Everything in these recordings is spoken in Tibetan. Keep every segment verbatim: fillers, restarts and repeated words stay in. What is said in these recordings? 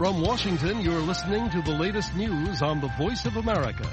From Washington, you're listening to the latest news on the Voice of America.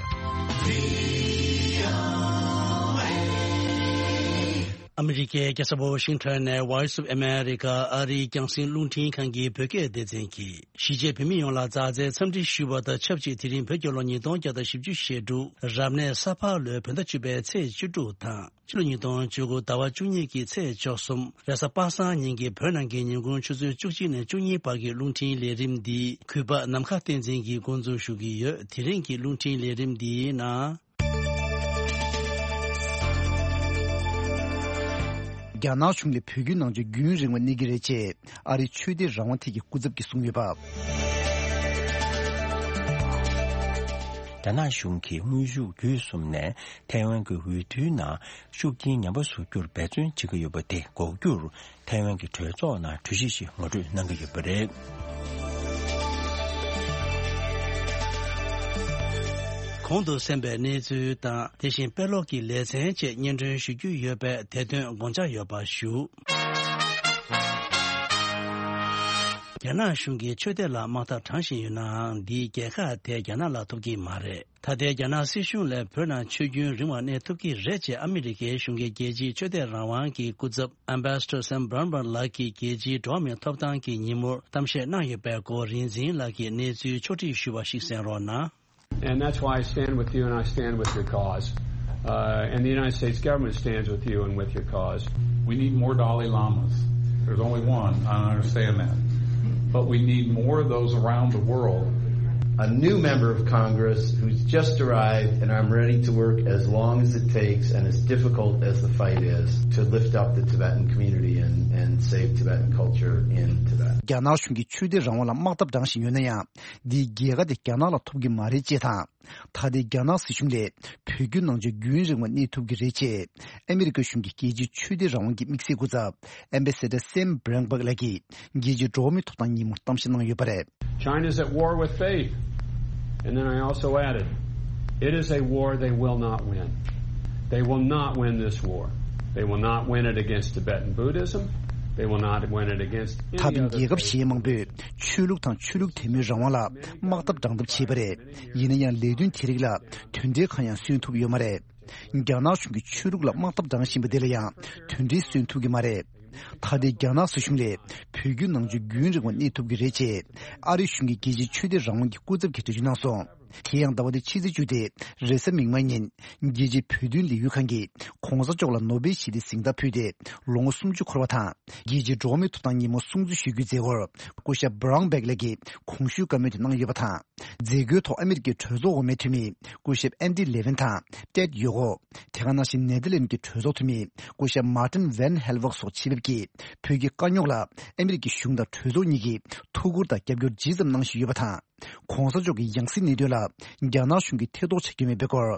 ཨ་མི་རི་ཀའི་རྒྱལ་ས་ཝོ་ཤིང་ཊོན་ནས་Voice of America ཨ་རིའི་རྒྱང་སྲིང་རླུང་འཕྲིན་ཁང་གི་བོད་སྐད་སྡེ་ཚན་གྱིས། གཞིས་བྱེས་བོད་མི་ཡོངས་ལ་མཛའ་བརྩེའི་འཚམས་འདྲི་ཞུ་བ་དང་ཆབས་ཅིག་དེ་རིང་བོད་རྒྱལ་ལོ་ཉིས་སྟོང་བརྒྱ་དང་བཞི་བཅུ་ཞེ་དྲུག་རབ་གནས་ས་ཕག་ལོའི་བོད་ཟླ་བཅུ་པའི་ཚེས་བཅུ་དྲུག་དང་། ཕྱི་ལོ་ཉིས་སྟོང་བཅུ་དགུ་ཟླ་བ་བཅུ་གཉིས་ཀྱི་ཚེས་བཅུ་གསུམ་རེས་གཟའ་པ་སངས་ཉིན་གྱི་བོད་ནང་གི་ཉིན་གུང་ཆུ་ཚོད་བཅུ་གཅིག་ནས་བཅུ་གཉིས་བར་གྱི་རླུང་འཕྲིན་ལས་རིམ་འདི་གུས་པ་ནམ་མཁའ་བསྟན་འཛིན་གྱིས་འགོ་འཛུགས་ཞུ་གི་ཡོད། དེ་རིང་གི་རླུང་འཕྲིན་ལས་རིམ་འདིའི་ནང་། རྒྱ་ནག་གཞུང་ལ་བོད་བརྒྱུད་ནང་ཆོས་རྒྱུན་རིང་བ་གནས་ཀྱི་རེད་ཅེས་ཨ་རིའི་ཆོས་དད་རང་དབང་ཐད་ཀྱི་སྐུ་ཚབ་ཀྱིས་གསུངས་ཡོད་པ། རྒྱ་ནག་གཞུང་གིས་དངོས་ཤུགས་བརྒྱུད་གསུམ་ནས་ཐའེ་ཝན་གྱི་འོས་བསྡུའི་ནང་ཤུགས་རྐྱེན་ངན་པ་བཟོ་རྒྱུར་འབད་བརྩོན་བྱེད་ཀྱི་ཡོད་པ་དེ་འགོག་རྒྱུར་ཐའེ་ཝན་གྱི་གྲོས་ཚོགས་ནང་གྲོས་གཞི་ཞིག་ངོ་སྤྲོད་གནང་གི་ཡོད་པ་རེད། གོང་དུ་གསན་པའི་གནས་ཚུལ་དང་། དེ་བཞིན་དཔེ་ཀློག་གི་ལེ་ཚན་བཅས་སྙན་སྒྲོན་ཞུ་རྒྱུ་ཡོད་པས། དེ་དོན་དགོངས་འཇགས་ཡོད་པ་ཞུ། རྒྱ་ནག་གཞུང་གིས་ཆོས་དད་ལ་དམག་འཐབ་དྲངས་བཞིན་ཡོད་ནའང་། འདིས་རྒྱལ་ཁ་དེ་རྒྱ་ནག་ལ་ཐོབ་ཀྱི་མ་རེད། ད་ལྟའི་རྒྱ་ནག་སྲིད་གཞུང་ལ་བོད་ནང་ཆོས་རྒྱུན་རིང་བ་གནས་ཐུབ་ཀྱི་རེད་ཅེས་ཨ་མི་རི་ཀའི་གཞུང་གི་རྒྱལ་སྤྱིའི་ཆོས་དད་རང་དབང་གི་སྐུ་ཚབ་Ambassador Sam Brownback ལགས་ཀྱིས་རྒྱལ་སྤྱིའི་འགྲོ་བ་མིའི་ཐོབ་ཐང་གི་ཉིན་མོར་གཏམ་བཤད་གནང་ཡོད་པའི་སྐོར་རིག་འཛིན་ལགས་ཀྱིས་གནས་ཚུལ་ཕྱོགས་སྒྲིག་ཞུས་པ་ཞིག་གསན་རོགས་གནང་། And that's why I stand with you and I stand with your cause. Uh, and the United States government stands with you and with your cause. We need more Dalai Lamas. There's only one, I understand that. But we need more of those around the world. A new member of Congress who's just arrived, and I'm ready to work as long as it takes and as difficult as the fight is to lift up the Tibetan community and, and save Tibetan culture in Tibet. རྒྱ་ནག་གཞུང་གིས་ཆོས་དད་རང་དབང་ལ་དམག་འཐབ་དྲངས་བཞིན་ཡོད་ན་ཡང་། འདིའི་རྒྱལ་ཁ་དེ་རྒྱ་ནག་ལ་ཐོབ་ཀྱི་མ་རེད་ཅེས་དང་། ད་ལྟའི་རྒྱ་ནག་སྲིད་གཞུང་ལས་བོད་བརྒྱུད་ནང་ཆོས་རྒྱུན་རིང་བ་གནས་ཐུབ་ཀྱི་རེད་ཅེས་ཨ་མི་རི་ཀ་གཞུང་གི་རྒྱལ་སྤྱིའི་ཆོས་དད་རང་དབང་གི་དམིགས་བསལ་སྐུ་ཚབ་Ambassador Sam Brownback ལགས་ཀྱིས་རྒྱལ་སྤྱིའི་འགྲོ་བ་མིའི་ཐོབ་ཐང་ཉིན་མོར་གཏམ་བཤད་གནང་ཡོད་པ་རེད། China is at war with faith. And then I also added, it is a war they will not win. They will not win this war. They will not win it against Tibetan Buddhism. They will not win it against any other faith. ད་དུང་རྒྱལ་ཁབ་གཞན་མང་པོས་ཆོས་ལུགས་དང་ཆོས་ལུགས་དད་མོས་རང་དབང་ལ་དམག་འཐབ་དྲང་འཐབ་བྱས་པ་རེད། ཡིན་ན་ཡང་ལས་དོན་དེ་རིགས་ལ་དོན་འབྲས་གང་ཡང་སོན་ཐུབ་ཡོད་མ་རེད། རྒྱ་ནག་གཞུང་གིས་ཆོས་ལུགས་ལ་དམག་འཐབ་དྲངས་བཞིན་པ་འདི་ལ་ཡང་དོན་འབྲས་སོན་ཐུབ་ཀྱི་མ་རེད། ད་ལྟའི་རྒྱ་ནག་སྲིད་གཞུང་ལས་བོད་བརྒྱུད་ནང་ཆོས་རྒྱུན་རིང་བ་གནས་ཐུབ་ཀྱི་རེད་ཅེས་ཨ་རི་གཞུང་གི་རྒྱལ་སྤྱིའི་ཆོས་དད་རང་དབང་གི་སྐུ་ཚབ་ཀྱིས་འགྲེལ་བརྗོད་གནང་སོང་། དེ་ཡང་ཟླ་བ་འདིའི་ཕྱི་ཚེས་བཅུ་སྟེ་རེས་གཟའ་མིག་དམར་ཉིན་རྒྱལ་སྤྱིའི་བོད་དོན་ལས་འགུལ་ཁང་གིས་གོང་ས་མཆོག་ལ་ནོ་སྦེལ་ཞི་བདེའི་གཟེངས་རྟགས་ཕུལ་ཏེ་ལོ་ངོ་སུམ་ཅུ་འཁོར་བ་དང་། རྒྱལ་སྤྱིའི་འགྲོ་བ་མིའི་ཐོབ་ཐང་ཉིན་མོ་སྲུང་བརྩི་ཞུ་རྒྱུའི་མཛད་སྒོར་སྐུ་ཞབས་Brownback ལགས་ཀྱིས་གོང་ཞུས་བཀའ་མོལ་དེ་གནང་ཡོད་པ་དང་། མཛད་སྒོའི་ཐོག་ཨ་མི་རི་ཀའི་གྲོས་ཚོགས་འོག་མའི་འཐུས་མི་སྐུ་ཞབས་Andy Levin དང་Ted Yoho། དེ་ག་ནང་བཞིན་ནེ་དར་ལེན་གྱི་གྲོས་ཚོགས་འཐུས་མི་སྐུ་ཞབས་Martin van Helveg སོགས་ཆེད་ཕེབས་ཀྱིས་བོད་ཀྱི་དཀའ་རྙོག་ལ་ཨ་མི་རི་ཀའི་གཞུང་དང་གྲོས་ཚོགས་གཉིས་ཀྱིས་ཐུགས་ཁུར་དང་རྒྱབ་སྐྱོར་ཇི་ཙམ་གནང་བཞིན་ཡོད་པ་དང་། གོང་ས་མཆོག་གི་ཡང་སྲིད་གནད་དོན་ལ་རྒྱ་ནག་གཞུང་གིས་ཐེ་གཏོགས་བྱ་རྒྱུ་མེད་པའི་སྐོར།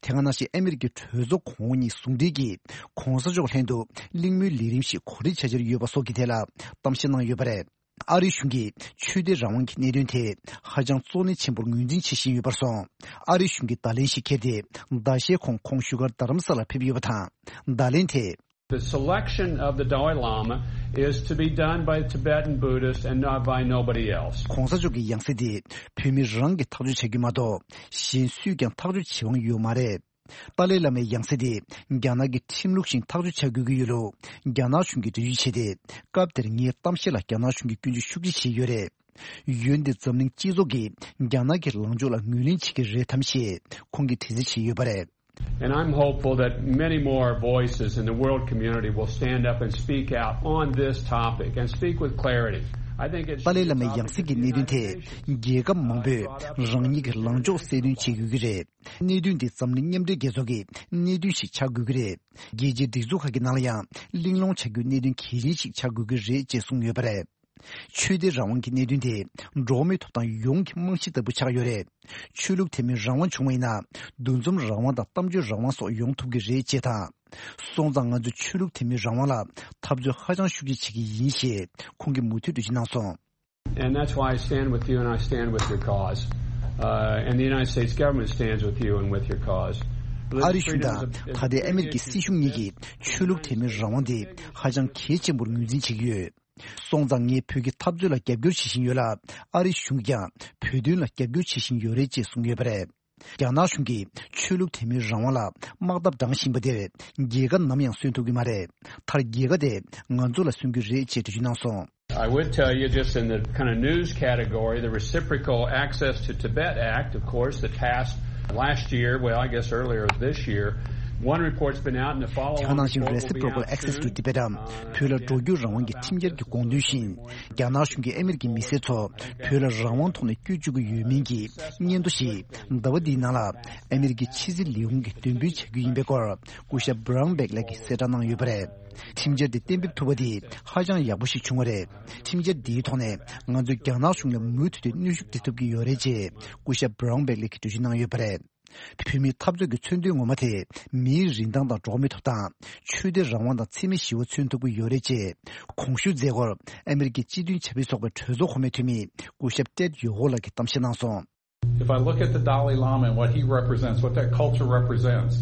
དེ་ག་ནང་བཞིན་ཨ་མི་རི་ཀའི་གྲོས་ཚོགས་གོང་འོག་གཉིས་ཟུང་འབྲེལ་གྱིས་གོང་ས་མཆོག་ལྷན་དུ་གླེང་མོལ་ལས་རིམ་ཞིག་གོ་སྒྲིག་བྱ་འཆར་ཡོད་པ་སོགས་ཀྱི་ཐད་ལ་གཏམ་བཤད་གནང་ཡོད་པ་རེད། ཨ་རི་གཞུང་གིས་ཆོས་དད་རང་དབང་གི་གནད་དོན་དེ་ཧ་ཅང་གཙོ་གནད་ཆེན་པོར་ངོས་འཛིན་བྱེད་བཞིན་ཡོད་པར་སོང་། ཨ་རི་གཞུང་གིས་བརྡ་ལན་ཞིག་འཁྱེར་ཏེ་ཟླ་ཤས་གོང་ཁོང་བཞུགས་སྒར་རྡ་རམ་ས་ལར་ཕེབས་ཡོད་པ་དང་། བརྡ་ལན་དེ། The selection of the Dalai Lama is to be done by Tibetan Buddhists and not by nobody else. གོང་ས་མཆོག་གི་ཡང་སྲིད་དེ་བོད་མི་རང་གིས་ཐག་གཅོད་བྱ་རྒྱུ་མ་གཏོགས་གཞན་སུས་ཀྱང་ཐག་གཅོད་བྱེད་དབང་ཡོད་མ་རེད། ཏཱ་ལའི་བླ་མའི་ཡང་སྲིད་དེ་རྒྱ་ནག་གི་ཁྲིམས་ལུགས་བཞིན་ཐག་གཅོད་བྱ་དགོས་ཀྱི་ཡོད་ལུགས་རྒྱ་ནག་གཞུང་གིས་འགྲེལ་བརྗོད་བྱས་ཏེ། སྐབས་དེར་ངའི་གཏམ་བཤད་ལ་རྒྱ་ནག་གཞུང་གིས་སྐྱོན་བརྗོད་ཤུགས་ཆེ་བྱས་ཡོད་རེད། འོན་ཏེ་འཛམ་གླིང་སྤྱི་ཚོགས་ཀྱིས་རྒྱ་ནག་གི་ལངས་ཕྱོགས་ལ་ངོས་ལེན་བྱེད་ཀྱི་རེད་དམ་ཞེས་ཁོང་གིས་དྲི་རྩད་བྱས་ཡོད་པ་རེད། And I'm hopeful that many more voices in the world community will stand up and speak out on this topic and speak with clarity. I think it should be a topic of unity. ཏཱ་ལའི་བླ་མའི་ཡང་སྲིད་ཀྱི་གནད་དོན་དེ་རྒྱལ་ཁབ་མང་པོས་རང་ཉིད་ཀྱི་ལངས་ཕྱོགས་གསལ་སྟོན་བྱེད་དགོས་ཀྱི་རེད། གནད་དོན་འདི་འཛམ་གླིང་མཉམ་འབྲེལ་རྒྱལ་ཚོགས་ཀྱི་གནད་དོན་ཞིག་ཆགས་དགོས་ཀྱི་རེད། རྒྱལ་སྤྱིའི་སྒྲིག་འཛུགས་ཁག་གི་ནང་ལ་ཡང་གླེང་སློང་བྱ་རྒྱུའི་གནད་དོན་གལ་ཆེན་ཞིག་ཆགས་དགོས་ཀྱི་རེད་ཅེས་གསུངས་ཡོད་པ་རེད། ཆོས་དད་རང་དབང་གི་གནད་དོན་དེ་འགྲོ་བ་མིའི་ཐོབ་ཐང་ཡོངས་ཀྱི་རྨང་གཞི་ལྟ་བུ་ཆགས་ཡོད་རེད། ཆོས་ལུགས་དད་མོས་རང་དབང་བྱུང་བ་ཡིན་ན། འདུ་འཛོམས་རང་དབང་དང་གཏམ་བརྗོད་རང་དབང་སོགས་ཡོང་ཐུབ་ཀྱི་རེད་ཅེས་དང་། སོང་ཙང་ང་ཚོས་ཆོས་ལུགས་དད་མོས་རང་དབང་ལ་འཐབ་རྩོད་ཧ་ཅང་ཤུགས་ཆེ་བྱེད་ཀྱི་ཡིན་ཞེས་ཁོང་གིས་མུ་མཐུད་འགྲེལ་བརྗོད་གནང་སོང་། And that's why I stand with you and I stand with your cause. Uh, and the United States government stands with you and with your cause. ཨ་རི་གཞུང་དང་ད་ལྟའི་ཨ་མི་རི་ཀའི་སྲིད་གཞུང་གཉིས་ཀྱིས་ཆོས་ལུགས་དད་མོས་རང་དབང་དེ་ཧ་ཅང་གལ་ཆེན་པོར་ངོས་འཛིན་བྱེད་ཀྱི་ཡོད། སོང་ཙང་ངས་བོད་ཀྱི་འཐབ་རྩོད་ལ་རྒྱབ་སྐྱོར་བྱེད་བཞིན་ཡོད་ལ། ཨ་རིའི་གཞུང་གིས་ཀྱང་བོད་དོན་ལ་རྒྱབ་སྐྱོར་བྱེད་བཞིན་ཡོད་རེད་ཅེས་གསུངས་ཡོད་པ་རེད། རྒྱ་ནག་གཞུང་གིས་ཆོས་ལུགས་དད་མོས་རང་དབང་ལ་དམག་འཐབ་བགྲང་བཞིན་པ་དེར་རྒྱལ་ཁ་ནམ་ཡང་སོན་ཐུབ་ཀྱི་མ་རེད། མཐར་རྒྱལ་ཁ་དེ་ང་ཚོ་ལ་སོན་གྱི་རེད་ཅེས་འགྲེལ་བརྗོད་གནང་སོང་། I would tell you, just in the kind of news category, the reciprocal access to Tibet Act, of course, that passed last year, well, I guess earlier this year. One report's been out, and the following report will be out soon. དེ་ག་ནང་བཞིན་Reciprocal Access to Tibet་འམ་བོད་ལ་འགྲོ་སྐྱོད་རང་དབང་གི་ཁྲིམས་འཆར་གྱི་དགོངས་དོན་བཞིན། རྒྱ་ནག་གཞུང་གིས་ཨ་མི་རི་ཀའི་མི་སེར་ཚོ་བོད་ལ་རང་དབང་ཐོག་ནས་བསྐྱོད་བཅུག་གི་ཡོད་མིན་གྱི་སྙན་ཐོ་ཞིག་ཟླ་བ་འདིའི་ནང་ལ་ཨ་མི་རི་ཀའི་ཕྱི་སྲིད་ལས་ཁུངས་ཀྱིས་འདོན་སྤེལ་བྱ་རྒྱུ་ཡིན་པའི་སྐོར་སྐུ་ཞབས་Brownback་ལགས་ཀྱིས་གསལ་བསྒྲགས་གནང་ཡོད་པ་རེད། ཁྲིམས་འཆར་དེ་གཏན་འབེབས་ཐུབ་པ་དེ་ཧ་ཅང་ཡག་པོ་ཞིག་བྱུང་བ་རེད། ཁྲིམས་འཆར་འདིའི་ཐོག་ནས་ང་ཚོས་རྒྱ་ནག་གཞུང་ལ་མུ་མཐུད་དེ་གནོན་ཤུགས་སྤྲད་ཐུབ་ཀྱི་ཡོད་རེད་ཅེས་སྐུ་ཞབས་Brownback་ལགས་ཀྱིས་འགྲེལ་བརྗོད་གནང་ཡོད་པ་རེད། བོད་མིའི་འཐབ་རྩོད་ཀྱི་མཚོན་དོན་ངོ་མ་དེ་མིའི་རིན་ཐང་དང་འགྲོ་བ་མིའི་ཐོབ་ཐང་། ཆོས་དད་རང་དབང་དང་འཚེ་མེད་ཞི་བ་མཚོན་ཐུབ་ཀྱི་ཡོད་རེད་ཅེས་གོང་ཞུས་མཛད་སྒོར་ཨ་མི་རི་ཀའི་སྤྱི་མཐུན་ཆབ་སྲིད་ཚོགས་པའི་གྲོས་ཚོགས་གོང་མའི་འཐུས་མི་སྐུ་ཞབས་Ted Yoho་ལགས་ཀྱིས་གཏམ་བཤད་གནང་སོང་། If I look at the Dalai Lama and what he represents, what that culture represents,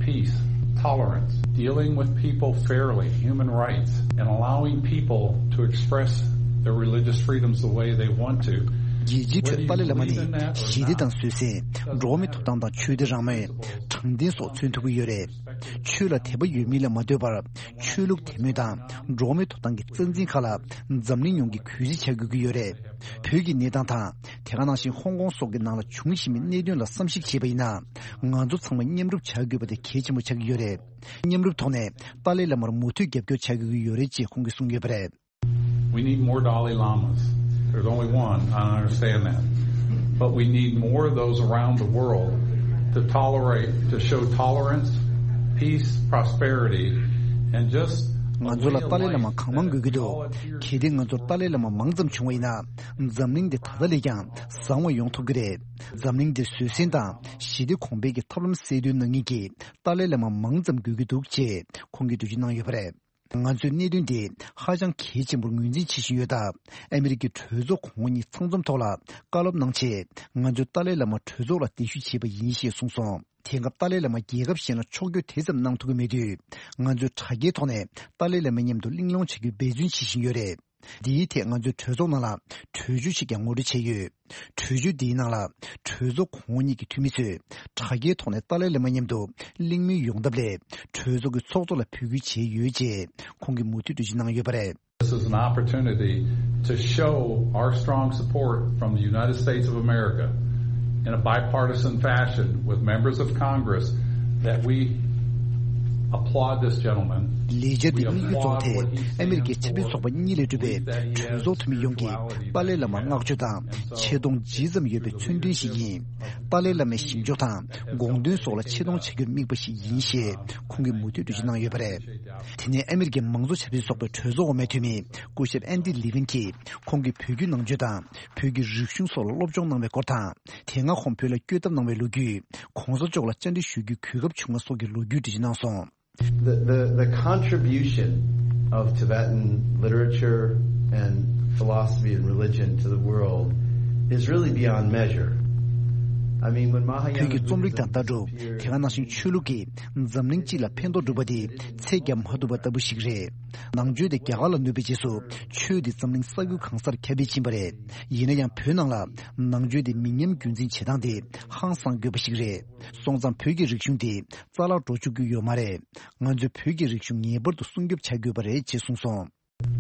peace, tolerance, dealing with people fairly, human rights, and allowing people to express their religious freedoms the way they want to. རྒྱལ་སྤྱིའི་ཁྲོད་ཏཱ་ལའི་བླ་མ་ནི་ཞི་བདེ་དང་བཟོད་བསྲན། འགྲོ་བ་མིའི་ཐོབ་ཐང་དང་ཆོས་དད་རང་མོས། དྲང་བདེན་སོགས་མཚོན་ཐུབ་ཀྱི་ཡོད་རེད། ཆོས་ལ་དད་པ་ཡོད་མིན་ལ་མ་ལྟོས་པར་ཆོས་ལུགས་དད་མོས་དང་འགྲོ་བ་མིའི་ཐོབ་ཐང་གི་རྩ་འཛིན་ཁག་ལ་འཛམ་གླིང་ཡོངས་ཀྱིས་གུས་བརྩི་བྱ་དགོས་ཀྱི་ཡོད་རེད། བོད་ཀྱི་གནས་སྟངས་དང་དེ་ག་ནང་བཞིན་ཧོང་ཀོང་སོགས་ཀྱི་ནང་ལ་འབྱུང་བཞིན་པའི་གནད་དོན་ལ་བསམ་གཞིག་བྱས་པ་ཡིན་ན། ང་ཚོ་ཚང་མ་མཉམ་རུབ་བྱ་དགོས་པ་དེ་གལ་ཆེན་པོ་ཆགས་ཀྱི་ཡོད་རེད། མཉམ་རུབ་ཐོག་ནས་ཏཱ་ལའི་བླ་མར་མུ་མཐུད་རྒྱབ་སྐྱོར་བྱ་དགོས་ཀྱི་ཡོད་རེད་ཅེས་ཁོང་གིས་གསུངས་ཡོད་པ་རེད། We need more Dalai Lamas. There's only one. I understand that. But we need more of those around the world to tolerate, to show tolerance, peace, prosperity, and just ང་ཚོ་ལ་ཏཱ་ལའི་བླ་མ་གང་མང་དགོས་ཀྱི་འདུག་གལ་ཏེ་ང་ཚོར་ཏཱ་ལའི་བླ་མ་མང་ཙམ་བྱུང་བ་ཡིན་ན། འཛམ་གླིང་འདི་ད་ལྟ་ལས་ཀྱང་བཟང་བ་ཡོང་ཐུབ་ཀྱི་རེད། འཛམ་གླིང་འདིར་བཟོད་བསྲན་དང་ཞི་བདེ་གོང་འཕེལ་གྱི་ཐབས་ལམ་གསལ་སྟོན་གནང་མཁན་གྱི་ཏཱ་ལའི་བླ་མ་མང་ཙམ་དགོས་ཀྱི་འདུག་ཅེས་ཁོང་གིས་འགྲེལ་བརྗོད་གནང་ཡོད་པ་རེད། ང་ཚོས་གནད་དོན་འདི་ཧ་ཅང་གལ་ཆེན་པོར་ངོས་འཛིན་བྱེད་བཞིན་ཡོད་སྟབས། ཨ་མི་རི་ཀའི་གྲོས་ཚོགས་གོང་འོག་གཉིས་ཚང་འཛོམས་ཐོག་ལ་བཀའ་སློབ་གནང་ཆེད། ང་ཚོས་ཏཱ་ལའི་བླ་མ་གྲོས་ཚོགས་ལ་གདན་ཞུ་བྱས་པ་ཡིན་ཞེས་གསུངས་སོང་། དེང་སྐབས་ཏཱ་ལའི་བླ་མ་རྒྱལ་ཁབ་གཞན་ལ་ཕྱོགས་བསྐྱོད་དེ་ཙམ་གནང་ཐུབ་ཀྱི་མེད་དུས། ང་ཚོས་དྲ་རྒྱའི་ཐོག་ནས་ཏཱ་ལའི་བླ་མའི་མཉམ་དུ་གླེང་སློང་བྱ་རྒྱུའི་འབད་བརྩོན་བྱེད་བཞིན་ཡོད་རེད། འདིའི་ཐད་ང་ཚོས་གྲོས་ཚོགས་ནང་ལ་གྲོས་ཆོད་ཞིག་ཀྱང་ངོ་སྤྲོད་བྱས་ཡོད། གྲོས་ཆོད་འདིའི་ནང་ལ་གྲོས་ཚོགས་གོང་འོག་གཉིས་ཀྱི་འཐུས་མི་ཚོས་དྲ་རྒྱའི་ཐོག་ནས་ཏཱ་ལའི་བླ་མ་མཉམ་དུ་གླེང་མོལ་ཡོང་ཐབས་སླད་གྲོས་ཚོགས་ཀྱི་ཚོགས་གཙོ་ལ་འབོད་སྐུལ་བྱས་ཡོད་ཅེས་ཁོང་གིས་མུ་མཐུད་འགྲེལ་བརྗོད་གནང་ཡོད་པ་རེད། This is an opportunity to show our strong support from the United States of America in a bipartisan fashion with members of Congress that we applaud this gentleman. ལས་འཆར་འདི་དམིགས་ཡུལ་གཙོ་བོ་དེ་ཨ་མི་རི་ཀའི་ཆབ་སྲིད་ཚོགས་པ་གཉིས་ལས་གྲུབ་པའི་གྲོས་ཚོགས་འཐུས་མི་ཡོངས་ཀྱིས་ཏཱ་ལའི་བླ་མར་བསྔགས་བརྗོད་དང་ཆེ་མཐོང་ཇི་ཙམ་ཡོད་པའི་མཚོན་དོན་ཞིག་ཡིན། ཏཱ་ལའི་བླ་མའི་བཞེངས་ཕྱོགས་དང་དགོངས་དོན་སོགས་ལ་ཆེ་མཐོང་བྱ་རྒྱུར་དམིགས་པ་ཞིག་ཡིན་ཞེས་ཁོང་གིས་མུ་མཐུད་འགྲེལ་བརྗོད་གནང་ཡོད་པ་རེད། དེ་ནས་ཨ་མི་རི་ཀའི་མང་གཙོ་ཆབ་སྲིད་ཚོགས་པའི་གྲོས་ཚོགས་འོག་མའི་འཐུས་མི་སྐུ་ཞབས་ཨན་ཌི་ལི་ཝིན་གྱིས་ཁོང་གིས་བོད་བརྒྱུད་ནང་ཆོས་དང་བོད་ཀྱི་རིག་གཞུང་སོགས་ལ་སློབ་སྦྱོང་གནང་བའི་སྐོར་དང་། དེ་སྔ་ཁོང་བོད་ལ་བསྐྱོད་ཐབས་གནང་བའི་ལོ་རྒྱུས། ༸གོང་ས་མཆོག་ལ་བཅར་འདྲི་ཞུ་རྒྱུའི་གོ་སྐབས་བྱུང་བ་སོགས་ཀྱི་ལོ་རྒྱུས་འགྲེལ་བརྗོད་གནང་སོང་། The, the, the contribution of Tibetan literature and philosophy and religion to the world is really beyond measure. I mean, when Mahayana བོད་ཀྱི་རྩོམ་རིག་དང་ལྟ་གྲུབ། དེ་ག་ནང་བཞིན་ཆོས་ལུགས་ཀྱིས་འཛམ་གླིང་སྤྱི་ལ་ཕན་ཐོགས་གྲུབ་པ་དེ་ཚད་བརྒྱབ་མ་ཐུབ་པ་ལྟ་བུ་ཞིག་རེད། ནང་ཆོས་དེ་རྒྱ་གར་ལ་གནོད་པའི་རྗེས་སུ་ཆོས་དེ་འཛམ་གླིང་ས་ཁུལ་གང་སར་ཁྱབ་སྤེལ་ཕྱིན་པ་རེད། ཡིན་ན་ཡང་བོད་ནང་ལ་ནང་ཆོས་དེ་མི་ཉམས་རྒྱུན་འཛིན་བྱེད་སྟངས་དེ་ཧང་སང་དགོས་པ་ཞིག་རེད། སོང་ཙང་བོད་ཀྱི་རིག་གཞུང་དེ་རྩ་བརླག་འགྲོ་བཅུག་རྒྱུ་ཡོད་མ་རེད། ང་ཚོས་བོད་ཀྱི་རིག་གཞུང་ངེས་པར་དུ་སྲུང་སྐྱོབ་བྱ་དགོས་པ་རེད་ཅེས་གསུངས་སོང་།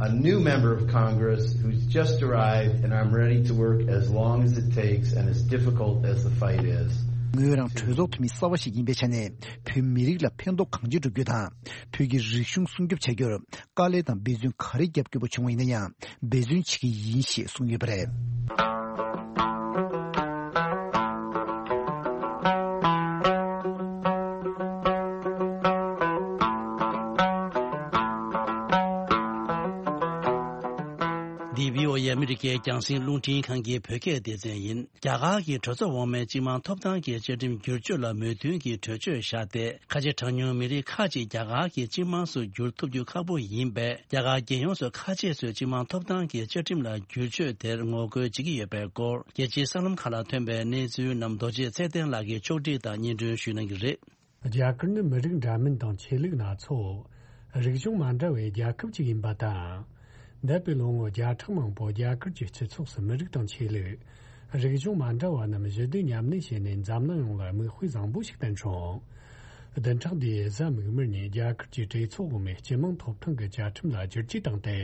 A new member of Congress who's just arrived, and I'm ready to work as long as it takes and as difficult as the fight is. ངོས་རང་གྲོས་ཚོགས་འཐུས་མི་གསར་བ་ཞིག་ཡིན་པའི་ཆ་ནས་བོད་མི་རིགས་ལ་ཕན་ཐོགས་གང་ཅི་སྒྲུབ་རྒྱུ་དང་། བོད་ཀྱི་རིག་གཞུང་སྲུང་སྐྱོབ་བྱ་རྒྱུར་དཀའ་ལས་དང་འབད་བརྩོན་ག་རེ་རྒྱབ་དགོས་པ་བྱུང་བ་ཡིན་ན་ཡང་འབད་བརྩོན་བྱེད་ཀྱི་ཡིན་ཞེས་གསུངས་ཡོད་པ་རེད། འདི་བྷི་ཨོ་ཨེ་ཨ་མི་རི་ཀའི་རྒྱང་སྲིང་རླུང་འཕྲིན་ཁང་གི་བོད་སྐད་སྡེ་ཚན་ཡིན། རྒྱ་གར་གྱི་གྲོས་ཚོགས་འོག་མའི་སྤྱི་དམངས་ཐོབ་ཐང་གི་བཅའ་ཁྲིམས་བསྒྱུར་བཅོས་ལ་མོས་མཐུན་གྱི་གྲོས་ཆོད་བཞག་སྟེ། ཁ་ཆེ་གྲངས་ཉུང་མི་རིགས་ཁག་ཅིག་རྒྱ་གར་གྱི་སྤྱི་དམངས་སུ་འགྱུར་ཐུབ་རྒྱུ་ཁག་པོ་ཡིན་པས། རྒྱ་གར་རྒྱལ་ཡོངས་སུ་ཁ་ཆེ་ཚོས་སྤྱི་དམངས་ཐོབ་ཐང་གི་བཅའ་ཁྲིམས་ལ་བསྒྱུར་བཅོས་དེར་ངོ་རྒོལ་བྱེད་ཀྱི་ཡོད་པའི་སྐོར། རྒྱལ་སྤྱིའི་གསར་ལམ་ཁག་ལ་ཐོན་པའི་གནས་ཚུལ་རྣམས་རྡོ་རྗེ་ཚེ་བརྟན་ལགས་ཀྱིས་ཕྱོགས་སྒྲིག་དང་སྙན་སྒྲོན་ཞུ་གནང་གི་རེད། རྒྱ་གར་ནི་མི་རིགས་འདྲ་མིན་དང་ཆོས་ལུགས་སྣ་ཚོགས། རིག་གཞུང་མ་འདྲ་བའི་རྒྱལ་ཁབ་ཅིག་ཡིན་པ་དང་། འདས་པའི་ལོ་ངོ་བརྒྱ་ཕྲག་མང་པོ་རྒྱ་གར་གྱི་སྤྱི་ཚོགས་སུ་མི་རིགས་དང་ཆོས་ལུགས། རིག་གཞུང་མ་འདྲ་བ་རྣམས་ཞི་བདེ་མཉམ་གནས་བྱས་ནས་འཛམ་གླིང་ཡོངས་ལ་མིག་དཔེ་བཟང་པོ་ཞིག་བསྟན་བྱུང་། བདུན་ཕྲག་འདིའི་གཟའ་མིག་དམར་ཉིན་རྒྱ་གར་གྱི་གྲོས་ཚོགས་འོག་མའི་སྤྱི་དམངས་ཐོབ་ཐང་གི་བཅའ་ཁྲིམས་ལ་བསྒྱུར་བཅོས་བཏང་སྟེ།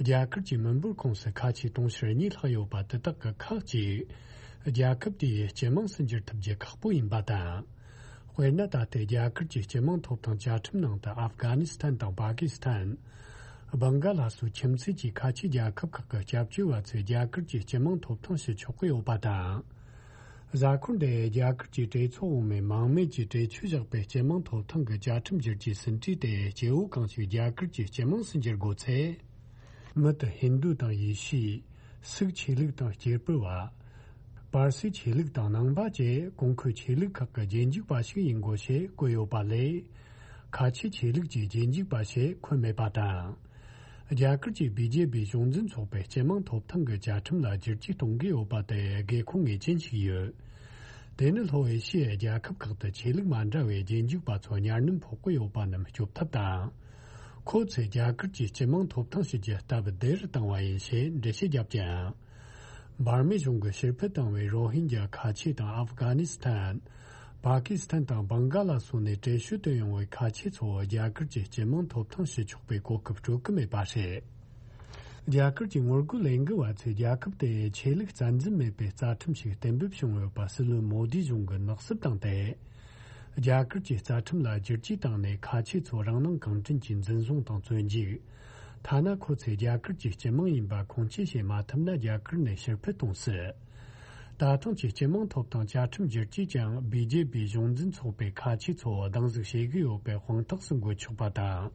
རྒྱ་གར་གྱི་མི་འབོར་ཁོངས་སུ་ཁ་ཆེ་དུང་ཕྱུར་གཉིས་ལྷག་ཡོད་པ་དེ་དག་གི་ཁག་ཅིག་རྒྱལ་ཁབ་དེའི་སྤྱི་དམངས་སུ་འགྱུར་ཐུབ་རྒྱུ་ཁག་པོ་ཡིན་པ་དང་། དཔེར་ན། ད་ལྟའི་རྒྱ་གར་གྱི་སྤྱི་དམངས་ཐོབ་ཐང་བཅའ་ཁྲིམས་ནང་དུ་ཨབ་གྷ་ནི་སི་ཐན་དང་པ་ཀི་སི་ཐན། བང་ག་ལ་སོགས་ཁྱིམ་མཚེས་ཀྱི་ཁ་ཆེ་རྒྱལ་ཁབ་ཁག་གི་སྐྱབས་བཅོལ་བ་ཚོས་རྒྱ་གར་གྱི་སྤྱི་དམངས་ཐོབ་ཐང་ཞུ་ཆོག་གི་ཡོད་པ་དང་། གཟའ་འཁོར་འདིའི་རྒྱ་གར་གྱི་གྲོས་ཚོགས་འོག་མས་མང་མོས་ཀྱིས་གྲོས་ཆོད་བཞག་པའི་སྤྱི་དམངས་ཐོབ་ཐང་གི་བཅའ་ཁྲིམས་བསྒྱུར་བཅོས་ཟིན་བྲིས་དེ་སྐྱེ་བོ་གང་ཞིག་རྒྱ་གར་གྱི་སྤྱི་དམངས་སུ་འགྱུར་དགོས་ཚེ། མི་དེ་ཧིན་རྡུ་དང་ཡེ་ཤུ། སིག་ཆོས་ལུགས་དང་སྐྱེ་འཕེལ་བ། པར་སིག་ཆོས་ལུགས་དང་ནང་པ་བཅས་གོང་འཁོད་ཆོས་ལུགས་ཁག་གི་རྗེས་འཇུག་པ་ཞིག་ཡིན་དགོས་ཞེས་བཀོད་ཡོད་པ་ལས། ཁ་ཆེ་ཆོས་ལུགས་ཀྱི་རྗེས་འཇུག་པ་ཞེས་འཁོད་མེད་པ་དང་། རྒྱ་གར་གྱི་བི་ཇེ་པི་གཞུང་འཛིན་ཚོགས་པའི་སྤྱི་དམངས་ཐོབ་ཐང་གི་བཅའ་ཁྲིམས་ལ་བསྒྱུར་བཅོས་གཏོང་གི་ཡོད་པ་དེ་དགོས་མཁོ་ངེས་ཅན་ཞིག་ཡོད། དེ་ནི་ལྷོ་ཨེ་ཤི་ཡའི་རྒྱལ་ཁབ་ཁག་ཏུ་ཆོས་ལུགས་མ་འདྲ་བའི་རྗེས་འཇུག་པ་ཚོ་གཉའ་གནོན་ཕོག་གི་ཡོད་པ་རྣམས་སྐྱོབ་ཐབས་དང་། ཁོ་ཚོས་རྒྱ་གར་གྱི་སྤྱི་དམངས་ཐོབ་ཐང་ཞུ་རྒྱུ་སྟབས་བདེ་རུ་བཏང་བ་ཡིན་ཞེས་འགྲེལ་བཤད་བརྒྱབ་ཀྱང་། འབར་མའི་གཞུང་གིས་ཕྱིར་འཕུད་བཏང་བའི་རོ་ཧིན་རྒྱ་ཁ་ཆེ་དང་ཨབ་གྷ་ནི་སི་ཐན། པ་ཀི་སི་ཐན་དང་བང་ག་ལ་སོགས་ནས་གྲོས་ཆོད་བཏོན་ཡོང་བའི་ཁ་ཆེ་ཚོ་རྒྱ་གར་གྱི་སྤྱི་དམངས་ཐོབ་ཐང་ཞུ་ཆོག་པའི་གོ་སྐབས་སྤྲོད་ཀྱི་མེད་པ་རེད། རྒྱ་གར་གྱི་ངོ་རྒོལ་ལས་འགུལ་བ་ཚོས་རྒྱལ་ཁབ་དེའི་ཆོས་ལུགས་རྩ་འཛིན་མེད་པའི་རྩ་ཁྲིམས་ཤིག་གཏན་འབེབས་བྱུང་ཡོད་པ་སྲིད་བློན་མོ་དི་གཞུང་གིས་ནག་བསུབ་བཏང་སྟེ། རྒྱ་གར་གྱི་རྩ་ཁྲིམས་ལ་བསྒྱུར་བཅོས་བཏང་ནས་ཁ་ཆེ་ཚོ་རང་སྣང་གང་དྲན་གྱིས་འཛིན་བཟུང་དང་བཙོན་འཇུག་ཐ་ན་ཁོ་ཚོས་རྒྱ་གར་གྱི་སྤྱི་དམངས་ཡིན་པ་ཁུངས་སྐྱེལ་བྱེད་མ་ཐུབ་ན་རྒྱ་གར་ནས་ཕྱིར་འཕུད་གཏོང་སྲིད། ད་ཐེངས་ཀྱི་སྤྱི་དམངས་ཐོབ་ཐང་བཅའ་ཁྲིམས་བསྒྱུར་བཅོས་ཀྱང་བི་ཇེ་པི་གཞུང་འཛིན་ཚོགས་པའི་ཁ་ཆེ་ཚོ་སྡང་ཟུག་བྱེད་ཀྱི་ཡོད་པའི་དཔང་རྟགས་སུ་འགོད་ཆོག་པ་དང་།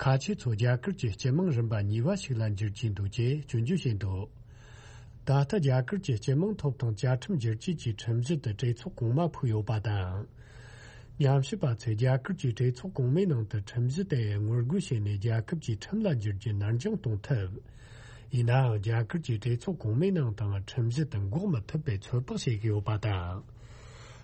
ཁ་ཆེ་ཚོ་རྒྱ་གར་གྱི་སྤྱི་དམངས་རིམ་པ་གཉིས་པ་ཞིག་ལ་འགྱུར་གྱི་འདུག་ཅེས་སྐྱོན་བརྗོད་བྱས་འདུག་ད་ལྟ་རྒྱ་གར་གྱི་སྤྱི་དམངས་ཐོབ་ཐང་བཅའ་ཁྲིམས་བསྒྱུར་བཅོས་ཀྱི་ཁྲིམས་གཞི་དེ་གྲོས་ཚོགས་གོང་མ་ཕུད་ཡོད་པ་དང་། ཉམས་ཞིབ་པ་ཚོས་རྒྱ་གར་གྱི་གྲོས་ཚོགས་གོང་མའི་ནང་དུ་ཁྲིམས་གཞི་དེ་ངོ་རྒོལ་བྱས་ནས་རྒྱལ་ཁབ་ཀྱི་ཁྲིམས་ལ་འགྱུར་རྒྱུ་ནར་འགྱངས་གཏོང་ཐུབ། ཡིན་ནའང་རྒྱ་གར་གྱི་གྲོས་ཚོགས་གོང་མའི་ནང་དང་ཁྲིམས་གཞི་དེ་འགོག་མི་ཐུབ་པའི་ཚོད་དཔག་བྱེད་ཀྱི་ཡོད་པ་དང་།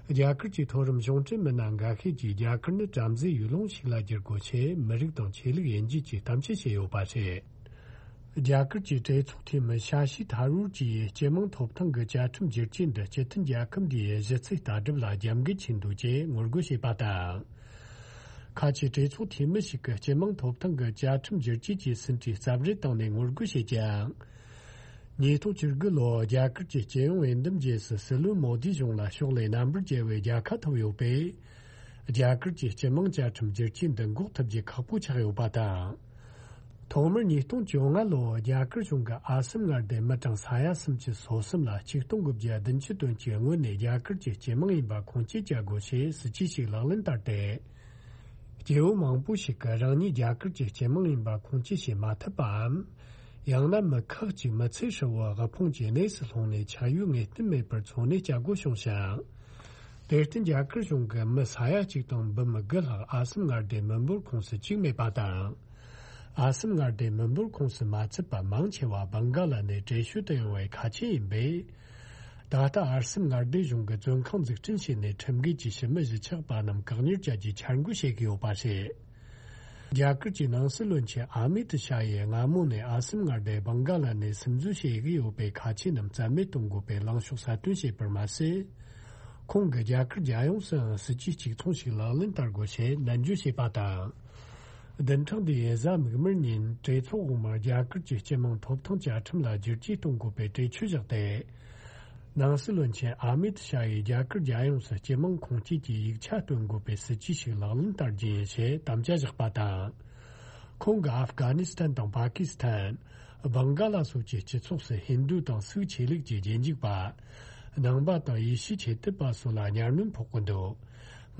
རྒྱ་གར་གྱི་མཐོ་རིམ་གཞུང་འབྲེལ་མི་སྣ་འགའ་ཤས་ཀྱིས་རྒྱ་གར་ནི་བྲམ་ཟེའི་ཡུལ་ལུང་ཞིག་ལ་བསྒྱུར་དགོས་ཞེས་མི་རིགས་དང་ཆོས་ལུགས་དབྱེ་འབྱེད་ཀྱི་གཏམ་བཤད་བྱས་ཡོད་པ་རེད། རྒྱ་གར་གྱི་གྲོས་ཚོགས་འཐུས་མི་ཤ་ཤི་ཐ་རུར་གྱིས་སྤྱི་དམངས་ཐོབ་ཐང་གི་བཅའ་ཁྲིམས་བསྒྱུར་བཅོས་འདི་སྤྱི་མཐུན་རྒྱལ་ཁབ་འདིའི་གཞི་རྩའི་ལྟ་གྲུབ་ལ་རྒྱབ་འགལ་ཆེན་འདུག་ཅེས་ངོ་རྒོལ་བྱས་པ་དང་། ཁ་ཆེ་གྲོས་ཚོགས་འཐུས་མི་ཞིག་གིས་སྤྱི་དམངས་ཐོབ་ཐང་གི་བཅའ་ཁྲིམས་བསྒྱུར་བཅོས་ཀྱི་ཟིན་བྲིས་རྩབ་རལ་བཏང་ནས་ངོ་རྒོལ་བྱས་ཀྱང་། ཉིས་སྟོང་བཅུ་དགུ་ལོར་རྒྱ་གར་གྱི་སྤྱི་ཡོངས་འོས་འདེམས་རྗེས་སུ་སྲིད་བློན་མོ་དི་གཞུང་ལ་ཕྱོགས་ལས་རྣམ་པར་རྒྱལ་བའི་རྒྱལ་ཁ་ཐོབ་ཡོད་པས། རྒྱ་གར་གྱི་སྤྱི་དམངས་བཅའ་ཁྲིམས་བསྒྱུར་བཅོས་འདི་འགོག་ཐུབ་རྒྱུ་ཁག་པོ་ཆགས་ཡོད་པ་དང་། ཐོག་མར་ཉིས་སྟོང་བཅོ་ལྔ་ལོར་རྒྱ་གར་གཞུང་གིས་ཨ་སམ་མངའ་སྡེའི་མི་གྲངས་ས་ཡ་སུམ་ཅུ་སོ་གསུམ་ལ་ཆིག་སྟོང་དགུ་བརྒྱ་བདུན་ཅུ་དོན་གཅིག་སྔོན་ནས་རྒྱ་གར་གྱི་སྤྱི་དམངས་ཡིན་པ་ཁུངས་སྐྱེལ་བྱ་དགོས་ཞེས་སྲིད་ཇུས་ཤིག་ལག་ལེན་བསྟར་ཏེ། སྐྱེ་བོ་མང་པོ་ཞིག་གིས་རང་ཉིད་རྒྱ་གར་གྱི་སྤྱི་དམངས་ཡིན་པ་ཁུངས་སྐྱེལ་བྱེད་མ་ཐུབ་པའམ། ཡང་ན་མི་ཁག་ཅིག་མི་ཚེ་ཧྲིལ་བོར་དབུལ་ཕོངས་ཀྱི་གནས་སུ་ལྷུང་ནས་ཆགས་ཡུལ་ངེས་གཏན་མེད་པར་འཚོ་གནས་བྱ་དགོས་བྱུང་ཞིང་། དེར་བརྟེན་རྒྱ་གར་གཞུང་གིས་མི་ས་ཡ་གཅིག་དང་འབུམ་དགུ་ལྷག་ཨ་སམ་མངའ་སྡེའི་མི་འབོར་ཁོངས་སུ་བཅུག་མེད་པ་དང་། ཨ་སམ་མངའ་སྡེའི་མི་འབོར་ཁོངས་སུ་མ་ཚུད་པ་མང་ཆེ་བ་བང་ག་ལ་ནས་གྲོས་ཆོད་དུ་ཡོང་བའི་ཁ་ཆེ་ཡིན་པས། ད་ལྟ་ཨ་སམ་མངའ་སྡེ་གཞུང་གིས་བཙོན་ཁང་འཛུགས་སྐྲུན་བྱས་ནས་ཁྲིམས་འགལ་གྱིས་ཞི་མི་གཞིས་ཆགས་པ་རྣམས་བཀག་ཉར་བྱ་རྒྱུའི་འཆར་འགོད་བྱེད་ཀྱི་ཡོད་པ་རེད། རྒྱ་གར་གྱི་ནང་སྲིད་བློན་ཆེན་ཨ་མི་ཏི་ཤཱ་ཡིས་སྔ་མོ་ནས་ཨ་སམ་མངའ་སྡེ་བང་ག་ལ་ནས་སིམ་འཛུལ་བྱེད་ཀྱི་ཡོད་པའི་ཁ་ཆེ་རྣམས་རྩ་མེད་གཏོང་དགོས་པའི་ལངས་ཕྱོགས་གསལ་སྟོན་བྱས་པར་མ་ཟད། ཁོང་གིས་རྒྱ་གར་རྒྱལ་ཡོངས་སུའང་སྲིད་ཇུས་གཅིག་མཚུངས་ཤིག་ལག་ལེན་བསྟར་དགོས་ཞེས་ནན་བརྗོད་བྱས་པ་དང་། བདུན་ཕྲག་འདིའི་གཟའ་མིག་དམར་ཉིན་གྲོས་ཚོགས་འོག་མར་རྒྱ་གར་གྱི་སྤྱི་དམངས་ཐོབ་ཐང་བཅའ་ཁྲིམས་ལ་བསྒྱུར་བཅོས་གཏོང་དགོས་པའི་གྲོས་ཆོད་བཞག་སྟེ། ནང་སྲིད་བློན་ཆེན་ཨ་མིད་ཤཱ་ཡིས་རྒྱ་གར་རྒྱལ་ཡོངས་སུ་སྤྱི་དམངས་ཁུངས་སྐྱེལ་གྱི་ཡིག་ཆ་སྟོན་དགོས་པའི་སྲིད་ཇུས་ཤིག་ལག་ལེན་བསྟར་རྒྱུ་ཡིན་ཞེས་དམ་བཅའ་བཞག་པ་དང་། ཁོང་གིས་ཨབ་གྷ་ནི་སི་ཐན་དང་པ་ཀི་སི་ཐན། བང་ག་ལ་སོགས་ཀྱི་སྤྱི་ཚོགས་སུ་ཧིན་རྡུ་དང་སིག་ཆོས་ལུགས་ཀྱི་རྗེས་འཇུག་པ། ནང་པ་དང་ཡེ་ཤུ་ཆོས་དད་པ་སོགས་ལ་གཉའ་གནོན་ཕོག་གི་འདུག་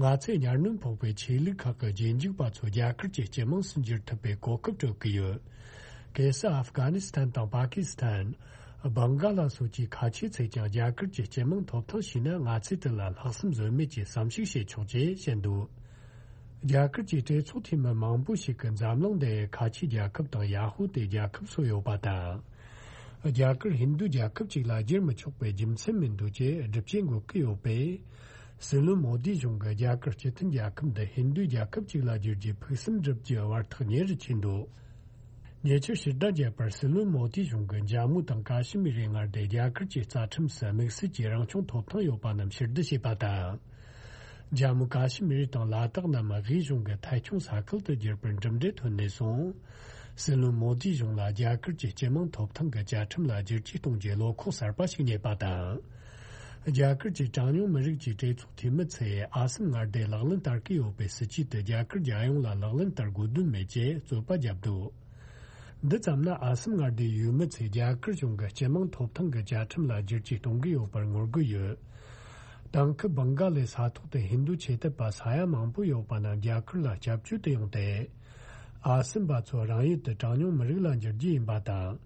ང་ཚོས་གཉའ་གནོན་ཕོག་པའི་ཆོས་ལུགས་ཁག་གི་རྗེས་འཇུག་པ་ཚོ་རྒྱ་གར་གྱི་སྤྱི་དམངས་སུ་འགྱུར་ཐུབ་པའི་གོ་སྐབས་སྤྲོད་ཀྱི་ཡོད། གལ་སྲིད་ཨབ་གྷ་ནི་སི་ཐན་དང་པ་ཀི་སི་ཐན། བང་ག་ལ་སོགས་ཀྱི་ཁ་ཆེ་ཚོས་ཀྱང་རྒྱ་གར་གྱི་སྤྱི་དམངས་ཐོབ་ཐང་ཞུས་ན། ང་ཚོས་དེ་ལ་ལྷག་བསམ་ཟོལ་མེད་ཀྱིས་བསམ་གཞིག་བྱེད་ཆོག་ཅེས་བཤད་འདུག་རྒྱ་གར་གྱི་གྲོས་ཚོགས་འཐུས་མི་མང་པོ་ཞིག་གིས་འཛམ་གླིང་འདིའི་ཁ་ཆེའི་རྒྱལ་ཁབ་དང་ཡ་ཧུ་དའི་རྒྱལ་ཁབ་སུ་ཡོད་པ་དང་། རྒྱ་གར་ཧིན་རྡུ་རྒྱལ་ཁབ་ཅིག་ལ་བསྒྱུར་མི་ཆོག་པའི་རྒྱུ་མཚན་མི་འདུག་ཅེས་སྒྲུབ་བྱེད་འགོད་ཀྱི་ཡོད་པས། སྲིད་བློན་མོ་དི་གཞུང་གིས་རྒྱ་གར་སྤྱི་མཐུན་རྒྱལ་ཁབ་འདི་ཧིན་རྡུའི་རྒྱལ་ཁབ་ཅིག་ལ་བསྒྱུར་རྒྱུའི་ཕུགས་བསམ་བསྒྲུབ་རྒྱུའི་བར་ཐག་ཉེ་རུ་ཕྱིན་འདུག་ཉེ་ཆར་ཕྱིར་བསྒྲགས་བརྒྱབ་པར། སྲིད་བློན་མོ་དིས་གཞུང་གིས་འཇར་མུ་དང་ཀ་ཤི་མིར་རི་མངའ་སྡེ་རྒྱ་གར་གྱི་རྩ་ཁྲིམས་སུ་དམིགས་བསལ་གྱི་རང་སྐྱོང་ཐོབ་ཐང་ཡོད་པ་རྣམས་ཕྱིར་བསྡུ་བྱས་པ་དང་། འཇར་མུ་ཀ་ཤི་མིར་དང་ལ་དྭགས་རྣམས་དབུས་གཞུང་གི་ཐད་སྐྱོང་ས་ཁུལ་དུ་གྱུར་པར་གྲུབ་འབྲས་ཐོན་ནས་བཟུང་། སྲིད་བློན་མོ་དིས་གཞུང་ལ་རྒྱ་གར་གྱི་སྤྱི་དམངས་ཐོབ་ཐང་གི་བཅའ་ཁྲིམས་ལ་བསྒྱུར་བཅོས་གཏོང་རྒྱུའི་བློ་ཁོག་གསར་པ་ཞིག་རྙེད་པ་དང་། རྒྱ་གར་གྱི་གྲངས་ཉུང་མི་རིགས་ཀྱི་གྲོས་ཚོགས་འཐུས་མི་ཚོས་ཨ་སམ་མངའ་སྡེ་ལག་ལེན་བསྟར་གྱི་ཡོད་པའི་སྲིད་ཇུས་དེ་རྒྱ་གར་རྒྱལ་ཡོངས་ལ་ལག་ལེན་བསྟར་དགོས་དོན་མེད་ཅེས་རྩོད་པ་བརྒྱབ་འདུག་འདི་ཙམ་ན། ཨ་སམ་མངའ་སྡེའི་ཡུལ་མི་ཚོས་རྒྱ་གར་གཞུང་གི་སྤྱི་དམངས་ཐོབ་ཐང་གི་བཅའ་ཁྲིམས་ལ་བསྒྱུར་བཅོས་གཏོང་གི་ཡོད་པར་ངོ་རྒོལ་ཡོད། དེང་སྐབས་བང་ག་ལའི་ས་ཐོག་ཏུ་ཧིན་རྡུ་ཆོས་དད་པ་ས་ཡ་མང་པོ་ཡོད་པ་རྣམས་རྒྱ་གར་ལ་སྐྱབས་བཅོལ་དུ་ཡོང་སྟེ། ཨ་སམ་པ་ཚོ་རང་ཡུལ་དུ་གྲངས་ཉུང་མི་རིགས་ལ་འགྱུར་རྒྱུ་ཡིན་པ་དང་།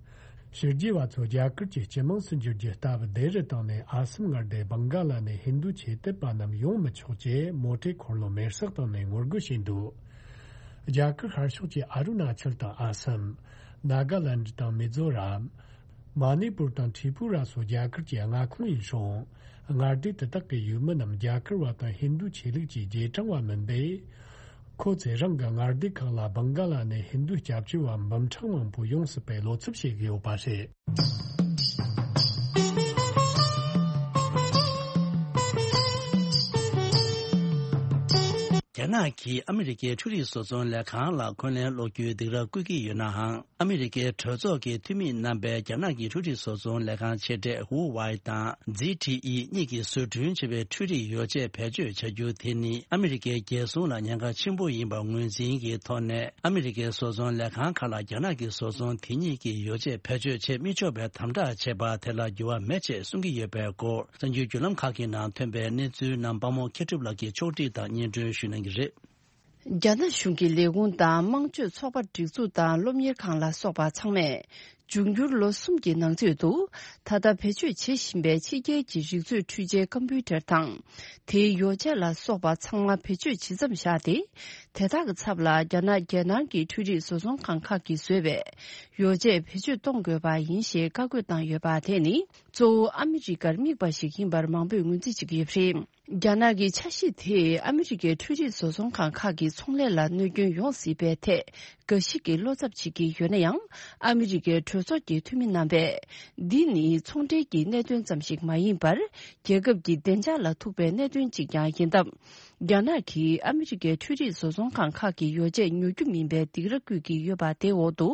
ཕྱི་རྒྱལ་བ་ཚོ་རྒྱ་གར་གྱི་སྤྱི་དམངས་སུ་འགྱུར་རྒྱུ་ལྟ་བུ་བསྡད་རུ་བཏང་ནས། ཨ་སམ་མངའ་སྡེ་བང་ག་ལ་ནས་ཧིན་རྡུ་ཆོས་དད་པ་རྣམས་ཡོང་མི་ཆོག་ཅེས་མོ་ཊའི་འཁོར་ལོ་མེར་སྲེག་བཏང་ནས་ངོ་རྒོལ་བྱས་འདུག་རྒྱ་གར་ཤར་ཕྱོགས་ཀྱི་ཨ་རུ་ན་ཅལ་དང་ཨ་སམ། ནཱ་ག་ལན་དང་མི་ཛོ་རམ། མ་ནི་པུར་དང་ཏྲི་པུ་ར་སོགས་རྒྱ་གར་གྱི་མངའ་ཁོངས་ཡིན་ཞིང་། མངའ་སྡེ་དེ་དག་གི་ཡུལ་མི་རྣམས་རྒྱ་གར་བ་དང་ཧིན་རྡུ་ཆོས་ལུགས་ཀྱི་རྗེས་འབྲང་བ་མིན་པས། ཁོ་ཚོས་རང་གི་མངའ་སྡེ་ཁག་ལ་བང་ག་ལ་ནས་ཧིན་རྡུ་སྐྱབས་བཅོལ་བ་འབུམ་ཕྲག་མང་པོ་ཡོང་སྲིད་པའི་བློ་འཚབ་བྱེད་ཀྱི་ཡོད་པ་རེད། རྒྱ་ནག་གིས་ཨ་མི་རི་ཀའི་འཕྲུལ་རིག་བཟོ་ཚོང་ལས་ཁང་ལ་འཁོན་ལན་སློག་རྒྱུའི་སྡིགས་ར་བསྐུལ་གྱི་ཡོད་ནའང་། ཨ་མི་རི་ཀའི་གྲོས་ཚོགས་ཀྱི་འཐུས་མི་རྣམ་པས་རྒྱ་ནག་གི་འཕྲུལ་རིག་བཟོ་ཚོང་ལས་ཁང་ཆེ་གྲས་ཧུ་ཝའེ་དང་ཛི་ཊི་ཨི་གཉིས་ཀྱིས་བཟོ་སྐྲུན་བྱས་པའི་འཕྲུལ་རིག་ཡོ་བྱད་བེད་སྤྱོད་བྱ་རྒྱུ་དེ་ནི་ཨ་མི་རི་ཀའི་རྒྱལ་སྲུང་ལ་ཉེན་ཁ་ཆེན་པོ་ཡིན་པར་ངོས་འཛིན་གྱི་ཐོག་ནས། ཨ་མི་རི་ཀའི་བཟོ་ཚོང་ལས་ཁང་ཁག་ལ་རྒྱ་ནག་གི་བཟོ་ཚོང་དེ་གཉིས་ཀྱི་ཡོ་བྱད་བེད་སྤྱོད་བྱེད་མི་ཆོག་པའི་དམ་དྲག་བྱས་པ་དེ་ལ་འགྱུར་བ་མེད་ཅེས་གསུང་གི་ཡོད་པའི་སྐོར། གསར་འགྱུར་བརྒྱུད་ལམ་ཁག་གི་ནང་ཐོན་པའི་གནས་ཚུལ་རྣམས་དཔའ་མོ་མཁས་གྲུབ་ལགས་ཀྱིས་ཕྱོགས་སྒྲིག་དང་སྙན་སྒྲོན་ཞུ་གནང་གི་རེད། རྒྱ་ནག་གཞུང་གི་ལས་ཁུངས་དང་དམངས་སྤྱོད་ཚོགས་པ་སྒྲིག་འཛུགས་དང་སློབ་གཉེར་ཁང་ལ་སོགས་པ་ཚང་མས། འབྱུང་འགྱུར་ལོ་གསུམ་གྱི་ནང་ཚུད་དུ། ད་ལྟ་བེད་སྤྱོད་བྱེད་བཞིན་པའི་ཕྱི་རྒྱལ་གྱི་རིག་མཛོད་འཕྲུལ་ཆས་ཀམ་པུའུ་ཊར་དང་། དེའི་ཡོ་བྱད་ལ་སོགས་པ་ཚང་མ་བེད་སྤྱོད་ཇི་ཙམ་བཞག་སྟེ། དེ་དག་གི་ཚབ་ལ་རྒྱ་ནག་རྒྱལ་ནང་གི་འཕྲུལ་རིག་བཟོ་ཚོང་ཁང་ཁག་གིས་བཟོས་པའི་ཡོ་བྱད་བེད་སྤྱོད་གཏོང་དགོས་པ་ཡིན་ཞེས་བཀའ་བཀོད་བཏང་ཡོད་པ་དེ་ནི། གཙོ་བོ་ཨ་མི་རི་ཀར་དམིགས་པ་ཞིག་ཡིན་པར་མང་པོས་ངོས་འཛིན་བྱེད་ཀྱི་ཡོད་པ་རེད། རྒྱ་ནག་གི་འཆར་གཞི་དེས་ཨ་མི་རི་ཀའི་འཕྲུལ་རིག་བཟོ་ཚོང་ཁང་ཁག་གི་ཚོང་ལས་ལ་གནོད་སྐྱོན་ཡོང་སྲིད་པའི་ཐད་འགའ་ཞིག་གིས་བློ་འཚབ་བྱེད་ཀྱི་ཡོད་ན་ཡང་། ཨ་མི་རི་ཀའི་གྲོས་ཚོགས་ཀྱི་འཐུས་མི་རྣམ་པས། འདི་ནི་ཚོང་འབྲེལ་གྱི་གནད་དོན་ཙམ་ཞིག་མ་ཡིན་པར། རྒྱལ་ཁབ་ཀྱི་བདེ་འཇགས་ལ་ཐུག་པའི་གནད་དོན་ཅིག་ཀྱང་ཡིན་སྟབས། རྒྱ་ནག་གིས་ཨ་མི་རི་ཀའི་འཕྲུལ་རིག་བཟོ་ཚོང་ཁང་ཁག་གི་ཡོ་བྱད་ཉོ་རྒྱུ་མིན་པའི་སྡིགས་ར་བསྐུལ་གྱི་ཡོད་པ་དེའི་འོག་ཏུ།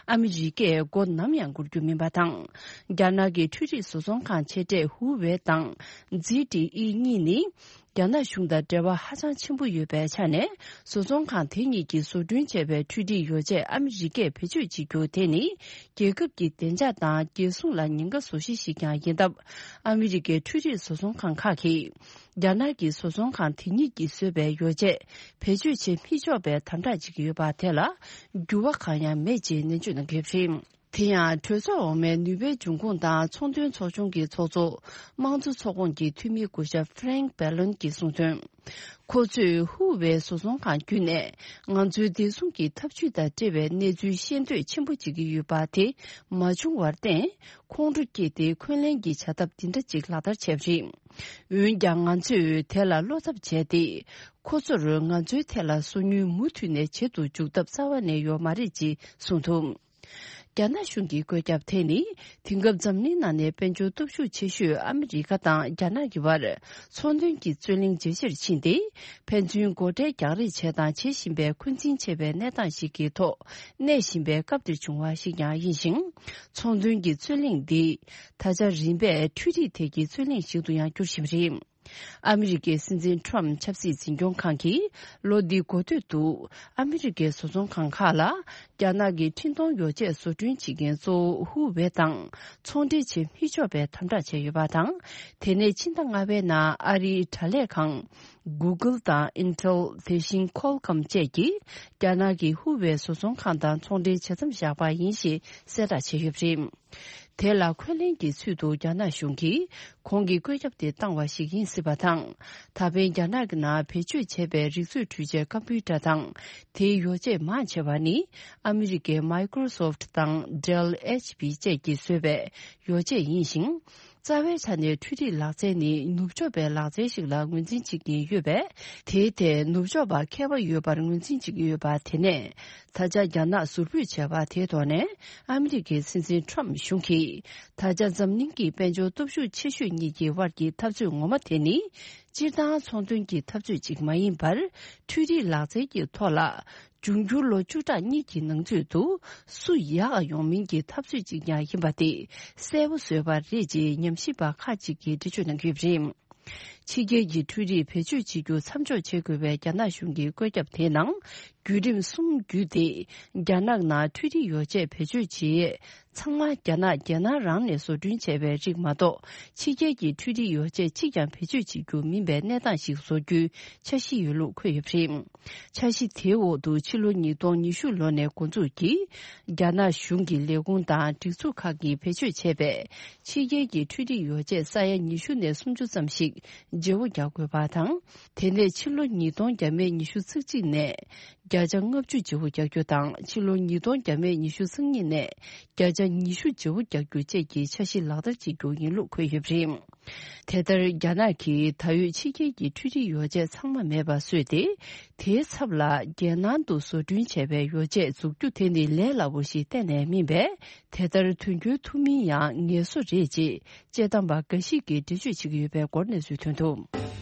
ཨ་མི་རི་ཀས་མགོ་ནམ་ཡང་སྒུར་རྒྱུ་མིན་པ་དང་། རྒྱ་ནག་གི་འཕྲུལ་རིག་བཟོ་ཚོང་ཁང་ཆེ་གྲས་ཧུ་ཝེ་དང་། ཛི་ཏི་ཨི་གཉིས་ནི། རྒྱ་ནག་གཞུང་དང་འབྲེལ་བ་ཧ་ཅང་ཆེན་པོ་ཡོད་པའི་ཆ་ནས། བཟོ་ཚོང་ཁང་དེ་གཉིས་ཀྱིས་བཟོ་སྐྲུན་བྱས་པའི་འཕྲུལ་རིག་ཡོ་བྱད་ཨ་མི་རི་ཀས་བེད་སྤྱོད་བྱེད་རྒྱུ་དེ་ནི། རྒྱལ་ཁབ་ཀྱི་བདེ་འཇགས་དང་རྒྱལ་སྲུང་ལ་ཉེན་ཁ་བཟོ་གཞི་ཞིག་ཀྱང་ཡིན་སྟབས། ཨ་མི་རི་ཀའི་འཕྲུལ་རིག་བཟོ་ཚོང་ཁང་ཁག་གིས། རྒྱ་ནག་གི་བཟོ་ཚོང་ཁང་དེ་གཉིས་ཀྱིས་བཟོས་པའི་ཡོ་བྱད་བེད་སྤྱོད་བྱེད་མི་ཆོག་པའི་དམ་དྲག་བྱེད་ཀྱི་ཡོད་པ་དེ་ལ་འགྱུར་བ་གང་ཡང་མེད་ཅེས་ནན་བརྗོད་གནང་གི་ཡོད་པ་རེད། དེ་ཡང་གྲོས་ཚོགས་འོག་མའི་ནུས་པའི་འབྱུང་ཁུངས་དང་ཚོང་དོན་ཚོགས་ཆུང་གི་ཚོགས་གཙོ། དམངས་གཙོ་ཚོགས་ཁོངས་ཀྱི་འཐུས་མི་སྐུ་ཞབས་ཧྥ་རེང་བྷེ་ལོན་གྱིས་གསུངས་དོན། ཁོ་ཚོས་ཧུའུ་ཝེ་བཟོ་ཚོང་ཁང་བརྒྱུད་ནས་ང་ཚོའི་བདེ་སྲུང་གི་ཐབས་ཇུས་དང་འབྲེལ་བའི་གནས་ཚུལ་ཤེས་འདོད་ཆེན་པོ་བྱེད་ཀྱི་ཡོད་པ་དེ་མ་བྱུང་བར་བརྟེན། ཁོང་ཁྲོ་སྐྱེས་ཏེ་འཁོན་ལན་གྱི་བྱ་ཐབས་འདི་འདྲ་ཅིག་ལག་བསྟར་བྱས་པ་རེད། འོན་ཀྱང་ང་ཚོས་དེ་ལ་བློ་འཚབ་བྱས་ཏེ། ཁོ་ཚོར་ང་ཚོའི་ཐད་ལ་སོ་ཉུལ་མུ་མཐུད་ནས་བྱེད་དུ་འཇུག་ཐབས་རྩ་བ་ནས་ཡོད་མ་རེད་ཅེས་གསུངས་འདུག་རྒྱ་ནག་གཞུང་གི་བཀོད་ཁྱབ་དེ་ནི། དེང་སྐབས་འཛམ་གླིང་ནང་ནས་དཔལ་འབྱོར་སྟོབས་ཤུགས་ཆེ་ཤོས་ཨ་མི་རི་ཀ་དང་རྒྱ་ནག་གི་བར། ཚོང་དོན་གྱི་རྩོད་གླེང་ཇེ་ཆེར་ཕྱིན་ཏེ། ཕན་ཚུན་སྒོ་ཁྲལ་རྒྱག་རེས་བྱས་དང་བྱེད་བཞིན་པའི་འཁོན་འཛིན་ཆེ་བའི་གནས་སྟངས་ཤིག་གི་ཐོག་གནས་བཞིན་པའི་སྐབས་འདིར་བྱུང་བ་ཞིག་ཀྱང་ཡིན་ཞིང་། ཚོང་དོན་གྱི་རྩོད་གླེང་འདི། ད་ཆ་རིམ་པས་འཕྲུལ་རིག་ཐད་ཀྱི་རྩོད་གླེང་ཞིག་ཏུ་ཡང་འགྱུར་བཞིན་པ་རེད། ཨ་མི་རི་ཀའི་སྲིད་འཛིན་ཁྲོམ་ཆབ་སྲིད་འཛིན་སྐྱོང་ཁང་གིས་ལོ་འདིའི་འགོ་སྟོད་དུ། ཨ་མི་རི་ཀའི་བཟོ་ཚོང་ཁང་ཁག་ལ། རྒྱ་ནག་གི་འཕྲིན་གཏོང་ཡོ་བྱད་བཟོ་སྐྲུན་བྱེད་མཁན་གཙོ་བོ་ཧུའུ་ཝེ་དང་ཚོང་འབྲེལ་བྱེད་མི་ཆོག་པའི་དམ་དྲག་བྱས་ཡོད་པ་དང་། དེ་ནས་ཕྱི་ཟླ་ལྔ་པའི་ནང་ཨ་རིའི་དྲ་ལས་ཁང་། Google དང་Intel དེ་བཞིན་Qualcomm བཅས་ཀྱིས། རྒྱ་ནག་གི་ཧུའུ་ཝེ་བཟོ་ཚོང་ཁང་དང་ཚོང་འབྲེལ་ཇི་ཙམ་བཞག་པ་ཡིན་ཞེས་གསལ་བསྒྲགས་བྱས་ཡོད་པ་རེད། དེ་ལ་འཁོན་ལན་གྱི་ཚུལ་དུ་རྒྱ་ནག་གཞུང་གིས་གོང་གི་བཀོད་ཁྱབ་དེ་བཏང་བ་ཞིག་ཡིན་སྲིད་པ་དང་། ད་ཕན་རྒྱ་ནག་གི་ནང་བེད་སྤྱོད་བྱས་པའི་རིག་མཛོད་འཕྲུལ་ཆས་ཀམ་པུའུ་ཊར་དང་། དེའི་ཡོ་བྱད་མང་ཆེ་བ་ནི་ཨ་མི་རི་ཀའི་Microsoft དང་Dell HP བཅས་ཀྱིས་བཟོས་པའི་ཡོ་བྱད་ཡིན་ཞིང་། རྩ་བའི་ཆ་ནས་འཕྲུལ་རིག་ལག་རྩལ་ནི་ནུབ་ཕྱོགས་པའི་ལག་རྩལ་ཞིག་ལ་ངོས་འཛིན་བྱེད་ཀྱིན་ཡོད་པས། དེའི་ཐད་ནུབ་ཕྱོགས་པ་མཁས་པ་ཡོད་པར་ངོས་འཛིན་བྱེད་ཀྱི་ཡོད་པ་དེ་ནས། ད་ཆ་རྒྱ་ནག་ཟུར་ཕུད་བྱས་པ་དེའི་ཐོག་ནས། ཨ་མི་རི་ཀའི་སྲིད་འཛིན་ཁྲོམ་གཞུང་གིས། ད་ཆ་འཛམ་གླིང་གི་དཔལ་འབྱོར་སྟོབས་ཤུགས་ཆེ་ཤོས་གཉིས་ཀྱི་དབར་གྱི་འཐབ་རྩོད་ངོ་མ་དེ་ནི། སྤྱིར་བཏང་ཚོང་དོན་གྱི་འཐབ་རྩོད་ཅིག་མ་ཡིན་པར། འཕྲུལ་རིག་ལག་རྩལ་གྱི་ཐོག་ལ། འབྱུང་འགྱུར་ལོ་བཅུ་ཕྲག་གཉིས་ཀྱི་ནང་ཚུད་དུ། སུ་ཡག་ཡོང་མིན་གྱི་འཐབ་རྩོད་ཅིག་ཀྱང་ཡིན་པ་དེ། གསལ་པོ་བཟོས་པ་རེད་ཅེས་ཉམས་ཞིབ་པ་ཁག་ཅིག་གིས་འགྲེལ་བརྗོད་གནང་གི་ཡོད་པ་རེད། ཕྱི་རྒྱལ་གྱི་འཕྲུལ་རིག་བེད་སྤྱོད་བྱེད་རྒྱུ་མཚམས་འཇོག་བྱེད་དགོས་པའི་རྒྱ་ནག་གཞུང་གི་བཀོད་ཁྱབ་དེའི་ནང་། བརྒྱུད་རིམ་གསུམ་བརྒྱུད་དེ། རྒྱ་ནག་ནང་འཕྲུལ་རིག་ཡོ་བྱད་བེད་སྤྱོད་བྱེད་ཡས་ཚང་མ་རྒྱ་ནག་རྒྱལ་ནང་རང་ནས་བཟོ་སྐྲུན་བྱས་པའི་རིགས་མ་གཏོགས། ཕྱི་རྒྱལ་གྱི་འཕྲུལ་རིག་ཡོ་བྱད་གཅིག་ཀྱང་བེད་སྤྱོད་བྱེད་རྒྱུ་མིན་པའི་གནས་སྟངས་ཤིག་བཟོ་རྒྱུའི་འཆར་གཞི་ཡོད་ལུགས་འཁོད་ཡོད་པ་རེད། འཆར་གཞི་དེའི་འོག་ཏུ་ཕྱི་ལོ་ཉིས་སྟོང་ཉི་ཤུ་ལོ་ནས་འགོ་འཛུགས་ཀྱིས། རྒྱ་ནག་གཞུང་གི་ལས་ཁུངས་དང་སྒྲིག་འཛུགས་ཁག་གིས་བེད་སྤྱོད་བྱས་པའི་ཕྱི་རྒྱལ་གྱི་འཕྲུལ་རིག་ཡོ་བྱད་ས་ཡ་ཉི་ཤུ་ནས་སུམ་ཅུ་ཙམ་ཞིག་བརྗེ་པོ་རྒྱག་དགོས་པ་དང་། དེ་ནས་ཕྱི་ལོ་ཉིས་སྟོང་བརྒྱ་མེད་ཉི་ཤུ་རྩ་གཅིག་ནས་བརྒྱ་ཆ་ལྔ་བཅུ་བརྗེ་པོ་རྒྱག་རྒྱུ་དང་། ཕྱི་ལོ་ཉིས་སྟོང་བརྒྱ་མེད་ཉི་ཤུ་རྩ་གཉིས་ནས་བརྒྱ་ཆ་ཉི་ཤུ་བརྗེ་པོ་རྒྱག་རྒྱུ་བཅས་ཀྱི་འཆར་གཞི་ལག་བསྟར་བྱེད་རྒྱུ་ཡིན་ལུགས་འཁོད་ཡོད་པ་རེད། དེ་ལྟར་རྒྱ་ནག་གིས་ད་ཡོད་ཕྱི་རྒྱལ་གྱི་འཕྲུལ་རིག་ཡོ་བྱད་ཚང་མ་མེད་པ་བཟོས་ཏེ། དེའི་ཚབ་ལ་རྒྱལ་ནང་དུ་བཟོ་སྐྲུན་བྱས་པའི་ཡོ་བྱད་འཛུགས་རྒྱུ་དེ་ནི་ལས་སླ་པོ་ཞིག་གཏན་ནས་མིན་པས། དེ་ལྟར་དོན་འཁྱོལ་ཐུབ་མིན་ཡང་ངལ་གསོ་རེད་ཅེས་དཔྱད་གཏམ་པ་འགའ་ཞིག་གིས་འགྲེལ་བརྗོད་བྱེད་ཀྱི་ཡོད་པའི་སྐོར་གནས་ཚུལ་ཐོན་འདུག།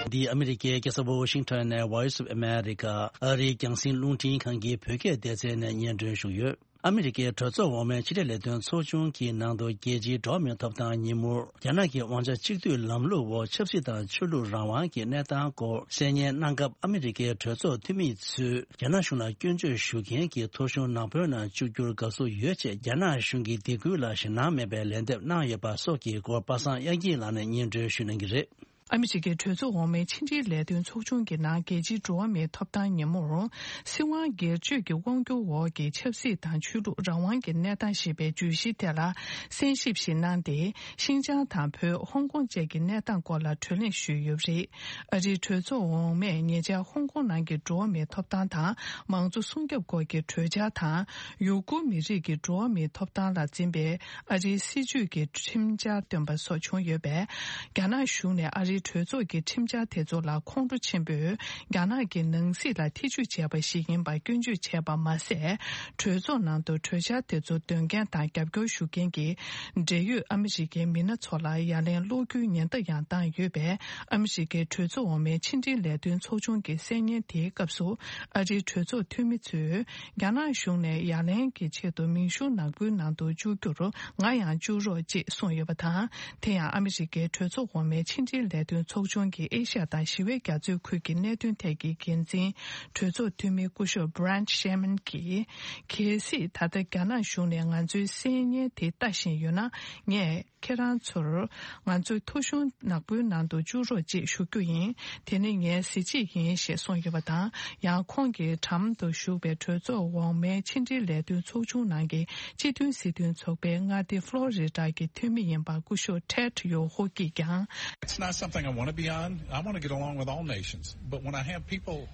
འདི་ཨ་མི་རི་ཀའི་རྒྱལ་ས་ཝ་ཤིང་ཊོན་ནས་Voice of America ཨ་རིའི་རྒྱང་སྲིང་རླུང་འཕྲིན་ཁང་གི་བོད་སྐད་སྡེ་ཚན་ནས་སྙན་སྒྲོན་ཞུས་ཡོད། ཨ་མི་རི་ཀའི་གྲོས་ཚོགས་འོག་མའི་ཕྱི་འབྲེལ་ལས་དོན་ཚོགས་ཆུང་གི་ནང་དུ་རྒྱལ་སྤྱིའི་འགྲོ་བ་མིའི་ཐོབ་ཐང་ཉིན་མོར། རྒྱ་ནག་གི་དབང་ཆ་གཅིག་སྡུད་ལམ་ལུགས་འོག་ཆབ་སྲིད་དང་ཆོས་ལུགས་རང་དབང་གི་གནས་སྟངས་སྐོར་གསལ་སྙན་གནང་སྐབས། ཨ་མི་རི་ཀའི་གྲོས་ཚོགས་འཐུས་མི་ཚོས་རྒྱ་ནག་གཞུང་ལ་སྐྱོན་བརྗོད་ཞུ་མཁན་གྱི་ཐོ་གཞུང་ནག་པོའི་ནང་བཅུག་རྒྱུར་དགའ་བསུ་ཡོད་ཅེས་རྒྱ་ནག་གཞུང་གི་སྡིགས་སྐུལ་ལ་ཞེད་སྣང་མེད་པའི་ལན་འདེབས་གནང་ཡོད་པ་སོགས་ཀྱི་སྐོར་པ་སངས་དབྱངས་སྐྱིད་ལགས་ནས་སྙན་སྒྲོན་ཞུ་གནང་གི་རེད། ཨ་མི་རི་ཀའི་གྲོས་ཚོགས་འོག་མའི་ཕྱི་འབྲེལ་ལས་དོན་ཚོགས་ཆུང་གི་ནང་རྒྱལ་སྤྱིའི་འགྲོ་བ་མིའི་ཐོབ་ཐང་ཉིན་མོར། སྲིད་དབང་སྒེར་གཅོད་ཀྱི་དབང་སྒྱུར་འོག་གི་ཆབ་སྲིད་དང་ཆོས་ལུགས་རང་དབང་གི་གནས་སྟངས་ཞེས་པའི་བརྗོད་གཞིའི་ཐད་ལ་གསན་ཞིབ་ཞིག་གནང་སྟེ། ཤིན་ཅང་དང་བོད། ཧོང་ཀོང་བཅས་ཀྱི་གནས་སྟངས་སྐོར་ལ་གྲོས་གླེང་ཞུས་ཡོད་པ་རེད། ཨ་རིའི་གྲོས་ཚོགས་འོག་མས་ཉེ་ཆར་ཧོང་ཀོང་ནང་གི་འགྲོ་བ་མིའི་ཐོབ་ཐང་དང་མང་གཙོ་སྲུང་སྐྱོབ་སྐོར་གྱི་གྲོས་འཆར་དང་། ཡུ་གུར་མི་རིགས་ཀྱི་འགྲོ་བ་མིའི་ཐོབ་ཐང་ལ་འཛིན་པའི་ཨ་རིའི་སྲིད་བྱུས་ཀྱི་ཁྲིམས་འཆར་བཏོན་པ་སོགས་བྱུང་ཡོད་པས། རྒྱ་ནག་གཞུང་ནས་ཨ་རིའི་གྲོས་ཚོགས་ཀྱི་ཁྲིམས་འཆར་དེ་ཚོ་ལ་ཁོང་ཁྲོ་ཆེན་པོས་རྒྱ་ནག་གི་ནང་སྲིད་ལ་ཐེ་ཇུས་བྱས་པ་ཞིག་ཡིན་པར་སྐྱོན་བརྗོད་བྱས་པ་མ་ཟད། གྲོས་ཚོགས་ནང་དུ་གྲོས་འཆར་དེ་ཚོ་འདོན་མཁན་དང་རྒྱབ་སྐྱོར་ཞུ་མཁན་གྱི་འབྲེལ་ཡོད་ཨ་མི་རི་ཀའི་མི་སྣ་ཚོ་ལ་ཡ་ལན་སློག་རྒྱུའི་ཉེན་བརྡ་ཡང་བཏང་ཡོད་པས། ཨ་མི་རི་ཀའི་གྲོས་ཚོགས་འོག་མའི་ཕྱི་འབྲེལ་ལས་དོན་ཚོགས་ཆུང་གི་གསལ་སྙན་དེའི་སྐབས་སུ། ཨ་རིའི་གྲོས་ཚོགས་འཐུས་མི་ཚོས། རྒྱ་ནག་གཞུང་ནས་ཡ་ལན་གྱི་ཆེད་དུ་མིང་གཞུང་ནག་པོའི་ནང་དུ་བཅུག་རྒྱུར་ང་ཡང་བཅུག་རོགས་ཅེས་གསུངས་ཡོད་པ་དང་། དེ་ཡང་ཨ་མི་རི་ཀའི་གྲོས་ཚོགས་འོག་མའི་ཕྱི་འབྲེལ་ལས་དོན་ཚོགས་ཆུང་གི་ཨེ་ཤ་ཡ་དང་ཞི་བའི་རྒྱ་མཚོའི་ཁུལ་གྱི་གནད་དོན་ཐད་ཀྱི་འགན་འཛིན་གྲོས་ཚོགས་འཐུས་མི་སྐུ་ཞབས་Brent Sherman་གྱིས། གལ་སྲིད་ད་ལྟ་རྒྱ་ནག་གཞུང་ནས་ང་ཚོའི་གསལ་སྙན་དེ་ལྟ་བཞིན་ཡོད་ན། ངས་ཁྱེད་རང་ཚོར་ང་ཚོའི་ཐོ་གཞུང་ནག་པོའི་ནང་དུ་བཅུག་རོགས་ཅེས་ཞུ་རྒྱུ་ཡིན། དེ་ནི་ངའི་གཟི་བརྗིད་ཡིན་ཞེས་གསུངས་ཡོད་པ་དང་། ཡང་ཁོང་གི་འགྲམ་དུ་བཞུགས་པའི་གྲོས་ཚོགས་འོག་མའི་ཕྱི་འབྲེལ་ལས་དོན་ཚོགས་ཆུང་ནང་གི་སྤྱི་མཐུན་སྲིད་དོན་ཚོགས་པའི་མངའ་སྡེ་ཕློ་རི་ཌ་གི་འཐུས་མི་ཡིན་པ་སྐུ་ཞབས་Ted Yoho་གིས་ཀྱང་། It's not something I want to be on. I want to get along with all nations. But when I have people,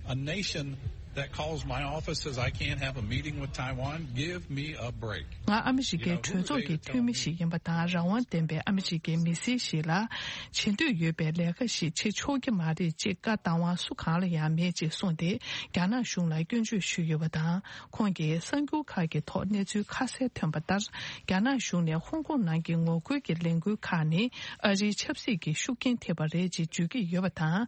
a nation that calls my office says I can't have a meeting with Taiwan, give me a break. ང་ཨ་མི་རི་ཀའི་གྲོས་ཚོགས་ཀྱི་འཐུས་མི་ཞིག་ཡིན་པ་དང་། རང་དབང་ལྡན་པའི་ཨ་མི་རི་ཀའི་མི་སེར་ཞིག་ལ་བྱེད་འདོད་ཡོད་པའི་ལས་ཀ་ཞིག་བྱེད་ཆོག་གི་མ་རེད་ཅེས་བཀའ་བཏང་བ་སུ་གང་ལ་ཡང་མེད་ཅེས་གསུངས་ཏེ། རྒྱ་ནག་གཞུང་ལ་སྐྱོན་བརྗོད་ཞུས་ཡོད་པ་དང་། ཁོང་གིས་གསར་འགྱུར་ཁག་གི་ཐོག་གནས་ཚུལ་ཁ་གསལ་ཐོན་པ་ལྟར། རྒྱ་ནག་གཞུང་ནས་ཧོང་ཀོང་ནང་གི་ངོ་རྒོལ་གྱི་ལས་འགུལ་ཁག་ནི་ཨ་རིའི་ཆབ་སྲིད་ཀྱི་ཤུགས་རྐྱེན་ཐེབས་པ་རེད་ཅེས་བརྗོད་ཀྱི་ཡོད་པ་དང་།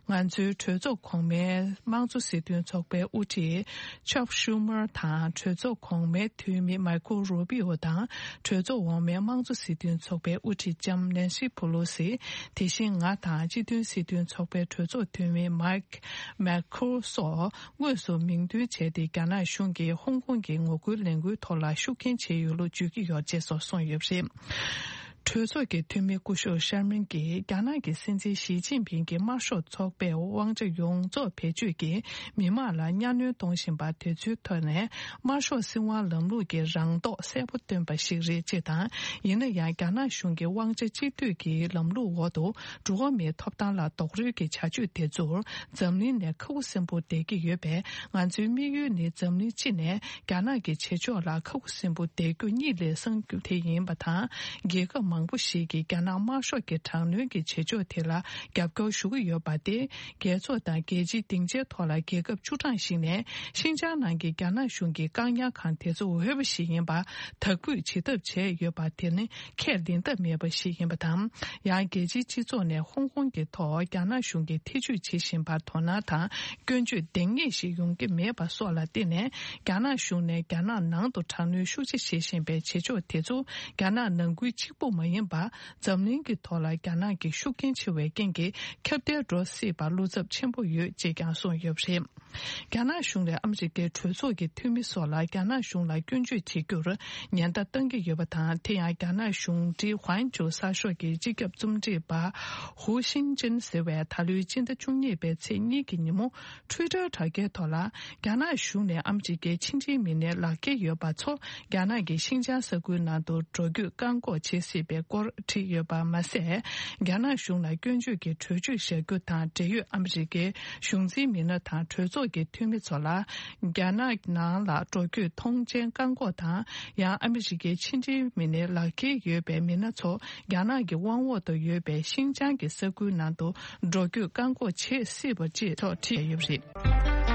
ང་ཚོའི་གྲོས་ཚོགས་གོང་མའི་དམངས་གཙོ་སྲིད་དོན་ཚོགས་པའི་དབུ་ཁྲིད་Chuck Schumer་དང་། གྲོས་ཚོགས་གོང་མའི་འཐུས་མི་Marco Rubio་དང་། གྲོས་ཚོགས་འོག་མའི་དམངས་གཙོ་སྲིད་དོན་ཚོགས་པའི་དབུ་ཁྲིད་ལྕམ་Nancy Pelosi། དེ་བཞིན་ང་དང་སྤྱི་མཐུན་སྲིད་དོན་ཚོགས་པའི་གྲོས་ཚོགས་འཐུས་མི་Mike McCaul་སོགས་དངོས་སུ་མིང་འདོན་བྱས་ཏེ། རྒྱ་ནག་གཞུང་གིས་ཧོང་ཀོང་གི་ངོ་རྒོལ་ལས་འགུལ་ཐོག་ལ་ཤུགས་རྐྱེན་བྱས་ཡོད་ལུགས་བརྗོད་ཀྱི་ཡོད་ཅེས་སོགས་གསུངས་ཡོད་པ་རེད། གྲོས་ཚོགས་ཀྱི་འཐུས་མི་སྐུ་ཞབས་ཤར་མིན་གྱིས་རྒྱ་ནག་གི་སྲིད་འཛིན་ཞི་ཅིན་ཕིང་གིས་དམར་ཤོག་ཚོགས་པས་དབང་ཆ་ཡོངས་རྫོགས་བེད་སྤྱོད་ཀྱིས་མི་མང་ལ་གཉའ་གནོན་གཏོང་བཞིན་པ་དེ་ཚོའི་ཐོག་ནས་དམར་ཤོག་སྲིད་དབང་ལམ་ལུགས་ཀྱི་རང་རྟོགས་གསལ་པོ་བཏོན་པ་ཞིག་རེད་ཅེས་དང་། ཡིན་ན་ཡང་རྒྱ་ནག་གཞུང་གི་དབང་ཆ་གཅིག་སྡུད་ཀྱི་ལམ་ལུགས་འོག་ཏུ་འགྲོ་བ་མིའི་ཐོབ་ཐང་ལ་རྡོག་རོལ་གྱི་བྱ་སྤྱོད་དེ་ཚོར་འཛམ་གླིང་ནས་ཁ་ཁུ་སིམ་པོ་བསྡད་ཀྱི་ཡོད་པས། ང་ཚོའི་དམིགས་ཡུལ་ནི་འཛམ་གླིང་སྤྱི་ནས་རྒྱ་ནག་གི་བྱེད་ཕྱོགས་ལ་ཁ་ཁུ་སིམ་པོ་བསྡད་རྒྱུ་གཉིད་ལས་སངས་རྒྱུ་དེ་ཡིན་པ་དང་། རྒྱལ་ཁབ་མང་པོ་ཞིག་གིས་རྒྱ་ནག་དམར་ཤོག་གི་དྲག་གནོན་གྱི་བྱེད་ཕྱོགས་དེ་ལ་རྒྱབ་སྐྱོར་ཞུ་གི་ཡོད་པ་སྟེ། རྒྱལ་ཚོགས་དང་རྒྱལ་སྤྱིའི་སྡིངས་ཆའི་ཐོག་ལ་རྒྱལ་ཁབ་བཅུ་གྲངས་ཤིག་ནས་ཤིན་ཅང་ནང་གི་རྒྱ་ནག་གཞུང་གི་བཀག་ཉར་ཁང་དེ་ཚོ་འོས་པ་ཞིག་ཡིན་པ་དག་འབུད་བྱེད་ཐབས་བྱས་ཡོད་པ་དེ་ནི་ཁས་ལེན་ཐབས་མེད་པ་ཞིག་ཡིན་པ་དང་། ཡང་རྒྱལ་སྤྱིའི་སྤྱི་ཚོགས་ནས་ཧོང་ཀོང་གི་ཐོག་རྒྱ་ནག་གཞུང་གིས་ཐེ་ཇུས་བྱེད་བཞིན་པར་དོ་སྣང་དང་སྐྱོན་བརྗོད་འདང་ངེས་ཤིག་ཡོང་གི་མེད་པ་སོགས་ལ་བརྟེན་ནས། རྒྱ་ནག་གཞུང་ནས་རྒྱ་ནག་ནང་དུ་དྲག་གནོན་ཤུགས་ཆེ་བྱེད་བཞིན་པའི་བྱེད་ཕྱོགས་དེ་ཚོ་རྒྱ་ནག་ནང་ཁུལ་གཅིག་པུ་མ་ཡིན་པར། འཛམ་གླིང་གི་ཐོག་ལ་རྒྱ་ནག་གི་ཤུགས་རྐྱེན་ཆེ་བའི་རྐྱེན་གྱིས་ཁྱབ་གདལ་འགྲོ་སྲིད་པར་བློ་འཚབ་ཆེན་པོ་ཡོད་ཅེས་ཀྱང་གསུངས་ཡོད་པ་རེད། རྒྱ་ནག་གཞུང་ནས་ཨ་མི་རི་ཀའི་གྲོས་ཚོགས་ཀྱི་འཐུས་མི་སོགས་ལ་རྒྱ་ནག་གཞུང་ལ་སྐྱོན་བརྗོད་བྱེད་རྒྱུར་ཉེན་བརྡ་བཏང་གི་ཡོད་པ་དང་། དེ་ཡང་རྒྱ་ནག་གཞུང་འབྲེལ་ཧུའན་ཆུའུ་གསར་ཤོག་གི་སྤྱི་ཁྱབ་རྩོམ་སྒྲིག་པ་ཧུའུ་ཤིན་ཅིན་ཟེར་བས་ད་ལོའི་སྤྱི་ཟླ་བཅུ་གཉིས་པའི་ཚེས་གཉིས་ཀྱི་ཉིན་མོ། ཊུའི་ཊར་དྲ་རྒྱའི་ཐོག་ལ། རྒྱ་ནག་གཞུང་ནས་ཨ་མི་རི་ཀའི་ཕྱི་འབྲེལ་མི་སྣའི་ལག་འཁྱེར་ཡོད་པ་ཚོ་རྒྱ་ནག་གི་ཤིན་ཅང་ས་ཁུལ་ནང་དུ་འགྲོ་སྐྱོད་བཀག་འགོག་བྱེད་སྲིད་པའི་སྐོར་བྲིས་ཡོད་པ་མ་ཟད། རྒྱ་ནག་གཞུང་ལ་སྐྱོན་བརྗོད་ཀྱི་གྲོས་ཆོད་བཞག་རྒྱུ་དང་འབྲེལ་ཡོད་ཨ་མི་རི་ཀའི་གཞུང་འཛིན་མི་སྣ་དང་གྲོས་ཚོགས་ཀྱི་འཐུས་མི་ཚོ་ལ། རྒྱ་ནག་ནང་ལ་འགྲོ་སྐྱོད་ཐོངས་མཆན་བཀག་འགོག་དང་། ཡང་ཨ་མི་རི་ཀའི་ཕྱི་འབྲེལ་མི་སྣའི་ལག་འཁྱེར་ཡོད་པའི་མི་སྣ་ཚོ་རྒྱ་ནག་གི་དབང་འོག་ཏུ་ཡོད་པའི་ཤིན་ཅང་གི་ས་ཁུལ་ནང་དུ་འགྲོ་སྐྱོད་བཀག་འགོག་བྱེད་སྲིད་པ་བཅས་ཐོག་བྲིས་ཡོད་པ་རེད།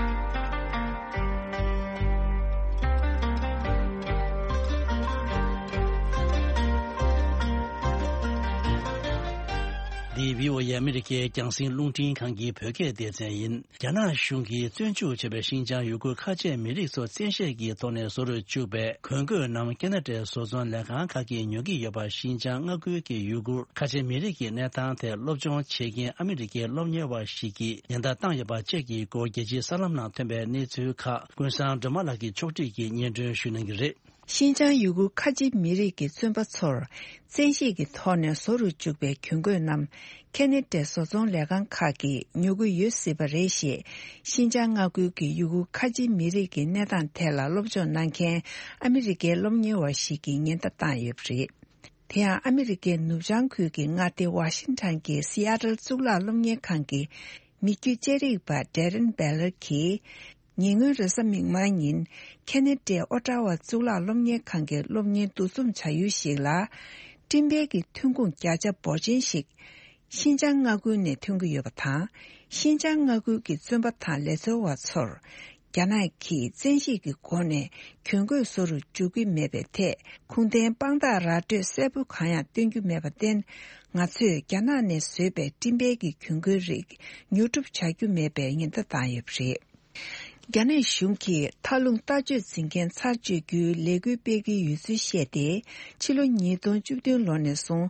འདི་བྷི་ཨོ་ཨེ་ཨ་མི་རི་ཀའི་རྒྱང་སྲིང་རླུང་འཕྲིན་ཁང་གི་བོད་སྐད་སྡེ་ཚན་ཡིན། རྒྱ་ནག་གཞུང་གིས་བཙོན་འཇུག་བྱས་པའི་ཤིན་ཅང་ཡུ་གུར་ཁ་ཆེ་མི་རིགས་ཚོ་བཙན་ཤེད་ཀྱི་ཐོག་ནས་བཟོ་རུ་བཅུག་པའི་གྱོད་འགོད་རྣམས་ཁེ་ན་ཌའི་བཟོ་ཚོང་ལས་ཁང་ཁག་གིས་ཉོ་གི་ཡོད་པ། ཤིན་ཅང་མངའ་ཁུལ་གྱི་ཡུ་གུར་ཁ་ཆེ་མི་རིགས་ཀྱི་གནས་སྟངས་ཐད་སློབ་སྦྱོང་བྱེད་མཁན་ཨ་མི་རི་ཀའི་སློབ་གཉེར་བ་ཞིག་གིས་ཉེན་བརྡ་བཏང་ཡོད་པ་བཅས་ཀྱི་སྐོར་རྒྱལ་སྤྱིའི་གསར་ལམ་ནང་ཐོན་པའི་གནས་ཚུལ་ཁག་ཀུན་བཟང་སྒྲོལ་མ་ལགས་ཀྱིས་ཕྱོགས་སྒྲིག་གིས་སྙན་སྒྲོན་ཞུ་གནང་གི་རེད། ཤིན་ཅང་ཡུ་གུར་ཁ་ཆེ་མི་རིགས་ཀྱི་བཙོན་པ་ཚོར་བཙན་ཤེད་ཀྱི་ཐོག་ནས་བཟོ་རུ་བཅུག་པའི་གྱོན་གོས་རྣམས་ཁེ་ནེ་ཌའི་བཟོ་ཚོང་ལས་ཁང་ཁག་གིས་ཉོ་གི་ཡོད་སྲིད་པ་རེད་ཞེས། ཤིན་ཅང་མངའ་ཁུལ་གྱི་ཡུ་གུར་ཁ་ཆེ་མི་རིགས་ཀྱི་གནས་སྟངས་ཐད་ལ་སློབ་སྦྱོང་གནང་མཁན་ཨ་མི་རི་ཀའི་སློབ་གཉེར་བ་ཞིག་གིས་ཉེན་བརྡ་བཏང་ཡོད་པ་རེད། དེ་ཡང་ཨ་མི་རི་ཀའི་ནུབ་བྱང་ཁུལ་གྱི་མངའ་སྡེ་ཝ་ཤིང་ཊོན་གྱི་སི་ཨ་ཊལ་གཙུག་ལག་སློབ་གཉེར་ཁང་གི་མི་རྒྱུད་དཔྱད་རིག་པ་ཌེ་རན་བེ་ལར་གྱིས། ཉེ་སྔོན་རེས་གཟའ་མིག་དམར་ཉིན་ཁེ་ནེ་ཌའི་ཨོ་ཊ་ཝ་གཙུག་ལག་སློབ་གཉེར་ཁང་གི་སློབ་གཉེར་འདུ་འཛོམས་བྱ་ཡུལ་ཞིག་ལ། སྤྲིན་པའི་གི་ཐོན་ཁུངས་བརྒྱ་ཆ་འབོར་ཆེན་ཞིག་ཤིན་ཅང་མངའ་ཁུལ་ནས་ཐོན་གྱི་ཡོད་པ་དང་། ཤིན་ཅང་མངའ་ཁུལ་གྱི་བཙོན་པ་དང་ལས་འཚོལ་བ་ཚོར། རྒྱ་ནག་གིས་བཙན་ཤེད་ཀྱི་སྒོ་ནས་གྱོན་གོས་བཟོ་རུ་འཇུག་གི་མེད་པའི་ཐད་ཁུངས་ལྡན་དཔང་རྟགས་ར་སྤྲོད་གསལ་པོ་གང་ཡང་སྟོན་རྒྱུ་མེད་པར་བརྟེན། ང་ཚོས་རྒྱ་ནག་ནས་བཟོས་པའི་སྤྲིན་པའི་གི་གྱོན་གོས་རིགས་ཉོ་སྒྲུབ་བྱ་རྒྱུ་མེད་པའི་ཉེན་བརྡ་བཏང་ཡོད་པ་རེད། རྒྱ་ནག་གཞུང་གིས་མཐའ་ལྷུང་ལྟ་སྤྱོད་འཛིན་མཁན་ཚར་གཅོད་རྒྱུའི་ལས་འགུལ་སྤེལ་གྱི་ཡོད་ཚུལ་བཤད་དེ། ཕྱི་ལོ་ཉིས་སྟོང་བཅུ་བདུན་ལོ་ནས་བཟུང་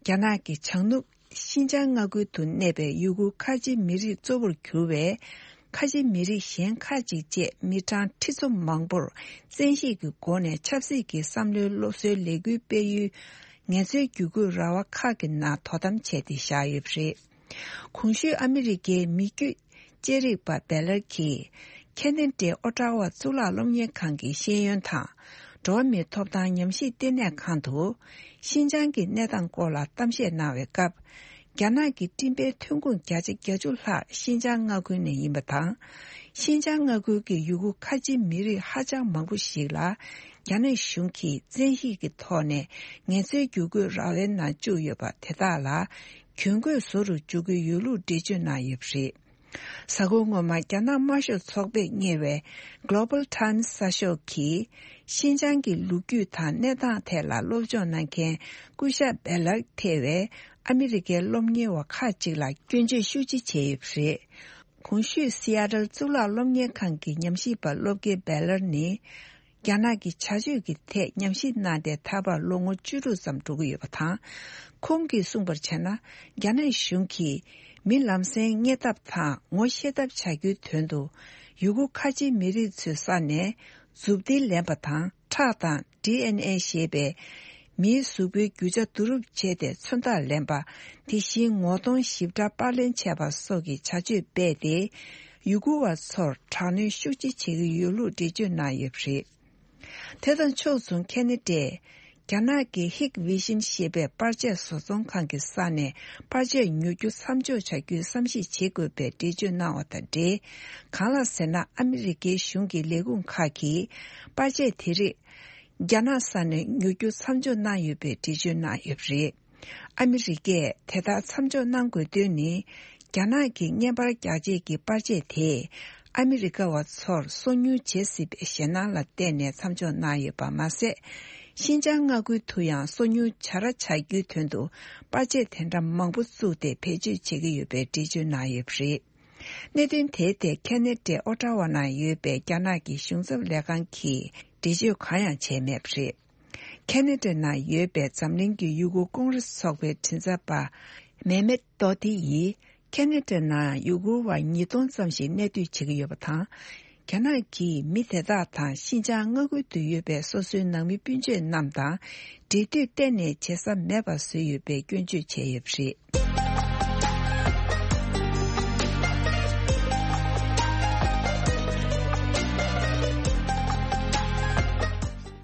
རྒྱ་ནག་གི་བྱང་ནུབ་ཤིན་ཅང་མངའ་ཁུལ་དུ་གནས་པའི་ཡུ་གུར་ཁ་ཆེ་མི་རིགས་གཙོ་བོར་གྱུར་བའི་ཁ་ཆེ་མི་རིགས་གཞན་ཁག་ཅིག་བཅས་མི་གྲངས་ཁྲི་ཚོ་མང་པོར་བཙན་ཤེད་ཀྱི་སྒོ་ནས་ཆབ་སྲིད་ཀྱི་བསམ་བློའི་སློབ་གསོའི་ལས་འགུལ་སྤེལ་ཡུལ་ངལ་རྩོལ་བསྒྱུར་བཀོད་ར་བ་ཁག་གི་ནང་དོ་དམ་བྱས་ཏེ་བཞག་ཡོད་པ་རེད། གོང་ཞུས་ཨ་མི་རི་ཀའི་མི་རྒྱུད་དཔྱད་རིག་པ་བེ་ལར་གྱིས་ཁེ་ནེ་ཌའི་ཨོ་ཊ་ཝ་གཙུག་ལག་སློབ་གཉེར་ཁང་གི་ཤེས་ཡོན་དང་འགྲོ་བ་མིའི་ཐོབ་ཐང་ཉམས་ཞིབ་ལྟེ་གནས་ཁང་དུ་ཤིན་ཅང་གི་གནས་སྟངས་སྐོར་ལ་གཏམ་བཤད་གནང་བའི་སྐབས། རྒྱ་ནག་གི་སྤྲིན་པའི་ཐོན་ཁུངས་བརྒྱ་ཆ་བརྒྱད་ཅུ་ལྷག་ཤིན་ཅང་མངའ་ཁུལ་ནས་ཡིན་པ་དང་། ཤིན་ཅང་མངའ་ཁུལ་གྱི་ཡུ་གུར་ཁ་ཆེ་མི་རིགས་ཧ་ཅང་མང་པོ་ཞིག་ལ་རྒྱ་ནག་གཞུང་གིས་བཙན་ཤེད་ཀྱི་ཐོག་ནས་ངལ་རྩོལ་བསྒྱུར་བཀོད་ར་བའི་ནང་བཅུག་ཡོད་པ་དེ་དག་ལ་གྱོན་གོས་བཟོ་རུ་འཇུག་གི་ཡོད་ལུགས་འགྲེལ་བརྗོད་གནང་ཡོད་པ་རེད། གཟའ་འཁོར་སྔོན་མ་རྒྱ་ནག་དམར་ཤོག་ཚོགས་པས་གཉེར་བའི་Global Times་གསར་ཤོག་གིས་ཤིན་ཅང་གི་ལོ་རྒྱུས་དང་གནས་སྟངས་ཐད་ལ་སློབ་སྦྱོང་གནང་མཁན་སྐུ་ཞབས་བེ་ལར་ཐེ་བའི་ཨ་མི་རི་ཀའི་སློབ་གཉེར་བ་ཁག་ཅིག་ལ་སྐྱོན་བརྗོད་ཤུགས་ཆེ་བྱས་ཡོད་པ་རེད། གོང་ཞུས་སི་ཨ་ཊལ་གཙུག་ལག་སློབ་གཉེར་ཁང་གི་ཉམས་ཞིབ་པ་སློབ་དགེ་བེ་ལར་ནི། རྒྱ་ནག་གི་བྱ་སྤྱོད་ཀྱི་ཐད་ཉམས་ཞིབ་གནང་སྟེ་ད་བར་ལོ་ངོ་བཅུ་དྲུག་ཙམ་འགྲོ་གི་ཡོད་པ་དང་། ཁོང་གིས་གསུངས་པར་བྱས་ན། རྒྱ་ནག་གཞུང་གིས་མི་ལམ་སེང་རྙེད་ཐབས་དང་ངོ་ཤེས་ཐབས་བྱ་རྒྱུའི་དོན་དུ། ཡུ་གུར་ཁ་ཆེའི་མི་རིགས་ཚོའི་ས་ནས་མཛུབ་ཐེལ་ལེན་པ་དང་ཁྲག་དང་ཌི་ཨེན་ཨེ་ཞེས་པའི་ མིའི་གཟུགས་པོའི་རྒྱུ་ཆ་བསྡུ་རུབ་བྱས་ཏེ་མཚོན་རྟགས་ལེན་པ། དེ་བཞིན་ངོ་གདོང་ཞིབ་ཕྲ་པར་ལེན་བྱས་པ་སོགས་ཀྱི་བྱ་སྤྱོད་སྤེལ་ཏེ། ཡུ་གུར་བ་ཚོར་དྲག་གནོན་ཤུགས་ཆེ་བྱེད་ཀྱི་ཡོད་ལུགས་འགྲེལ་བརྗོད་གནང་ཡོད་པ་རེད། དེ་དང་ཕྱོགས་མཚུངས་ཁེ་ན་ཌས། རྒྱ་ནག་གི་ཧིག་ཝི་ཤིན་ཞེས་པའི་པར་ཆས་བཟོ་ཚོང་ཁང་གི་ས་ནས་པར་ཆས་ཉོ་རྒྱུ་མཚམས་འཇོག་བྱ་རྒྱུའི་བསམ་གཞིག་བྱེད་དགོས་པའི་འགྲེལ་བརྗོད་གནང་བ་དང་འབྲེལ། གང་ལགས་ཟེར་ན། ཨ་མི་རི་ཀའི་གཞུང་གི་ལས་ཁུངས་ཁག་གིས་པར་ཆས་དེ་རིགས་རྒྱ་ནག་ས་ནས་ཉོ་རྒྱུ་མཚམས་འཇོག་གནང་ཡོད་པའི་འགྲེལ་བརྗོད་གནང་ཡོད་པ་རེད། ཨ་མི་རི་ཀས་དེ་ལྟར་མཚམས་འཇོག་གནང་དགོས་དོན་ནི། རྒྱ་ནག་གི་བརྙན་པར་རྒྱག་ཆས་ཀྱི་པར་ཆས་དེས་ཨ་མི་རི་ཀ་བ་ཚོར་སོ་ཉུལ་བྱེད་སྲིད་པའི་ཞེད་སྣང་ལ་བརྟེན་ནས་མཚམས་འཇོག་གནང་ཡོད་པ་མ་ཟད། ཤིན་ཅང་མངའ་ཁུལ་དུ་ཡང་སོ་ཉུལ་བྱ་ར་བྱ་རྒྱུའི་དོན་དུ་པར་ཆས་དེ་འདྲ་མང་པོ་བཙུགས་ཏེ་བེད་སྤྱོད་བྱེད་ཀྱི་ཡོད་པའི་འགྲེལ་བརྗོད་གནང་ཡོད་པ་རེད། གནད་དོན་དེའི་ཐད་ཁེ་ན་ཌའི་ཨོ་ཊ་ཝ་ནང་ཡོད་པའི་རྒྱ་ནག་གི་གཞུང་ཚབ་ལས་ཁང་གིས་འགྲེལ་བརྗོད་གང་ཡང་བྱས་མེད་པ་རེད། ཁེ་ན་ཌ་ནང་ཡོད་པའི་འཛམ་གླིང་གི་ཡུ་གུར་ཀོང་རེས་ཚོགས་པའི་མགྲིན་ཚབ་པ་མེ་མེད་ཏོ་ཏི་ཡིས། ཁེ་ན་ཌ་ནང་ཡུ་གུར་བ་ཉིས་སྟོང་ཙམ་ཞིག་གནས་སྡོད་བྱེད་ཀྱི་ཡོད་པ་དང་། རྒྱ་ནག་གིས་མི་དེ་དག་དང་ཤིན་ཅང་མངའ་ཁུལ་དུ་ཡོད་པའི་སོ་སོའི་ནང་མི་སྤུན་མཆེད་རྣམས་དང་འབྲེལ་མཐུད་གཏན་ནས་བྱེད་ས་མེད་པར་བཟོས་ཡོད་པའི་སྐྱོན་བརྗོད་བྱས་ཡོད་པ་རེད།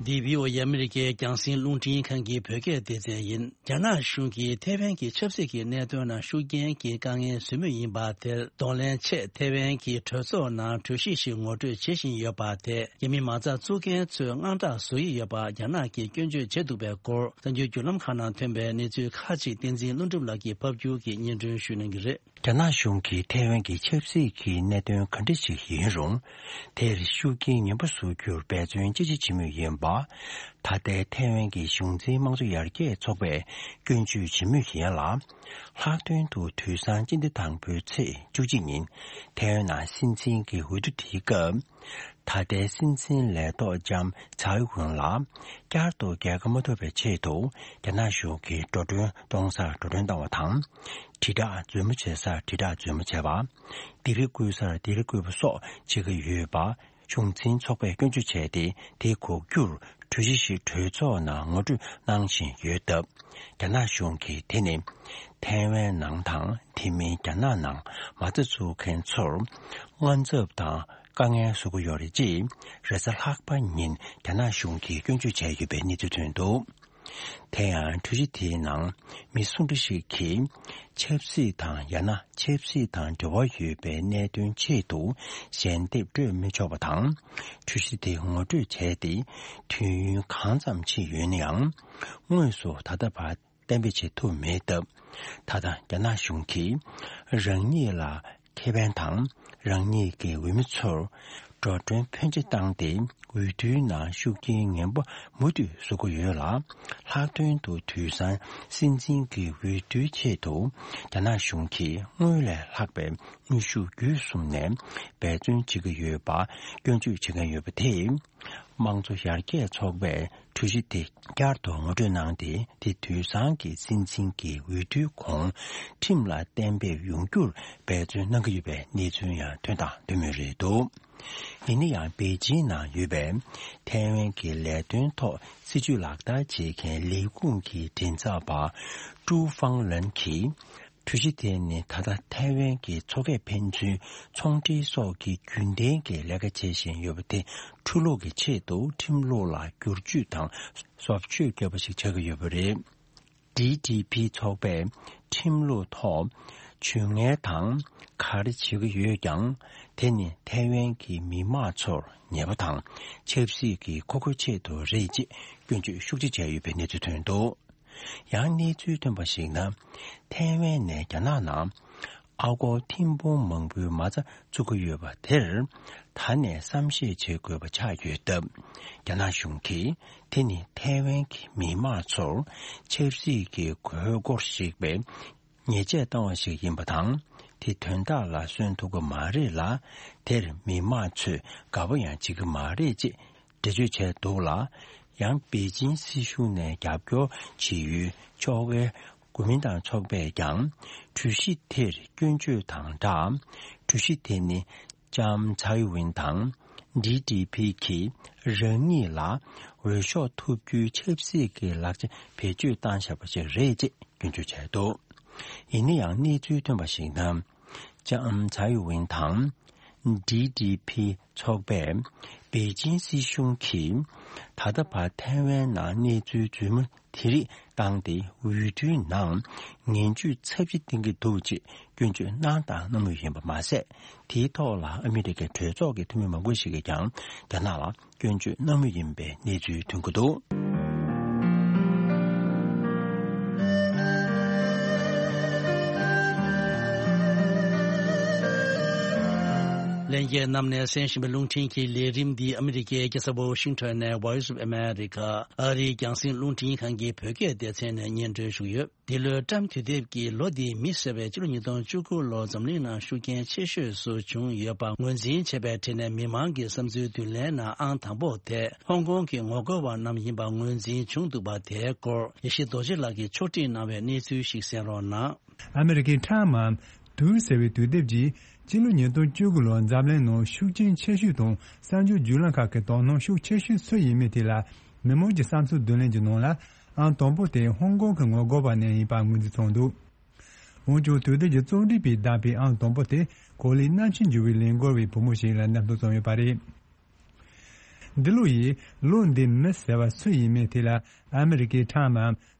འདི་བྷི་ཨོ་ཨེ་ཨ་མི་རི་ཀའི་རྒྱང་སྲིང་རླུང་འཕྲིན་ཁང་གི་བོད་སྐད་སྡེ་ཚན་ཡིན། རྒྱ་ནག་གཞུང་གིས་ཐའེ་ཝན་གྱི་ཆབ་སྲིད་ཀྱི་གནད་དོན་ནང་ཤུགས་རྐྱེན་གྱི་དཀའ་ངལ་བཟོ་མུས་ཡིན་པ་དེར་གདོང་ལེན་ཆེད། ཐའེ་ཝན་གྱི་གྲོས་ཚོགས་ནང་གྲོས་གཞི་ཞིག་ངོ་སྤྲོད་བྱེད་བཞིན་ཡོད་པ་དེ། རྒྱ་མི་མ་རྩ་བཙུགས་མཁན་ཚོས་དངངས་སྐྲག་བཟོ་ཡི་ཡོད་པ་རྒྱ་ནག་གིས་སྐྱོན་བརྗོད་བྱས་འདུག་པའི་སྐོར། གསར་འགྱུར་བརྒྱུད་ལམ་ཁག་ནང་ཐོན་པའི་གནས་ཚུལ་ཁག་ཅིག་བསྟན་འཛིན་ཀླུ་སྒྲུབ་ལགས་ཀྱིས་ཕབ་བསྒྱུར་གྱིས་སྙན་སྒྲོན་ཞུ་གནང་གི་རེད། རྒྱ་ནག་གཞུང་གིས་ཐའེ་ཝན་གྱི་ཆབ་སྲིད་ཀྱི་གནད་དོན་ག་འདྲ་ཞིག་ཡིན་རུང་། དེར་ཤུགས་རྐྱེན་ངན་པ་བཟོ་རྒྱུར་འབད་བརྩོན་ཅི་ཆེ་བྱེད་མུས་ཡིན་པ། ད་ལྟའི་ཐའེ་ཝན་གྱི་གཞུང་འཛིན་དམངས་གཙོ་ཡར་རྒྱས་ཚོགས་པས་སྐྱོན་བརྗོད་བྱེད་མུས་ཡིན་ལ། ལྷག་དོན་དུ་དུས་སང་སྤྱི་ཟླ་དང་པོའི་ཚེས་བཅུ་གཅིག་ཉིན་ཐའེ་ཝན་ནང་སྲིད་འཛིན་གྱི་འོས་བསྡུ་དེའི་སྐབས། ད་ལྟའི་སྲིད་འཛིན་ལས་ཐོག་ལྕམ་ཚའེ་ཝུན་ལ་བསྐྱར་དུ་རྒྱལ་ཁ་མ་ཐོབ་པའི་ཆེད་དུ་རྒྱ་ནག་གཞུང་གིས་འགྲོ་གྲོན་གཏོང་སར་འགྲོ་གྲོན་བཏང་བ་དང་། དྲིལ་བསྒྲགས་རྫུན་མ་བྱེད་སར་དྲིལ་བསྒྲགས་རྫུན་མ་བྱས་པ། སྡིགས་ར་བསྐུལ་སར་སྡིགས་ར་བསྐུལ་བ་སོགས་བྱེད་ཀྱི་ཡོད་པ། གཞུང་འཛིན་ཚོགས་པས་སྐྱོན་བརྗོད་བྱས་ཏེ། དེ་འགོག་རྒྱུར་གྲོས་གཞི་ཞིག་གྲོས་ཚོགས་ནང་ངོ་སྤྲོད་གནང་བཞིན་ཡོད་སྟབས། རྒྱ་ནག་གཞུང་གིས་དེ་ནི་ཐའེ་ཝན་ནང་དང་དེ་མིན་རྒྱ་ནག་ནང་མ་རྩ་འཛུགས་མཁན་ཚོར་དངངས་འཚབ་དང་དཀའ་ངལ་བཟོ་གི་ཡོད་རེད་ཅེས་རེས་གཟའ་ལྷག་པ་ཉིན་རྒྱ་ནག་གཞུང་གིས་སྐྱོན་བརྗོད་བྱས་ཡོད་པའི་གནས་ཚུལ་ཐོན་འདུག། དེ་ཡང་གྲོས་གཞི་དེའི་ནང་མི་སུ་འདྲ་ཞིག་གིས་ཆབ་སྲིད་དང་ཡང་ན་ཆབ་སྲིད་དང་འབྲེལ་བ་ཡོད་པའི་གནད་དོན་ཆེད་དུ་ཞལ་འདེབས་སྤྲོད་མི་ཆོག་པ་དང་། གྲོས་གཞི་དེ་ངོ་སྤྲོད་བྱས་ཏེ་དུས་ཡུན་གང་ཙམ་ཕྱིན་ཡོད་ན་ཡང་དངོས་སུ་ད་ལྟ་བར་གཏན་འབེབས་བྱེད་ཐུབ་མེད་སྟབས། ད་ལྟ་རྒྱ་ནག་གཞུང་གིས་རང་ཉིད་ལ་ཁེ་ཕན་དང་རང་ཉིད་ཀྱི་འོས་མི་ཚོར་འགྲོ་གྲོན་ཕོན་ཆེ་བཏང་སྟེ་འོས་བསྡུའི་ནང་ཤུགས་རྐྱེན་ངན་པ་མུ་མཐུད་བཟོ་གི་ཡོད་ལ། ལྷག་དོན་དུ་དུས་སང་སྲིད་འཛིན་གྱི་འོས་བསྡུའི་ཆེད་དུ་རྒྱ་ནག་གཞུང་གིས་སྔོན་ལས་ལྷག་པའི་དངོས་ཤུགས་བརྒྱུད་གསུམ་ནས་འབད་བརྩོན་བྱེད་ཀྱི་ཡོད་པ་སྐྱོན་བརྗོད་བྱེད་མཁན་ཡོད་པ་དེས། དམངས་གཙོ་ཡར་རྒྱས་ཚོགས་པས་གྲོས་གཞི་དེ་བསྐྱར་དུ་ངོ་སྤྲོད་གནང་སྟེ། དེ་དུས་སང་གི་སྲིད་འཛིན་གྱི་འོས་བསྡུའི་གོང་ཁྲིམས་ལ་གཏན་འབེབས་ཡོང་རྒྱུར་འབད་བརྩོན་གནང་གི་ཡོད་པའི་གནས་ཚུལ་ཡང་ཐོན་དང་ཐོན་མུས་རེད་འདུག། ཡིན་ན་ཡང་པེ་ཅིན་ནང་ཡོད་པའི་ཐའེ་ཝན་གྱི་ལས་དོན་ཐོག་སྲིད་ཇུས་ལག་བསྟར་བྱེད་མཁན་ལས་ཁུངས་ཀྱི་མགྲིན་ཚབ་པ་ཀྲུའུ་ཧྥང་ལན་གྱིས། གྲོས་གཞི་དེ་ནི་ད་ལྟ་ཐའེ་ཝན་གྱི་མཚོ་ཁ་ཕན་ཚུན་ཚོང་འབྲེལ་སོགས་ཀྱི་རྒྱུན་ལྡན་གྱི་ལས་ཀ་བྱེད་བཞིན་ཡོད་པ་དེ་འཁྲུག་སློང་གི་ཆེད་དུ་ཁྲིམས་ལུགས་ལ་བསྒྱུར་བཅོས་དང་བཟོ་བཅོས་བརྒྱབ་པ་ཞིག་ཆགས་ཀྱི་ཡོད་པ་རེད། ཌི་ཌི་པི་ཚོགས་པས་ཁྲིམས་ལུགས་ཐོག་ཇུས་ངན་དང་ག་རེ་བྱེད་ཀྱི་ཡོད་ཀྱང་། དེ་ནི་ཐའེ་ཝན་གྱི་མི་དམངས་ཚོར་ཉེས་པ་དང་ཆབ་སྲིད་ཀྱི་མཁོ་དགོས་ཆེད་དུ་རེད་ཅེས་སྐྱོན་བརྗོད་ཤུགས་ཆེ་བྱས་ཡོད་པའི་གནས་ཚུལ་ཐོན་འདུག། ཡང་གནས་ཚུལ་ཐོན་པར་གཞིགས་ན། ཐའེ་ཝན་ནས་རྒྱ་ནག་ནང་ཨ་སྒོར་ཐེར་འབུམ་མང་པོའི་མ་རྩ་བཙུགས་ཀྱི་ཡོད་པ་དེར། ད་ནས་བསམ་ཤེས་བྱེད་དགོས་པ་ཆགས་ཡོད་སྟབས། རྒྱ་ནག་གཞུང་གིས་དེ་ནི་ཐའེ་ཝན་གྱི་མི་དམངས་ཚོར་ཆབ་སྲིད་ཀྱི་དགོས་མཁོར་གཞིགས་པའི་ཉེས་ཆད་བཏང་བ་ཞིག་ཡིན་པ་དང་། དེ་དོན་དག་ལ་སོན་ཐུབ་ཀྱི་མ་རེད་ལ། དེར་མི་དམངས་ཚོས་དགའ་པོ་ཡང་བྱེད་ཀྱི་མ་རེད་ཅེས། འགྲེལ་བརྗོད་བྱས་འདུག་ལ། ཡང་པེ་ཅིན་སྲིད་གཞུང་ནས་རྒྱབ་སྐྱོར་བྱེད་ཡུལ་ཕྱོགས་འགལ་གོ་མིན་ཏང་ཚོགས་པས་ཀྱང་། གྲོས་གཞི་དེར་སྐྱོན་བརྗོད་དང་སྦྲགས། གྲོས་གཞི་དེ་ནི་ལྕམ་ཚའེ་ཝིན་དང་ ཌི་ཌི་ཕི་གིས་རང་ཉིད་ལ་འོས་ཤོག་ཐོབ་རྒྱུའི་ཆབ་སྲིད་ཀྱི་ལག་ཆ་བེད་སྤྱོད་བཏང་བཞག་པ་ཞིག་རེད་ཅེས་སྐྱོན་བརྗོད་བྱས་འདུག། ཡིན་ན་ཡང་གནས་ཚུལ་ཐོན་པར་གཞིགས་ན། ལྕམ་ཚའེ་ཝེན་དང་ཌི་ཌི་ཕི་ཚོགས་པས་པེ་ཅིང་སྲིད་གཞུང་གིས་ད་ལྟ་བར་ཐའེ་ཝན་ནང་གནས་ཚུལ་རྫུན་མ་དེ་རིགས་བཏང་སྟེ་འོས་བསྡུའི་ནང་ངན་ཇུས་ཚབས་ཆེ་བསྟན་གྱི་འདུག་ཅེས་སྐྱོན་བརྗོད་གནང་དང་གནང་མུས་ཡིན་པ་མ་ཟད། དེའི་ཐོག་ལ་ཨ་མི་རི་ཀའི་གྲོས་ཚོགས་ཀྱི་འཐུས་མི་མང་པོ་ཞིག་གིས་ཀྱང་རྒྱ་ནག་ལ་སྐྱོན་བརྗོད་གནང་མུས་ཡིན་པའི་གནས་ཚུལ་ཐོན་གྱི་འདུག། ལྷན་རྒྱས་རྣམས་ནས་གསན་བཞིན་པའི་རླུང་འཕྲིན་གྱི་ལས་རིམ་འདི་ཨ་མི་རི་ཀའི་རྒྱལ་ས་ཝོ་ཤིང་ཊོན་ནས་Voice of America ཨ་རིའི་རྒྱང་སྲིང་རླུང་འཕྲིན་ཁང་གི་བོད་སྐད་སྡེ་ཚན་ནས་སྙན་སྒྲོན་ཞུས་ཡོད། འདི་ལོའི་ཊམ་དུས་དེབ་ཀྱི་ལོ་འདིའི་མི་ཟེར་བའི་ཕྱི་ལོ་ཉིས་སྟོང་བཅུ་དགུ་ལོ་འཛམ་གླིང་ནང་ཤུགས་རྐྱེན་ཆེ་ཤོས་སུ་བྱུང་ཡོད་པ་ངོས་འཛིན་བྱས་པའི་གྲས་ནས་མི་མང་གི་བསམ་ཚུལ་བསྡུ་ལེན་ནང་ཨང་དང་པོ་དེ་ཧོང་ཀོང་གི་ངོ་རྒོལ་བ་རྣམས་ཡིན་པ་ངོས་འཛིན་བྱུང་འདུག་པ། དེའི་སྐོར་ཡེ་ཤེས་རྡོ་རྗེ་ལགས་ཀྱིས་ཕྱོགས་སྒྲིག་གནང་བའི་གནས་ཚུལ་ཞིག་གསན་རོགས་གནང་། ཨ་མི་རི་ཀའི་ཊམ་དུས་ཟེར་བའི་དུས་དེབ་ཀྱིས་ཕྱི་ལོ་ཉིས་སྟོང་བཅུ་དགུ་ལོར་འཛམ་གླིང་ནང་ཤུགས་རྐྱེན་ཆེ་ཤོས་དང་གསར་འགྱུར་བརྒྱུད་ལམ་ཁག་གི་དོ་སྣང་ཤུགས་ཆེ་ཤོས་སུ་ཡིན་མིན་དེ་ལ་མི་མང་གི་བསམ་ཚུལ་བསྡུ་ལེན་གྱི་ནང་ལ་ཨང་དང་པོ་དེ་ཧོང་ཀོང་གི་ངོ་རྒོལ་བ་རྣམས་ཡིན་པ་ངོས་འཛིན་བྱུང་འདུག། འོན་ཀྱང་དུས་དེབ་ཀྱི་རྩོམ་སྒྲིག་པས་བདམས་པའི་ཨང་དང་པོ་དེ་གོ་ལའི་གནམ་གཤིས་འགྱུར་བའི་ལས་འགུལ་བའི་བུ་མོ་ཞིག་ལ་འདེམས་ཐོན་བྱུང་ཡོད་པ་རེད། འདི་ལོ་ཡི་ལོ་འདིའི་མི་ཟེར་བ་སུ་ཡིན་མིན་དེ་ལ་ཨ་མི་རི་ཀའི་ཊམ་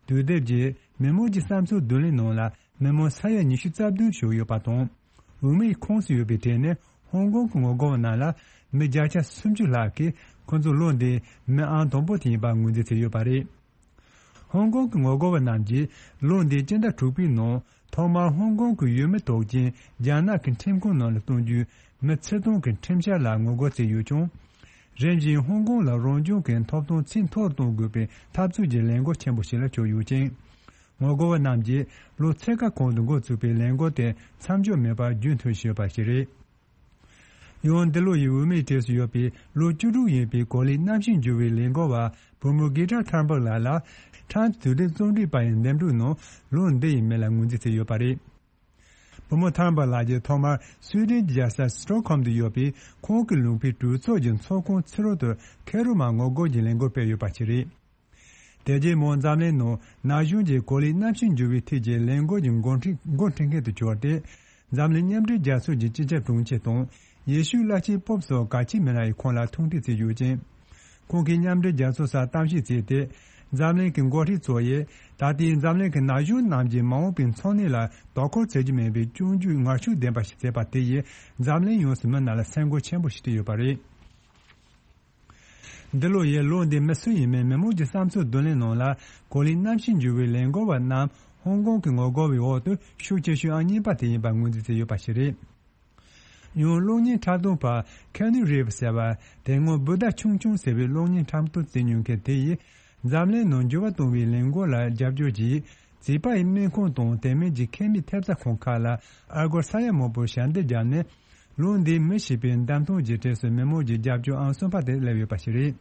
དུས་དེབ་ཀྱིས་མི་མང་གི་བསམ་ཚུལ་བསྡུ་ལེན་ནང་ལ་མི་མང་ས་ཡ་ཉི་ཤུ་རྩ་བདུན་ཞུགས་ཡོད་པ་དང་། འོས་མིའི་ཁོངས་སུ་ཡོད་པའི་གྲས་ནས་ཧོང་ཀོང་གི་ངོ་རྒོལ་བ་རྣམས་ལ་མི་བརྒྱ་ཆ་སུམ་ཅུ་ལྷག་གིས་ཁོ་ཚོ་ལོ་འདིའི་མི་ཨང་དང་པོ་དེ་ཡིན་པ་ངོས་འཛིན་བྱས་ཡོད་པ་རེད། ཧོང་ཀོང་གི་ངོ་རྒོལ་བ་རྣམས་ཀྱིས་ལོ་འདིའི་སྤྱི་ཟླ་དྲུག་པའི་ནང་ཐོག་མར་ཧོང་ཀོང་གི་ཡུལ་མི་དོགས་ཅན་རྒྱ་ནག་གི་ཁྲིམས་ཁང་ནང་ལ་གཏོང་རྒྱུའི་མི་ཚེ་ཐར་གྱི་ཁྲིམས་འཆར་ལ་ངོ་རྒོལ་བྱས་ཡོད་ཀྱང་། རིམ་བཞིན་ཧོང་ཀོང་ལ་རང་སྐྱོང་གི་ཐོབ་ཐང་ཚད་མཐོར་གཏོང་དགོས་པའི་འཐབ་རྩོད་ཀྱི་ལས་འགུལ་ཆེན་པོ་ཞིག་ལ་གྱུར་ཡོད་ཅིང་། ངོ་རྒོལ་བ་རྣམས་ཀྱིས་ལོ་ཚོད་ཀ་གོང་དུ་འགོ་བཙུགས་པའི་ལས་འགུལ་དེ་མཚམས་འཇོག་མེད་པར་རྒྱུན་མཐུད་བཞིན་ཡོད་པ་ཞིག་རེད། ཡང་འདི་ལོ་ཡི་འོས་མིའི་གྲས་སུ་ཡོད་པའི་ལོ་བཅུ་དྲུག་ཡིན་པའི་གོ་ལའི་གནམ་གཤིས་འགྱུར་བའི་ལས་འགུལ་བ་བུ་མོ་གྷི་ཊ་ཐར་འབག་ལགས་ལ་ཊམ་དུས་དེབ་རྩོམ་སྒྲིག་པ་ཡི་འདེམས་སྒྲུག་ནང་ལོ་འདི་ཡི་མི་ལ་ངོས་འཛིན་བྱས་ཡོད་པ་རེད། བུ་མོ་ཐར་འབག་ལགས་ཀྱིས་ཐོག་མར་སུའེ་ཏེན་གྱི་རྒྱལ་ས་སི་ཊོག་ཧོམ་དུ་ཡོད་པའི་ཁོང་གི་ལུང་པའི་གྲོས་ཚོགས་ཀྱི་ཚོགས་ཁང་ཕྱི་རོལ་དུ་ཁེ་རུ་མ་ངོ་རྒོལ་གྱི་ལས་འགུལ་སྤེལ་ཡོད་པ་ཞིག་རེད། དེ་རྗེས་མོ་འཛམ་གླིང་ནང་ན་གཞོན་གྱི་གོ་ལའི་གནམ་གཤིས་འགྱུར་བའི་ཐད་ཀྱི་ལས་འགུལ་གྱི་འགོ་ཁྲིད་འགོ་ཁྲིད་མཁན་དུ་གྱུར་ཏེ། འཛམ་གླིང་མཉམ་འབྲེལ་རྒྱལ་ཚོགས་ཀྱི་སྤྱི་ཁྱབ་དྲུང་ཆེ་དང་ཡེ་ཤུའི་བླ་ཆེན་པོབ་སོགས་གལ་ཆེའི་མི་སྣ་ཡིས་ཁོང་ལ་ཐུག་འཕྲད་བྱས་ཡོད་ཅིང་། ཁོང་གིས་མཉམ་འབྲེལ་རྒྱལ་ཚོགས་སར་གཏམ་བཤད་བྱས་ཏེ། འཛམ་གླིང་གི་འགོ་ཁྲིད་ཚོ་ཡིས་ད་ལྟའི་འཛམ་གླིང་གི་ན་གཞོན་རྣམས་ཀྱི་མ་འོངས་པའི་འཚོ་གནས་ལ་དོ་ཁུར་བྱེད་རྒྱུ་མིན་པའི་སྐྱོན་བརྗོད་ངར་ཤུགས་ལྡན་པ་ཞིག་བྱས་པ་དེ་ཡིས་འཛམ་གླིང་ཡོངས་སུ་མི་རྣམས་ལ་སེམས་འགུལ་ཆེན་པོ་ཞིག་སྤྲད་ཡོད་པ་རེད། འདི་ལོ་ཡི་ལོ་འདིའི་མི་སུ་ཡིན་མིན་མི་མང་གི་བསམ་ཚུལ་བསྡུ་ལེན་ནང་ལ་གོ་ལའི་གནམ་གཤིས་འགྱུར་བའི་ལས་འགུལ་བ་རྣམས་ཧོང་ཀོང་གི་ངོ་རྒོལ་བའི་འོག་ཏུ་ཤུགས་ཆེ་ཤོས་ཨང་གཉིས་པ་དེ་ཡིན་པ་ངོས་འཛིན་བྱས་ཡོད་པ་ཞིག་རེད། ཡང་གློག་བརྙན་འཁྲབ་སྟོན་པ་ཁེ་ནུ་རེབ་ཟེར་བ་དེ་སྔོན་བུ་ཟླ་ཆུང་ཆུང་ཟེར་བའི་གློག་བརྙན་འཁྲབ་སྟོན་བྱེད་མྱོང་མཁན་དེ་ཡིས་འཛམ་གླིང་ནང་འགྱུར་བ་གཏོང་བའི་ལས་འགུལ་ལ་རྒྱབ་སྐྱོར་གྱིས། བྱིས་པ་ཡི་སྨན་ཁང་དང་དེ་མིན་གྱི་ཁེ་མིའི་ཐེབས་རྩ་ཁང་ཁག་ལ་ཨ་སྒོར་ས་ཡ་མང་པོ་ཞལ་འདེབས་བརྒྱབ་ནས། ལོ་འདིའི་མི་ཞེས་པའི་འདེམས་ཐོན་གྱི་གྲས་སུ་མི་མང་གི་རྒྱབ་སྐྱོར་ཨང་གསུམ་པ་དེ་སླེབས་ཡོད་པ་ཞིག་རེད།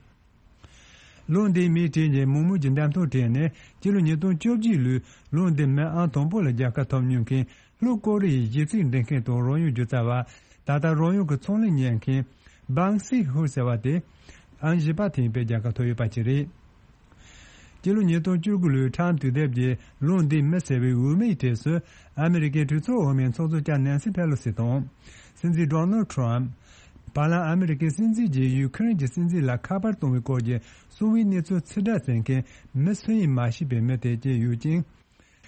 ལོ་འདིའི་མིའི་གྲས་ཀྱི་མི་མང་གི་འདེམས་ཐོན་གྲས་ནས་སྤྱི་ལོ་ཉིས་སྟོང་བཅོ་བརྒྱད་ལོའི་ལོ་འདིའི་མི་ཨང་དང་པོ་ལ་རྒྱལ་ཁ་ཐོབ་མྱོང་མཁན་ལྷོ་ཀོ་རི་ཡའི་གཞས་ཚིག་འབྲི་མཁན་དང་རོལ་དབྱངས་སྒྱུ་རྩལ་བ། ད་ལྟ་རོལ་དབྱངས་ཀྱི་ཚོང་ལས་གཉེར་མཁན་བང་སི་ཧུ་ཟེར་བ་དེ་ཨང་བཞི་པ་ཐེངས་པའི་རྒྱལ་ཁ་ཐོབ་ཡོད་པ་ཅིག་རེད། སྤྱི་ལོ་ཉིས་སྟོང་བཅུ་དགུ་ལོའི་ཊམ་དུས་དེབ་ཀྱི་ལོ་འདིའི་མི་ཟེར་བའི་འོས་མིའི་གྲས་སུ་ཨ་མི་རི་ཀའི་གྲོས་ཚོགས་འོས་མི་ཚོགས་གཙོ་ལྕམ་ནན་སི་ཕེ་ལོ་སི་དང་། སྲིད་འཛིན་ཌོ་ནལ་ཊམ། བར་ལམ་ཨ་མི་རི་ཀའི་སྲིད་འཛིན་གྱིས་ཡུ་ཁུ་རེན་གྱི་སྲིད་འཛིན་ལ་ཁ་པར་གཏོང་བའི་སྐོར་གྱི་གསང་བའི་གནས་ཚུལ་ཕྱིར་བསྒྲགས་བྱེད་མཁན་མི་སུ་ཡིན་མ་ཤེས་པའི་མི་དེ་བཅས་ཡོད་ཅིང་།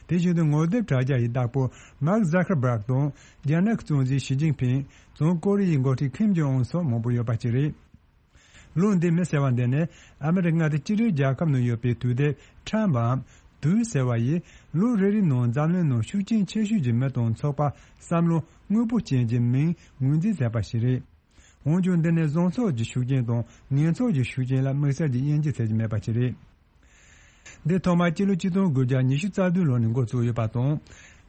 དེ་བཞིན་དུ་ངོ་དེབ་དྲ་རྒྱ་ཡི་བདག་པོ་མཱག་ཛ་ཁར་བྷག་དང་རྒྱ་ནག་གི་གཙོ་འཛིན་ཞི་ཅིན་ཕིང་། བྱང་ཀོ་རི་ཡའི་འགོ་ཁྲིད་ཁིམ་ཇོང་ཨུན་སོགས་མང་པོ་ཡོད་པ་བཅས་རེད། ལོ་འདིའི་མི་ཟེར་བ་འདི་ནི་ཨ་མི་རི་ཀ་མངའ་སྡེ་གཅིག་སྒྲིལ་རྒྱལ་ཁབ་ནང་ཡོད་པའི་དུས་དེབ་ཊམ་པའམ་དུས་ཟེར་བ་ཡིས་ལོ་རེ་རེའི་ནང་འཛམ་གླིང་ནང་ཤུགས་རྐྱེན་ཆེ་ཤོས་ཀྱི་མི་དང་ཚོགས་པ་བསམ་བློ་དངོས་པོ་ཅན་གྱི་མིང་ངོས་འཛིན་མཛད་པ་ཞིག་རེད། འོན་ཀྱང་འདི་ནི་བཟང་ཕྱོགས་ཀྱི་ཤུགས་རྐྱེན་དང་ངན་ཕྱོགས་ཀྱི་ཤུགས་རྐྱེན་ལ་དམིགས་བསལ་གྱི་དབྱེ་འབྱེད་བྱེད་ཀྱི་མེད་པ་ཞིག་རེད། འདི་ཐོག་མར་སྤྱི་ལོ་ཆིག་སྟོང་དགུ་བརྒྱ་ཉི་ཤུ་རྩ་བདུན་ལོ་ནས་འགོ་བཙུགས་ཡོད་པ་དང་།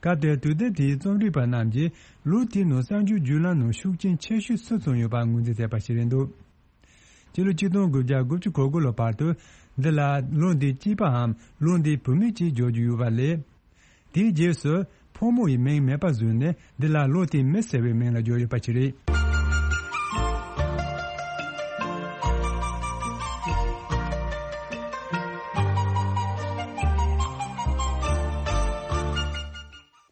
སྐབས་དེར་དུས་དེབ་དེའི་རྩོམ་སྒྲིག་པ་རྣམས་ཀྱིས་ལོ་དེའི་ནང་གསར་འགྱུར་བརྒྱུད་ལམ་ནང་ཤུགས་རྐྱེན་ཆེ་ཤོས་སུ་སོང་ཡོད་པ་ངོས་འཛིན་མཛད་པ་ཞིག་རེད་འདུག། སྤྱི་ལོ་ཆིག་སྟོང་དགུ་བརྒྱ་དགུ་བཅུ་གོ་དགུ་ལོ་བར་དུ་འདི་ལ་ལོ་འདིའི་སྐྱེས་པའམ་ལོ་འདིའི་བུད་མེད་ཅེས་བརྗོད་རྒྱུ་ཡོད་པ་ལས། དེའི་རྗེས་སུ་ཕོ་མོ་ཡི་མིང་མེད་པ་བཟོས་ནས་འདི་ལ་ལོ་དེའི་མི་ཟེར་བའི་མིང་ལ་བརྗོད་ཡོད་པ་ཞིག་རེད།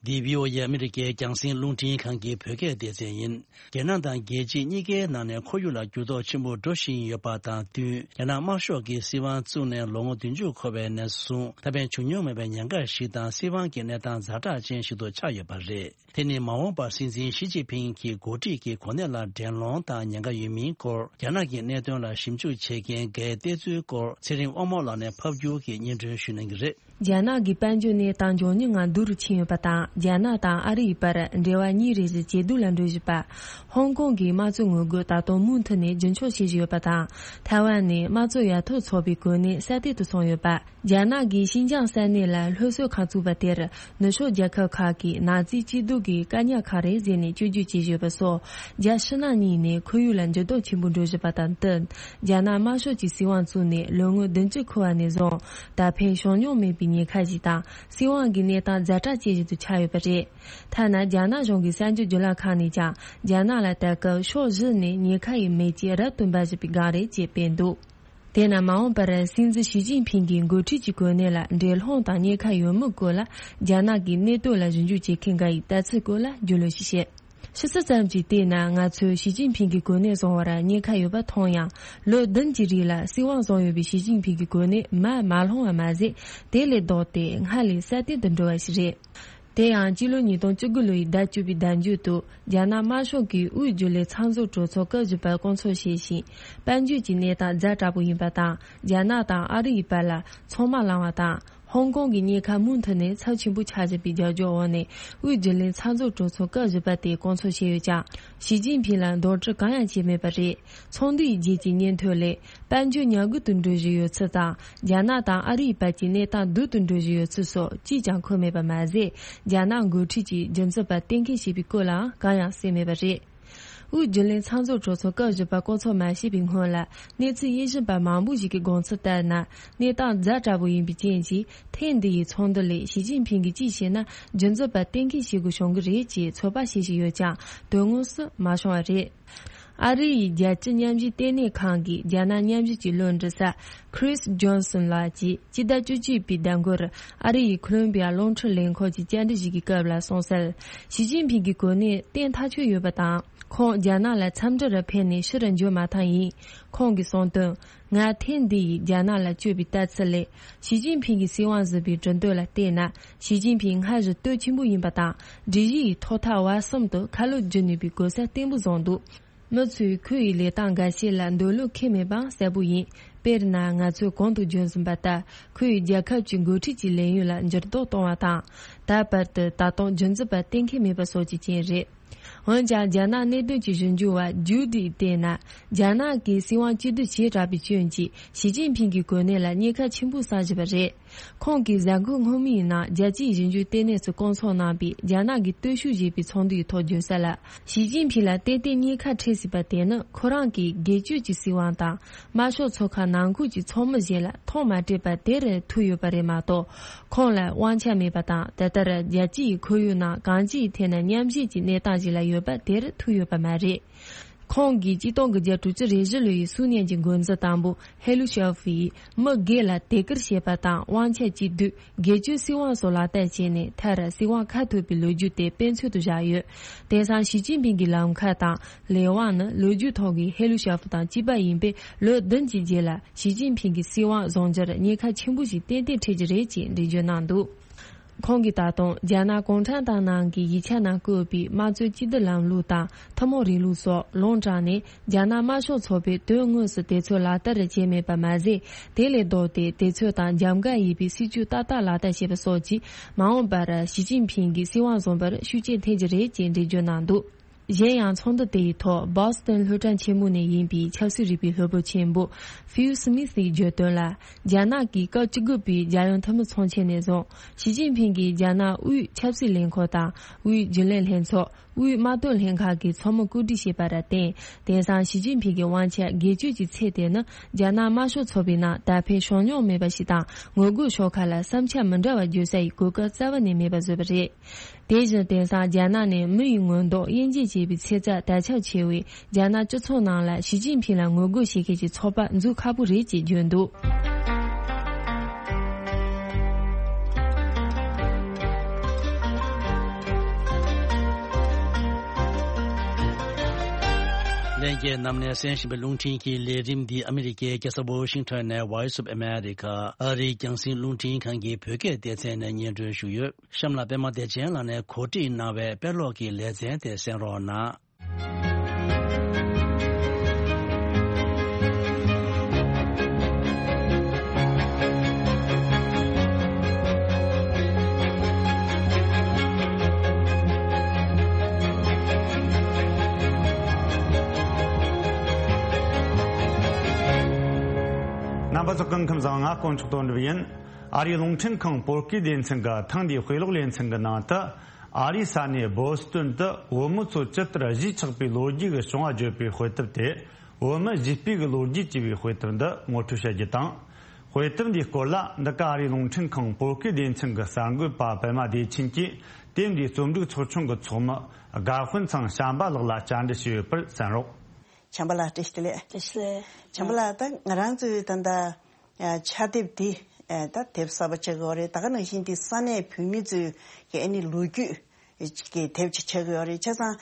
འདི་བྷི་ཨོ་ཨེ་ཨ་མི་རི་ཀའི་རྒྱང་སྲིང་རླུང་འཕྲིན་ཁང་གི་བོད་སྐད་སྡེ་ཚན་ཡིན། རྒྱ་ནག་དང་རྒྱལ་སྤྱི་གཉིས་ཀའི་ནང་ནས་ཁོར་ཡུག་ལ་འགྱུར་ལྡོག་ཆེན་པོ་འགྲོ་བཞིན་ཡོད་པ་དང་བསྟུན། རྒྱ་ནག་དམར་ཤོག་གི་སྲིད་དབང་བཙུགས་ནས་ལོ་ངོ་བདུན་ཅུ་འཁོར་བའི་ནས་བཟུང་ད་ཕན་བྱུང་མྱོང་མེད་པའི་ཉེན་ཁ་ཞིག་དང་སྲིད་དབང་གི་གནས་སྟངས་ཛ་དྲག་ཅན་ཞིག་ཏུ་ཆགས་ཡོད་པ་རེད། དེ་ནི་མ་འོངས་པར་སྲིད་འཛིན་ཞི་ཅིན་ཕིང་གི་འགོ་ཁྲིད་ཀྱི་གོ་གནས་ལ་འགྲན་སློང་དང་ཉེན་ཁ་ཡོད་མིན་སྐོར། རྒྱ་ནག་གི་གནད་དོན་ལ་ཞིབ་འཇུག་བྱེད་མཁན་འགའི་བལྟས་ཚུལ་སྐོར་ཚེ་རིང་དབང་མོ་ལགས་ནས་ཕབ་སྒྱུར་གྱིས་སྙན་སྒྲོན་ཞུ་གནང་གི་རེད། རྒྱ་ནག་གི་དཔལ་འབྱོར་གནས་སྟངས་མགྱོགས་མྱུར་ངང་སྡུག་རུ་ཕྱིན་ཡོད་པ་དང་། རྒྱ་ནག་དང་ཨ་རི་ཡི་བར་འབྲེལ་བ་ཉིན་རེ་བཞིན་ཇེ་སྡུག་ལ་འགྲོ་བཞིན་པ། ཧོང་ཀོང་གི་དམངས་གཙོའི་ངོ་རྒོལ་ད་དུང་མུ་མཐུད་ནས་རྒྱུན་འཁྱོངས་བྱེད་བཞིན་ཡོད་པ་དང་། ཐའེ་ཝན་ནས་དམངས་གཙོ་ཡར་ཐོན་ཚོགས་པའི་གོ་གནས་གསར་གཏོད་དུ་སོང་ཡོད་པ། རྒྱ་ནག་གིས་ཤིན་ཅང་ས་གནས་ལ་སློབ་གསོའི་ཁང་བཙུགས་པ་དེར་ནུབ་ཕྱོགས་རྒྱལ་ཁབ་ཁག་གིས་ནཱ་ཛི་སྐྱིད་སྡུག་གི་བཀག་ཉར་ཁང་རེད་ཟེར་ནས་བཅོས་སྒྱུར་བྱེད་བཞིན་ཡོད་པ་སོགས། རྒྱ་ཕྱི་ནང་གཉིས་ནས་ཁོར་ཡུག་ལ་འགྱུར་ལྡོག་ཆེན་པོ་འགྲོ་བཞིན་པ་དང་བསྟུན། རྒྱ་ནག་དམར་ཤོག་གི་སྲིད་དབང་བཙུགས་ནས་ལོ་ངོ་བདུན་ཅུ་འཁོར་བ་ནས་བཟུང་ད་ཕན་བྱུང་མྱོང་མེད་པའི་ཉེན་ཁ་ཞིག་དང་སྲིད་དབང་གི་གནས་སྟངས་ཛ་དྲག་ཅན་ཞིག་ཏུ་ཆགས་ཡོད་པ་རེད། ཐ་ན་རྒྱ་ནག་གཞུང་གི་གསར་འགྱུར་བརྒྱུད་ལམ་ཁག་ནས་ཀྱང་རྒྱ་ནག་ལ་ད་སྐབས་ཕྱོགས་བཞི་ནས་ཉེན་ཁ་ཡི་མེ་ལྕེ་རབ་ཏུ་འབར་བཞིན་པའི་སྒང་རེད་ཅེས་སྤེལ་འདུག་དེས་ན་མ་འོངས་པར་སྲིད་འཛིན་ཞི་ཅིན་ཕིང་གི་འགོ་ཁྲིད་ཀྱི་གོ་གནས་ལ་འགྲན་སློང་དང་ཉེན་ཁ་ཡོད་མེད་སྐོར་ལ་རྒྱ་ནག་གི་གནས་སྟངས་ལ་ཞིབ་འཇུག་བྱེད་མཁན་འགའ་ཡིས་ལྟ་ཚུལ་སྐོར་ལ་རྒྱུས་ལོན་ཞིག་བྱས། ཕྱི་ཚུལ་ཙམ་གྱིས་བལྟས་ན་ང་ཚོས་ཞི་ཅིན་ཕིང་གི་གོ་གནས་བཟུང་བར་ཉེན་ཁ་ཡོད་པ་མཐོང་ཡང་། ལོ་བདུན་གྱི་རིང་ལ་སྲིད་དབང་བཟུང་ཡོད་པའི་ཞི་ཅིན་ཕིང་གི་གོ་གནས་མར་མ་ལྷུང་བ་མ་ཟད། དེ་ལས་ལྡོག་སྟེ་སྔར་ལས་སྲ་བརྟན་དུ་འགྲོ་བ་ཞིག་རེད། དེ་ཡང་སྤྱི་ལོ་ཉིས་སྟོང་བཅུ་དགུ་ལོའི་ཟླ་བཅུ་པའི་ཟླ་མཇུག་ཏུ་རྒྱ་ནག་དམར་ཤོག་གིས་དབུས་རྒྱུན་ལས་ཚགས་འཛུགས་གྲོས་ཚོགས་སྐབས་བཞི་པ་བསྐོང་ཚོགས་བྱས་ཤིང་། དཔལ་འབྱོར་གྱི་གནས་སྟངས་ཛ་དྲག་པོ་ཡིན་པ་དང་། རྒྱ་ནག་དང་ཨ་རི་ཡི་བར་ལ་ཚོང་དམག་ལངས་པ་དང་། ཧོང་ཀོང་གི་ཉེན་ཁ་མུ་མཐུད་ནས་ཚབས་ཆེན་པོ་ཆགས་བཞིན་པའི་རྒྱབ་སྐྱོར་འོག་ནས། དབུས་རྒྱུན་ལས་ཚགས་འཛུགས་གྲོས་ཚོགས་སྐབས་བཞི་པ་དེ་བསྐོང་ཚོགས་བྱས་ཡོད་ཀྱང་། ཞི་ཅིན་ཕིང་ལ་འདོན་སྤྲོད་གང་ཡང་བྱས་མེད་པ་རེད། ཚོགས་འདུའི་རྗེས་ཀྱི་སྙན་ཐོ་ལས། དཔལ་འབྱོར་ཉམས་རྒུད་དུ་འགྲོ་བཞིན་ཡོད་ཚུལ་དང་། རྒྱ་ནག་དང་ཨ་རིའི་བར་གྱི་གནས་སྟངས་སྡུག་ཏུ་འགྲོ་བཞིན་ཡོད་ཚུལ་སོགས་ཅིས་ཀྱང་འཁོད་མེད་པ་མ་ཟད། རྒྱ་ནག་འགོ་ཁྲིད་ཀྱིས་རྒྱུ་མཚན་པ་གཏན་འཁེལ་བྱས་པའི་སྐོར་ལའང་གང་ཡང་གསལ་མེད་པ་རེད། དབུས་རྒྱུན་ལས་ཚང་འཛོམས་གྲོས་ཚོགས་སྐབས་བཞི་པ་བསྐོང་ཚོགས་མ་བྱས་པའི་སྔོན་ལ། གནས་ཚུལ་དབྱེ་ཞིབ་པ་མང་པོ་ཞིག་གིས་དགོངས་ཚུལ་ལྟར་ན། གནས་སྟངས་ཛ་དྲག་པོ་ཡིན་པའི་རྐྱེན་གྱིས། ཐེངས་འདི་ཡི་ཚོགས་འདུ་ལས་ཞི་ཅིན་ཕིང་གིས་ཅི་བྱས་ན་རྒྱུ་མཚན་པ་གཏན་འཁེལ་བྱེད་དགོས་བྱུང་གི་རེད་ཅེས་ཚོད་དཔག་བྱེད་བཞིན་ཡོད་ཀྱང་། དོན་དངོས་སུ་མ་བྱུང་བ་རེད། ཨ་རི་ཡི་རྒྱལ་སྤྱི་མཉམ་ཞུགས་ལྟེ་གནས་ཁང་གི་རྒྱ་ནག་མཉམ་ཞུགས་ཀྱི་བློ་འདྲི་ས་Chris Johnson ལགས་ཀྱིས་སྤྱི་ཟླ་བཅུ་གཅིག་པའི་ཟླ་འགོར་ཨ་རི་ཡི་ཁོ་ལོམ་བི་ཡ་རླུང་འཕྲིན་ལས་ཁང་གི་བཅར་འདྲི་ཞིག་གི་སྐབས་ལ་གསུངས་གསལ། ཞི་ཅིན་ཕིང་གི་གོ་གནས་གཏན་ཐག་ཆོད་ཡོད་པ་དང་། ཁོང་རྒྱ་ནག་ལ་འཚམས་འདྲིར་ཕེབས་ནས་ཕྱིར་འབྱོར་མ་ཐག་ཡིན། ཁོང་གིས་གསུངས་དོན། ང་ཐེངས་འདི་ཡི་རྒྱ་ནག་ལ་བསྐྱོད་པའི་ལྟ་ཚུལ་ལས། ཞི་ཅིན་ཕིང་གིས་སྲིད་དབང་ཟིན་པའི་གྲུབ་དོན་ལ་བལྟས་ན། ཞི་ཅིན་ཕིང་སྔར་བཞིན་སྟོབས་ཆེན་པོ་ཡིན་པ་དང་། སྒྲིག་གཞི་ཡི་ཐོག་མཐའ་བར་གསུམ་དུ་ཁ་ལོ་བསྒྱུར་ནུས་པའི་གོ་ས་བརྟན་པོ་བཟུང་འདུག་མི་ཚོས་ཁོའི་ལས་སྟངས་འགའ་ཤས་ལ་འདོད་བློ་ཁེངས་མེད་པའང་གསལ་པོ་ཡིན། དཔེར་ན། ང་ཚོས་གོང་དུ་བརྗོད་ཟིན་པ་ལྟར། ཁོས་རྒྱལ་ཁབ་ཀྱི་འགོ་ཁྲིད་ཀྱི་ལས་ཡུན་ལ་འགྱུར་ལྡོག་གཏོང་བ་དང་། ད་བར་དུ་ད་དུང་རྒྱུ་མཚན་པ་གཏན་འཁེལ་མེད་པ་སོགས་ཀྱི་རྐྱེན་རེད། འོན་ཀྱང་། རྒྱ་ནག་གནད་དོན་གྱི་ཞིབ་འཇུག་པ་ཇུ་ཌིས་བལྟས་ན། རྒྱ་ནག་གིས་སྲིད་དབང་གཅིག་སྡུད་བྱས་དྲགས་པའི་རྐྱེན་གྱིས། ཞི་ཅིན་ཕིང་གི་གོ་གནས་ལ་ཉེན་ཁ་ཆེན་པོ་བསགས་བཞིན་པ་རེད། ཁོང་གིས་གཟའ་འཁོར་སྔོན་མའི་ནང་རྒྱལ་སྤྱིའི་ཞིབ་འཇུག་ལྟེ་གནས་སུ་བསྐོང་ཚོགས་གནང་པའི་རྒྱ་ནག་གི་སྟོབས་ཤུགས་ཞེས་པའི་ཚོགས་འདུའི་ཐོག་བརྗོད་གསལ་ལ། ཞི་ཅིན་ཕིང་ལ་ཏན་ཏན་ཉེན་ཁ་འཕྲད་སྲིད་པ་དེ་ནི། ཁོ་རང་གིས་སྒེར་གཅོད་ཀྱི་སྲིད་དབང་དང་། དམར་ཤོག་ཚོགས་ཁག་ནང་ཁུལ་གྱི་ཚོགས་མི་བཞིན་ལ་ཐོག་མ་སྤྲད་པ་དེར་ཐུག་ཡོད་པ་རེད་མ་གཏོགས། ཁོང་ལ་དབང་ཆ་མེད་པ་དང་། དེ་ལྟར་རྒྱལ་སྤྱིའི་ཁོར་ཡུག་ནང་གང་ཅིའི་ཐད་ནས་མཉམ་བཞེས་ཀྱི་གནས་སྟངས་ཤིག་ལ་ཡོད་པ་དེར་ཐུག་ཡོད་པ་མ་རེད། ཁོང་གིས་གཅིག་སྟོང་དགུ་བརྒྱ་དྲུག་ཅུ་རེ་བཞི་ལོའི་སུའུ་ཉན་གྱི་འགོ་འཛིན་དང་པོ་ཧེ་ལུ་ཤའོ་ཧྥེ་ཡིས་མི་སྒེར་ལ་དད་བཀུར་བྱེད་པ་དང་། དབང་ཆ་གཅིག་སྡུད། སྒེར་གཅོད་སྲིད་དབང་སོགས་ལག་བསྟར་བྱས་ནས། མཐར་སྲིད་དབང་ཁ་ཐུག་པའི་ལོ་རྒྱུས་དེ་དཔེ་མཚོན་དུ་བཞག་ཡོད། དེང་སང་ཞི་ཅིན་ཕིང་གི་ལམ་ཁ་དང་ལས་དབང་ནི་ལོ་རྒྱུས་ཐོག་གི་ཧེ་ལུ་ཤའོ་ཧྥེ་དང་གཅིག་པ་ཡིན་པས། ལོ་བདུན་གྱི་རྗེས་ལ་ཞི་ཅིན་ཕིང་གི་སྲིད་དབང་བཟུང་རྒྱུར་ཉེན་ཁ་ཆེན་པོ་ཞིག་ཏན་ཏན་འཕྲད་ཀྱི་རེད་ཅེས་འགྲེལ་བརྗོད་གནང་འདུག་ཁོང་གིས་ད་དུང་རྒྱ་ནག་གུང་ཁྲན་ཏང་ནང་གི་ཡིག་ཆ་ནང་བཀོད་པའི་དམངས་གཙོའི་གཅིག་སྡུད་ལམ་ལུགས་དང་ཐུན་མོང་རིང་ལུགས་སོགས་ལུང་དྲངས་ནས། རྒྱ་ནག་དམར་ཤོག་ཚོགས་པས་དོན་དངོས་སུ་དེ་ཚོ་ལག་བསྟར་བྱས་མེད་པ་མ་ཟད། དེ་ལས་ལྡོག་སྟེ། དེ་ཚོ་དང་རྒྱབ་འགལ་ཡིན་པའི་སྲིད་ཇུས་ཏག་ཏག་ལག་བསྟར་བྱས་པ་སོགས་ཀྱིས། མ་འོངས་པར་ཞི་ཅིན་ཕིང་གིས་སྲིད་དབང་བཟུང་བར་ཤུགས་རྐྱེན་ཐེབས་ཀྱི་རེད་ཅེས་འགྲེལ་བརྗོད་གནང་འདུག་གཞན་ཡང་། ཚོགས་འདུ་དེ་ཡི་ཐོག་བོ་སི་ཏོན་སློབ་གྲྭ་ཆེན་མོ་ནས་ཡིན་པའི་ཆབ་སྲིད་རིག་པའི་སློབ་དཔོན་ཆེན་པོ་ཕིལ་སི་མི་སི་ཡིས་བརྗོད་དོན་ལ། རྒྱ་ནག་གིས་སྐབས་བཅུ་དགུ་པའི་རྒྱལ་ཡོངས་འཐུས་མི་ཚོགས་ཆེན་ནས་བཟུང་། ཞི་ཅིན་ཕིང་གིས་རྒྱ་ནག་དབུས་ཆབ་སྲིད་ལས་ཁུངས་དང་། དབུས་རྒྱུན་ལས་ལྷན་ཚོགས། དབུས་དམག་དོན་ལྷན་ཁང་གི་ཚོགས་མི་བཀོད་སྒྲིག་བྱས་པར་བརྟེན། དེང་སང་ཞི་ཅིན་ཕིང་གི་དབང་ཆ་སྒེར་གཅོད་ཀྱི་ཚད་དེ་ནི། རྒྱ་ནག་དམར་ཤོག་ཚོགས་པའི་ནང་ད་ཕན་བྱུང་མྱོང་མེད་པ་ཞིག་དང་། ངོ་རྒོལ་ཤོག་ཁག་ལ་བསམ་འཆར་མི་འདྲ་བ་བརྗོད་ས་ཡི་གོ་སྐབས་རྩ་བ་ནས་མེད་པ་བཟོས་པ་རེད། དེ་བཞིན། དེང་སང་རྒྱ་ནག་ནས་མི་ཡི་མངོན་འདོད་དབྱེ་འབྱེད་བྱེད་པའི་ཚེ་ཚད་དར་ཁྱབ་ཆེ་བས། རྒྱ་ནག་སྤྱི་ཚོགས་ནང་ལ་ཞི་ཅིན་ཕིང་ལ་ངོ་རྒོལ་བྱེད་མཁན་གྱི་ཚོགས་པ་འཛུགས་ཁག་པོ་རེད་ཅེས་བརྗོད་འདུག་ལྷན་རྒྱས་རྣམས་ནས་གསན་བཞིན་པའི་རླུང་འཕྲིན་གྱི་ལས་རིམ་འདི་ཨ་མི་རི་ཀའི་རྒྱལ་ས་ཝོ་ཤིང་ཊོན་ནས་Voice of America ཨ་རིའི་རྒྱང་སྲིང་རླུང་འཕྲིན་ཁང་གི་བོད་སྐད་སྡེ་ཚན་ནས་སྙན་སྒྲོན་ཞུས་ཡོད། གཤམ་ལ་པད་མ་བདེ་ཆེན་ལགས་ནས་གོ་སྒྲིག་གནང་བའི་དཔེ་ཀློག་གི་ལེ་ཚན་དེ་གསན་རོགས་གནང་། རྣམ་པ་ཚོ་སྐུ་ཁམས་བཟང་། ང་དཀོན་མཆོག་དོན་གྲུབ་ཡིན། ཨ་རིའི་རླུང་འཕྲིན་ཁང་བོད་སྐད་སྡེ་ཚན་གྱི་ཐེངས་འདིའི་དཔེ་ཀློག་ལེ་ཚན་གྱི་ནང་དུ། ཨ་རིའི་ས་གནས་བོ་སི་ཏོན་དུ་བོད་མི་ཚོ་ཇི་ལྟར་གཞིས་ཆགས་པའི་ལོ་རྒྱུས་ཀྱི་བྱུང་བ་བརྗོད་པའི་དཔེ་དེབ་དེ། བོད་མི་གཞིས་སྤོས་ཀྱི་ལོ་རྒྱུས་ཅེས་པའི་དཔེ་དེབ་འདི་ངོ་སྤྲོད་བྱ་རྒྱུ་དང་། དཔེ་དེབ་འདིའི་སྐོར་ལ་འདི་ག་ཨ་རིའི་རླུང་འཕྲིན་ཁང་བོད་སྐད་སྡེ་ཚན་གྱི་གསར་འགོད་པ་པད་མ་བདེ་ཆེན་གྱིས་དེབ་འདིའི་རྩོམ་སྒྲིག་ཚོགས་ཆུང་གི་ཚོགས་མི་དགའ་དཔོན་ཚང་བྱམས་པ་ལགས་ལ་བཅར་འདྲི་ཞུས་ཡོད་པར་གསན་རོགས། བྱམས་པ་ལགས་བཀྲ་ཤིས་བདེ་ལེགས། བཀྲ་ཤིས་བདེ་ལེགས། བྱམས་པ་ལགས། ད་ང་རང་ཚོའི་ད་ལྟ་ཕྱག་དེབ་འདི་ད་དེབ་གསར་པ་ཆགས་ཀྱི་ཡོད་རེད། ད་ག་ནང་བཞིན་འདི་ས་གནས་བོད་མི་ཚོའི་གི་ཨ་ནི་ལོ་རྒྱུས་ཀྱི་དེབ་ཅིག་ཆགས་ཀྱི་ཡོད་རེད། བྱས་ཙང་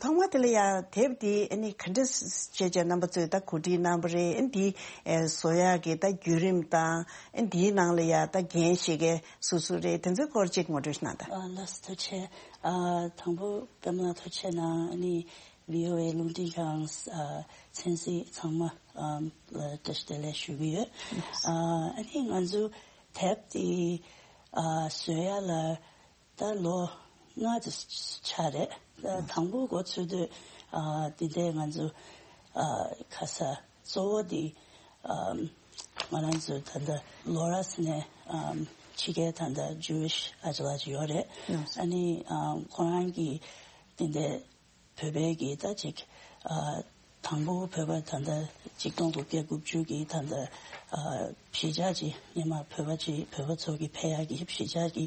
ཐོག་མ་དེ་ལ་ཡང་དེབ་འདི་ཨ་ནི་ག་འདྲ་བྱས་བྱས་རྣམ་པ་ཚོས་ད་གོ་སྒྲིག་གནང་བ་རེད། ཨ་འདི་བཟོ་ཡག་གི་ད་བརྒྱུད་རིམ་དང་ཨ་འདིའི་ནང་ལ་ཡང་ད་འགན་བཞེས་མཁན་སུ་སུ་རེད། དེ་ཚོའི་སྐོར་ཅིག་ངོ་སྤྲོད་གནང་དང་། ཨ་ལགས་སོ། ཐུགས་རྗེ་ཆེ། ཨ་དང་པོ་པད་མ་ལགས་ཐུགས་རྗེ་གནང་། ཨ་ནི་བྷི་ཨོ་ཨེ་རླུང་འཕྲིན་ཁང་ཨ་ཚན་རིག་ཚང་མ་ཨམ་ལ་བཀྲ་ཤིས་བདེ་ལེགས་ཞུ་གི་ཡོད། ཨ་ཨ་ནི་ང་ཚོ་དེབ་དེ་ཨ་བཟོ་ཡ་ལ་ད་ལོ་ལྔ་ཙམ་ཆགས་རེད། ཨ་དང་པོ་འགོ་ཚུགས་དུས་ཨ་དེ་འདྲའི་ང་ཚོ་ཨ་ཁ་ས་གཙོ་བོ་དེ་ཨམ་ང་རང་ཚོ་ད་ལྟ་ལོ་ར་ཟེར་ནས་ཨམ་ཕྱི་རྒྱལ་ད་ལྟ་ཇུ་ཝིཤ་ཨ་ཅག་ལགས་ཅིག་ཡོད་རེད། ཨ་ནི་ཨམ་ཁོ་རང་གིས་དེ་འདྲའི་བོད་པའི་གི་ད་ཅིག་ཨ་དང་པོ་བོད་པ་ད་ལྟ་ཆིག་སྟོང་དགུ་བརྒྱ་དགུ་བཅུ་གི་ད་ལྟ་ཨ་གཞིས་ཆགས་ཀྱི་སྔོན་མ་བོད་པ་ཅིག་བོད་པ་ཚོ་གི་ཕེབས་ཡག་གི་གཞིས་ཆགས་ཀྱི་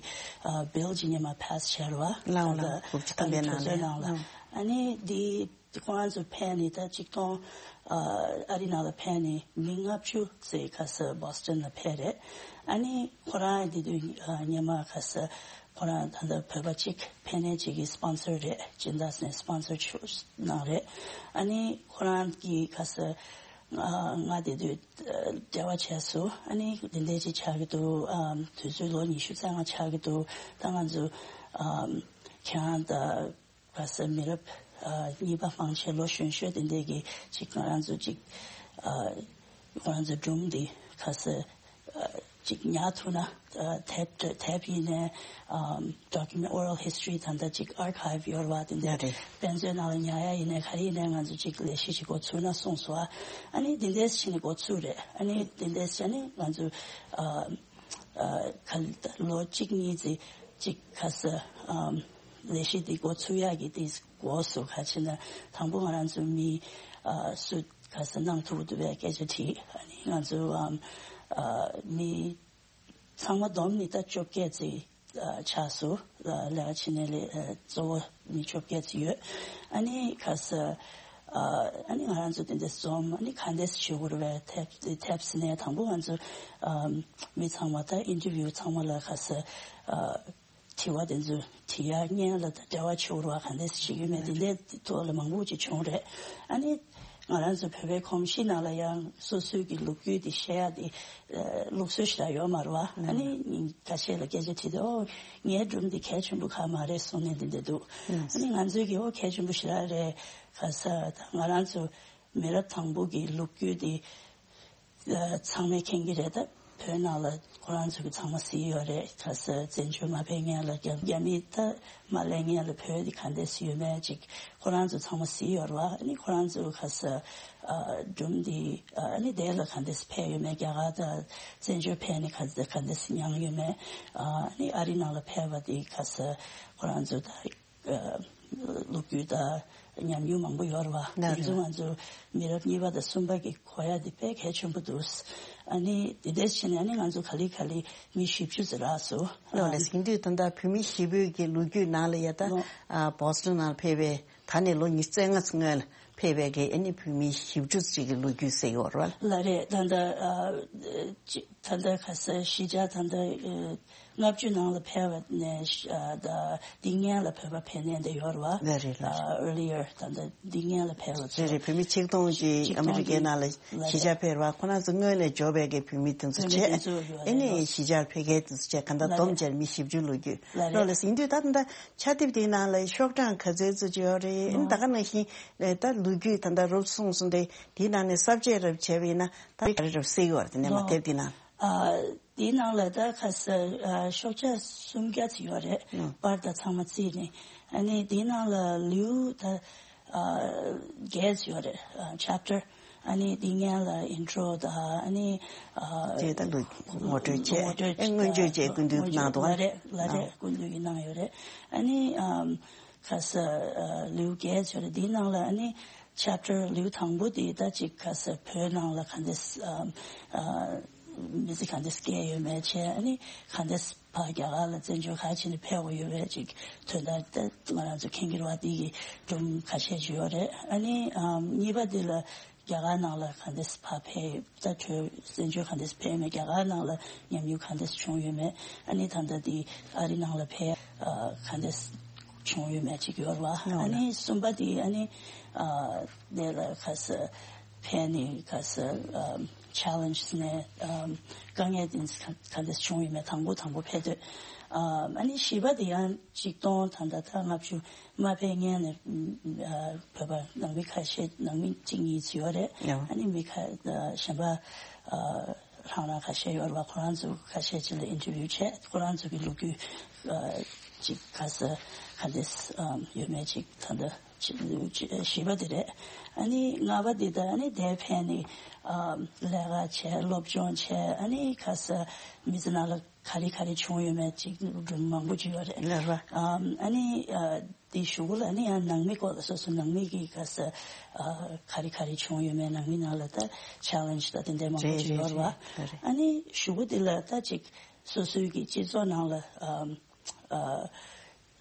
ཨ་བིལ་ཅིག་སྔོན་མ་ཕེ་སི་བྱས་རེད་བ། ལའོ་ལའོ། ད་ལྟ་དགུ་བཅུ་ཐམ་པའི་ནང་ལ། ནང་ལ། ཨ་ནི་འདི་ཁོ་རང་ཚོ་ཕེབས་ནི་ད་ཆིག་སྟོང་ཨ་ཨ་རི་ནང་ལ་ཕེབས་ནི་མི་ལྔ་བཅུ་ཙམ་ཁ་ས་བོ་སི་ཊོན་ལ་ཕེབས་རེད། ཨ་ནི་ཁོ་རང་འདི་དུས་ཨ་སྔོན་མ་ཁ་ས་ཁོ་རང་ད་ལྟ་བོད་པ་གཅིག་ཕན་ནས་གཅིག་གི་སི་པོན་སར་རེད། སྦྱིན་བདག་ནས་སི་པོན་སར་ཞུ་གནང་རེད། ཨ་ནི་ཁོ་རང་གིས་ཁ་ས་ང་དེ་དུས་འབྲེལ་བ་བྱས་སོང་། ཨ་ནི་དེ་འདྲས་ཅིག་ཆགས་ཀྱི་འདུག་ཨམ་དུས་ཚོད་ལོ་ཉི་ཤུ་རྩ་ལྔ་ཆགས་ཀྱི་འདུག་ད་ང་ཚོ་ཨམ་ཁྱེད་རང་དང་ཁ་ས་མི་རབས་ཨ་གཉིས་པ་མང་ཆེ་ལོ་གཞོན་ཤོས་དེ་འདྲས་ཀྱི་ཅིག་ང་རང་ཚོ་ཅིག་ཨ་ང་རང་ཚོ་སྒྲུང་འདི་ཁ་ས་ཨ་ཅིག་ཉར་ཐུབ་ན། ཨ་དེབ་དེབ་ཡིན་ནའི་ཨམ་document oral history ད་ལྟ་ཅིག་archive ཡོད་རེད་བ། དེ་འདྲ་ཡོད་རེད། དཔེ་མཛོད་ནང་ལ་ཉར་ཡ་ཡིན་ནའི་ག་རེ་ཡིན་ནའི་ང་ཚོ་ཅིག་ལས་གཞི་ཅིག་འགོ་ཚུགས་ན་གསུངས་སོང་། ཨ་ནི་དེ་འདྲས་བྱས་ནས་འགོ་ཚུགས་རེད། ཨ་ནི་དེ་འདྲས་བྱས་ནས་ང་ཚོ་ཨ་ཨ་ག་ལོ་གཅིག་གཉིས་ཙམ་ཅིག་ཁ་ས་ཨམ་ལས་གཞི་དེ་འགོ་ཚུགས་ཡག་གི་དེ་འགོ་སུ་ག་ཕྱིན་ན་དང་པོ་ང་རང་ཚོ་མི་ཨ་སུ་ག་ས་གནང་ཐུབ་འདུག་པའི་སྐད་ཆ་དྲིས། ཨ་ནི་ང་ཚོ་ཨམ་ཨ་མི་ཚང་མ་བསྡོམས་ནི་ད་བཅོ་བརྒྱད་ཙམ་ཨ་ཆགས་སོང་། ཨ་ལས་ཀ་བྱེད་མཁན་ལས་ཨ་གཙོ་བོ་མི་བཅོ་བརྒྱད་ཙམ་ཡོད། ཨ་ནི་ཁ་ས་ཨ་ཨ་ནི་ང་རང་ཚོ་དེ་འདྲ་འཛོམས། ཨ་ནི་ག་འདྲས་བྱེད་དགོས་རེད་པས། དེབ་དེབ་ཟེར་ནས་དང་པོ་ང་ཚོ་ཨ་མི་ཚང་མ་ད་ཨིན་ཊར་བིའུ་ཚང་མ་ལ་ཁ་ས་ཨ་དྲི་བ་དེ་ཚོ་དྲི་ཡ་བརྙན་ལ་ད་འབྲེལ་བ་བྱེད་དགོས་རེད་པ། ག་འདྲས་བྱེད་ཀྱི་ཡོད་མེད་དེ་འདྲའི་ཐོག་ལ་མང་པོ་ཅིག་བྱུང་རེད། ཨ་ནི་ང་རང་ཚོ་བོད་པའི་གོམས་གཤིས་ནང་ལ་ཡང་སོ་སོའི་གི་ལོ་རྒྱུས་དེ་བཤད་ཡ་དེ་ཨ་ལུགས་སྲོལ་ཞེ་དྲག་ཡོད་མ་རེད་པ། ཨ་ནི་ཁ་ཤས་ལ་སྐད་ཆ་དྲིས་དུས་ཨོ་ངའི་སྒྲུང་འདི་གལ་ཆེན་པོ་གང་མ་རེད་གསུངས་ནས་འདི་འདྲ་འདུག་ཨ་ནི་ང་ཚོའི་གི་ཨོ་གལ་ཆེན་པོ་ཞེ་དྲག་རེད། ག་ས་ད་ང་རང་ཚོ་མི་རབས་དང་པོ་གི་ལོ་རྒྱུས་དེ་ཚང་མས་མཁྱེན་གྱི་རེད། ད་བོད་ནང་ལ་ཁོ་རང་ཚོ་གི་ཚང་མ་གཟིགས་ཡོད་རེད། ག་ས་བཙན་བྱོལ་མ་ཕེབས་སྔོན་ལ་རྒྱ་རྒྱ་མི་ད་མ་སླེབས་སྔོན་ལ་བོད་དེ་ག་འདྲས་ཡོད་མེད་ཅིག་ཁོ་རང་ཚོ་ཚང་མ་གཟིགས་ཡོད་རེད་པ། ཨ་ནི་ཁོ་རང་ཚོ་ག་ས་ཨ་སྒྲུང་འདི་ཨ་ནི་དེ་ལ་ག་འདྲས་ཕེབས་ཡོད་མེད། རྒྱ་གར་ད་བཙན་བྱོལ་ཕེབས་ནས་ག་ག་འདྲས་མྱངས་ཡོད་མེད། ཨ་ནི་ཨ་རི་ནང་ལ་ཕེབས་པ་དེ་ག་ས་ཁོ་རང་ཚོ་ད་ལོ་རྒྱུས་དང་ཉམས་མྱོང་མང་པོ་ཡོད་རེད་པ། ལགས་རེད། དེ་ཚོ་ང་ཚོ་མི་རབས་གཉིས་པ་དང་གསུམ་པ་གི་གོ་ཡ་དེ་དཔེ་གལ་ཆེན་པོ་འདུག་ཨ་ནི་དེ་འདྲས་བྱས་ནས་ཨ་ནི་ང་ཚོ་ག་ལེ་ག་ལེ་མི་བཞི་བཅུ་ཙམ་རག་སོང་། ལགས་རེད། ཡིན་དུས་ད་ལྟ་བོད་མི་བཞི་པོའི་གི་ལོ་རྒྱུས་ནང་ལ་ཡ་ད་ལོ་ཨ་བོ་སི་ཊོན་ནང་ཕེབས་པའི་ད་ནས་ལོ་ཉི་ཤུ་རྩ་ལྔ་ཙམ་སྔོན་ལ་ཕེབས་པའི་གི་ཨ་ནི་བོད་མི་བཞི་བཅུ་ཙམ་གི་ལོ་རྒྱུས་ཟེར་ཡོད་རེད་པ། ལགས་རེད། ད་ལྟ་ཨ་ཅི་ད་ལྟ་ག་ས་གཞིས་ཆགས་ད་ལྟ་ཨ། ལྔ་བཅུ་ནང་ལ་ཕེབས་པ་ནས་ཨ་ད་འདི་སྔོན་ལ་བོད་པ་ཕེབས་མཁན་དེ་ཡོད་རེད་བ། ལགས་རེད་ལགས་རེད། ཨ་earlier ད་ད་འདི་སྔོན་ལ་ཕེབས་པ་ཚོ། རེད་རེད། བོད་མི་ཆིག་སྟོང་ཅིག་ཆིག་སྟོང་ཨ་མི་རི་ཀའི་ནང་ལ་ལགས་རེད། གཞིས་ཆགས་ཕེབས་པ་ཁོ་རང་ཚོ་སྔོན་ནས་འབྱོར་བའི་གི་བོད་མི་དེ་ཚོ་བོད་མི་བྱས། དེ་ཚོ་ཡོད་ཨེ་ནས་རེད། གཞིས་ཆགས་ཕེབས་མཁན་དེ་ཚོ་བྱས། གང་ལྟར་ལགས་བསྡོམས་རེད། བྱས་མི་བཞི་བཅུ་ལོ་རྒྱུས། ལགས་ལགས་རེད། ལགས་ཡིན་དུས་ད་ད་ཕྱག་དེབ་དེའི་ནང་ལ་ཤོག་གྲངས་ག་ཚོད་ཚོད་ཅིག་ཡོད་རེད། ཨེ་ནས་ད་ག་ནང་བཞིན་ད་ལོ་རྒྱུས་ད་ད་རོབ་གསུངས་སོང་སྟེ་དེའི་ནང་ནས་གསར་བརྗེ་རབ་བྱས་པ་ཡིན་ན་ད་ག་རེ་རབ་གསལ་གི་ཡོད་རེད། དེ་ནས་མ་ལོ། དེབ་དེའི་ནང་། ཨ། དེའི་ནང་ལ་ད་ཁ་སང་ཨ་ཤོག་ཆ་སུམ་བརྒྱ་ཙམ་ཡོད་རེད། ཨང་། པར་དང་ཚང་མ་བརྩིས་ནས། ཨ་ནི་དེའི་ནང་ལ་ལེའུ་ད་ཨ་བརྒྱད་ཙམ་ཡོད་རེད། ཨ་chapter། ཨ་ནི་དེ་སྔོན་ལ་intro་དང་ཨ་ནི་ཨ་དེ་ད་ལོ་ངོ་སྤྲོད་བྱས། ངོ་སྤྲོད་ཨེ་སྔོན་བརྗོད་བྱས་སྐུ་མདུན་གནང་འདུག་བ། ལགས་རེད་ལགས་རེད། ཨང་། སྐུ་མདུན་གྱིས་གནང་ཡོད་རེད། ཨ་ནི་ཨམ་ཁ་སང་ཨ་ལེའུ་བརྒྱད་ཙམ་ཡོད་རེད། དེའི་ནང་ལ་ཨ་ནི་chapter་ལེའུ་དང་པོ་དེ་ད་ཅིག་ཁ་སང་བོད་ནང་ལ་ག་འདྲས་ཨམ་ཨ་མི་ཚེ་ག་འདྲས་སྐྱེལ་ཡོད་མེད་བྱས། ཨ་ནི་ག་འདྲས་ཕར་རྒྱ་གར་ལ་བཙན་བྱོལ་ག་རེ་བྱས་ནས་ཕེབས་དགོས་ཡོད་པའི་ཅིག་དོན་དག་ད་ང་རང་ཚོ་མཁྱེན་གྱི་རེད་བ། དེ་གི་སྒྲུང་ཁ་ཤས་ཅིག་ཡོད་རེད། ཨ་ནི་ཨམ་གཉིས་པ་དེ་ལ་རྒྱ་གར་ནང་ལ་ག་འདྲས་ཕར་ཕེབས། ད་བྲོས་བཙན་བྱོལ་ག་འདྲས་ཕེབས་མེད། རྒྱ་གར་ནང་ལ་ཉམས་མྱོང་ག་འདྲས་བྱུང་ཡོད་མེད། ཨ་ནི་ད་ལྟ་དེ་ཨ་རི་ནང་ལ་ཕེབས་ཨ་ག་འདྲས་བྱུང་ཡོད་མེད་ཅིག་ཡོད་རེད་བ། ཨ་ནི་གསུམ་པ་དེ་ཨ་ནི་ཨ་དེ་ལ་ཁ་སང་ཕེབས་ནས་ཁ་སང་ཨམ་challenges་ནས་ཨམ་དཀའ་ངལ་དེ་ག་འདྲས་བྱུང་ཡོད་མེད། དང་པོ་དང་པོ་ཕེབས་དུས། ཨམ་ཨ་ནི་བཞི་པ་དེ་ཡང་ཆིག་སྟོང་ད་ལྟ་ད་ལྔ་བཅུ་མ་ཕེབས་སྔོན་ནས་ཨ་བོད་པ་ནང་མི་ཁ་ཤས་ནང་མི་གཅིག་གཉིས་ཙམ་ཡོད་རེད། ཡང་། ཨ་ནི་མི་ཁ་ཨ་གཞན་པ་ཨ་རང་རང་ཁ་ཤས་ཡོད་རེད་བ། ཁོ་རང་ཚོ་ཁ་ཤས་ཅིག་ལ་interview་བྱས། ཁོ་རང་ཚོ་གི་ལོ་རྒྱུས་ཨ་ཅིག་ག་ས་ག་འདྲས་ཨམ་ཡོད་མེད་ཅིག་ད་ལྟ་ཅིག་ཅིག་བཞི་པ་དེ་རེད། ཨ་ནི་ལྔ་པ་དེ་ད་ཨ་ནི་དེར་ཕེབས་ནས་ཨམ་ལས་ཀ་བྱས། སློབ་སྦྱོང་བྱས། ཨ་ནི་ག་ས་མི་ཚེ་ནང་ལ་ག་རེ་ག་རེ་བྱུང་ཡོད་མེད་ཅིག་སྒྲུང་མང་པོ་ཅིག་ཡོད་རེད། ལགས་རེད། ཨམ་ཨ་ནི་ཨ་དེའི་གཞུག་གུ་ལ་ཨ་ནི་ཡང་ནང་མི་སྐོར་ལ་སོ་སོ་ནང་མི་གི་ག་ས་ཨ་ག་རེ་ག་རེ་བྱུང་ཡོད་མེད། ནང་མི་ནང་ལ་ད་challenge་ད་དེ་འདྲ་མང་པོ་རེད་ཅིག་རེད་ཡོད་རེད་བ། རེད་རེད། ཨ་ནི་གཞུག་གུ་དེ་ལ་ད་ཅིག་སོ་སོའི་གི་སྤྱི་ཚོགས་ནང་ལ་ཨམ་ཨ་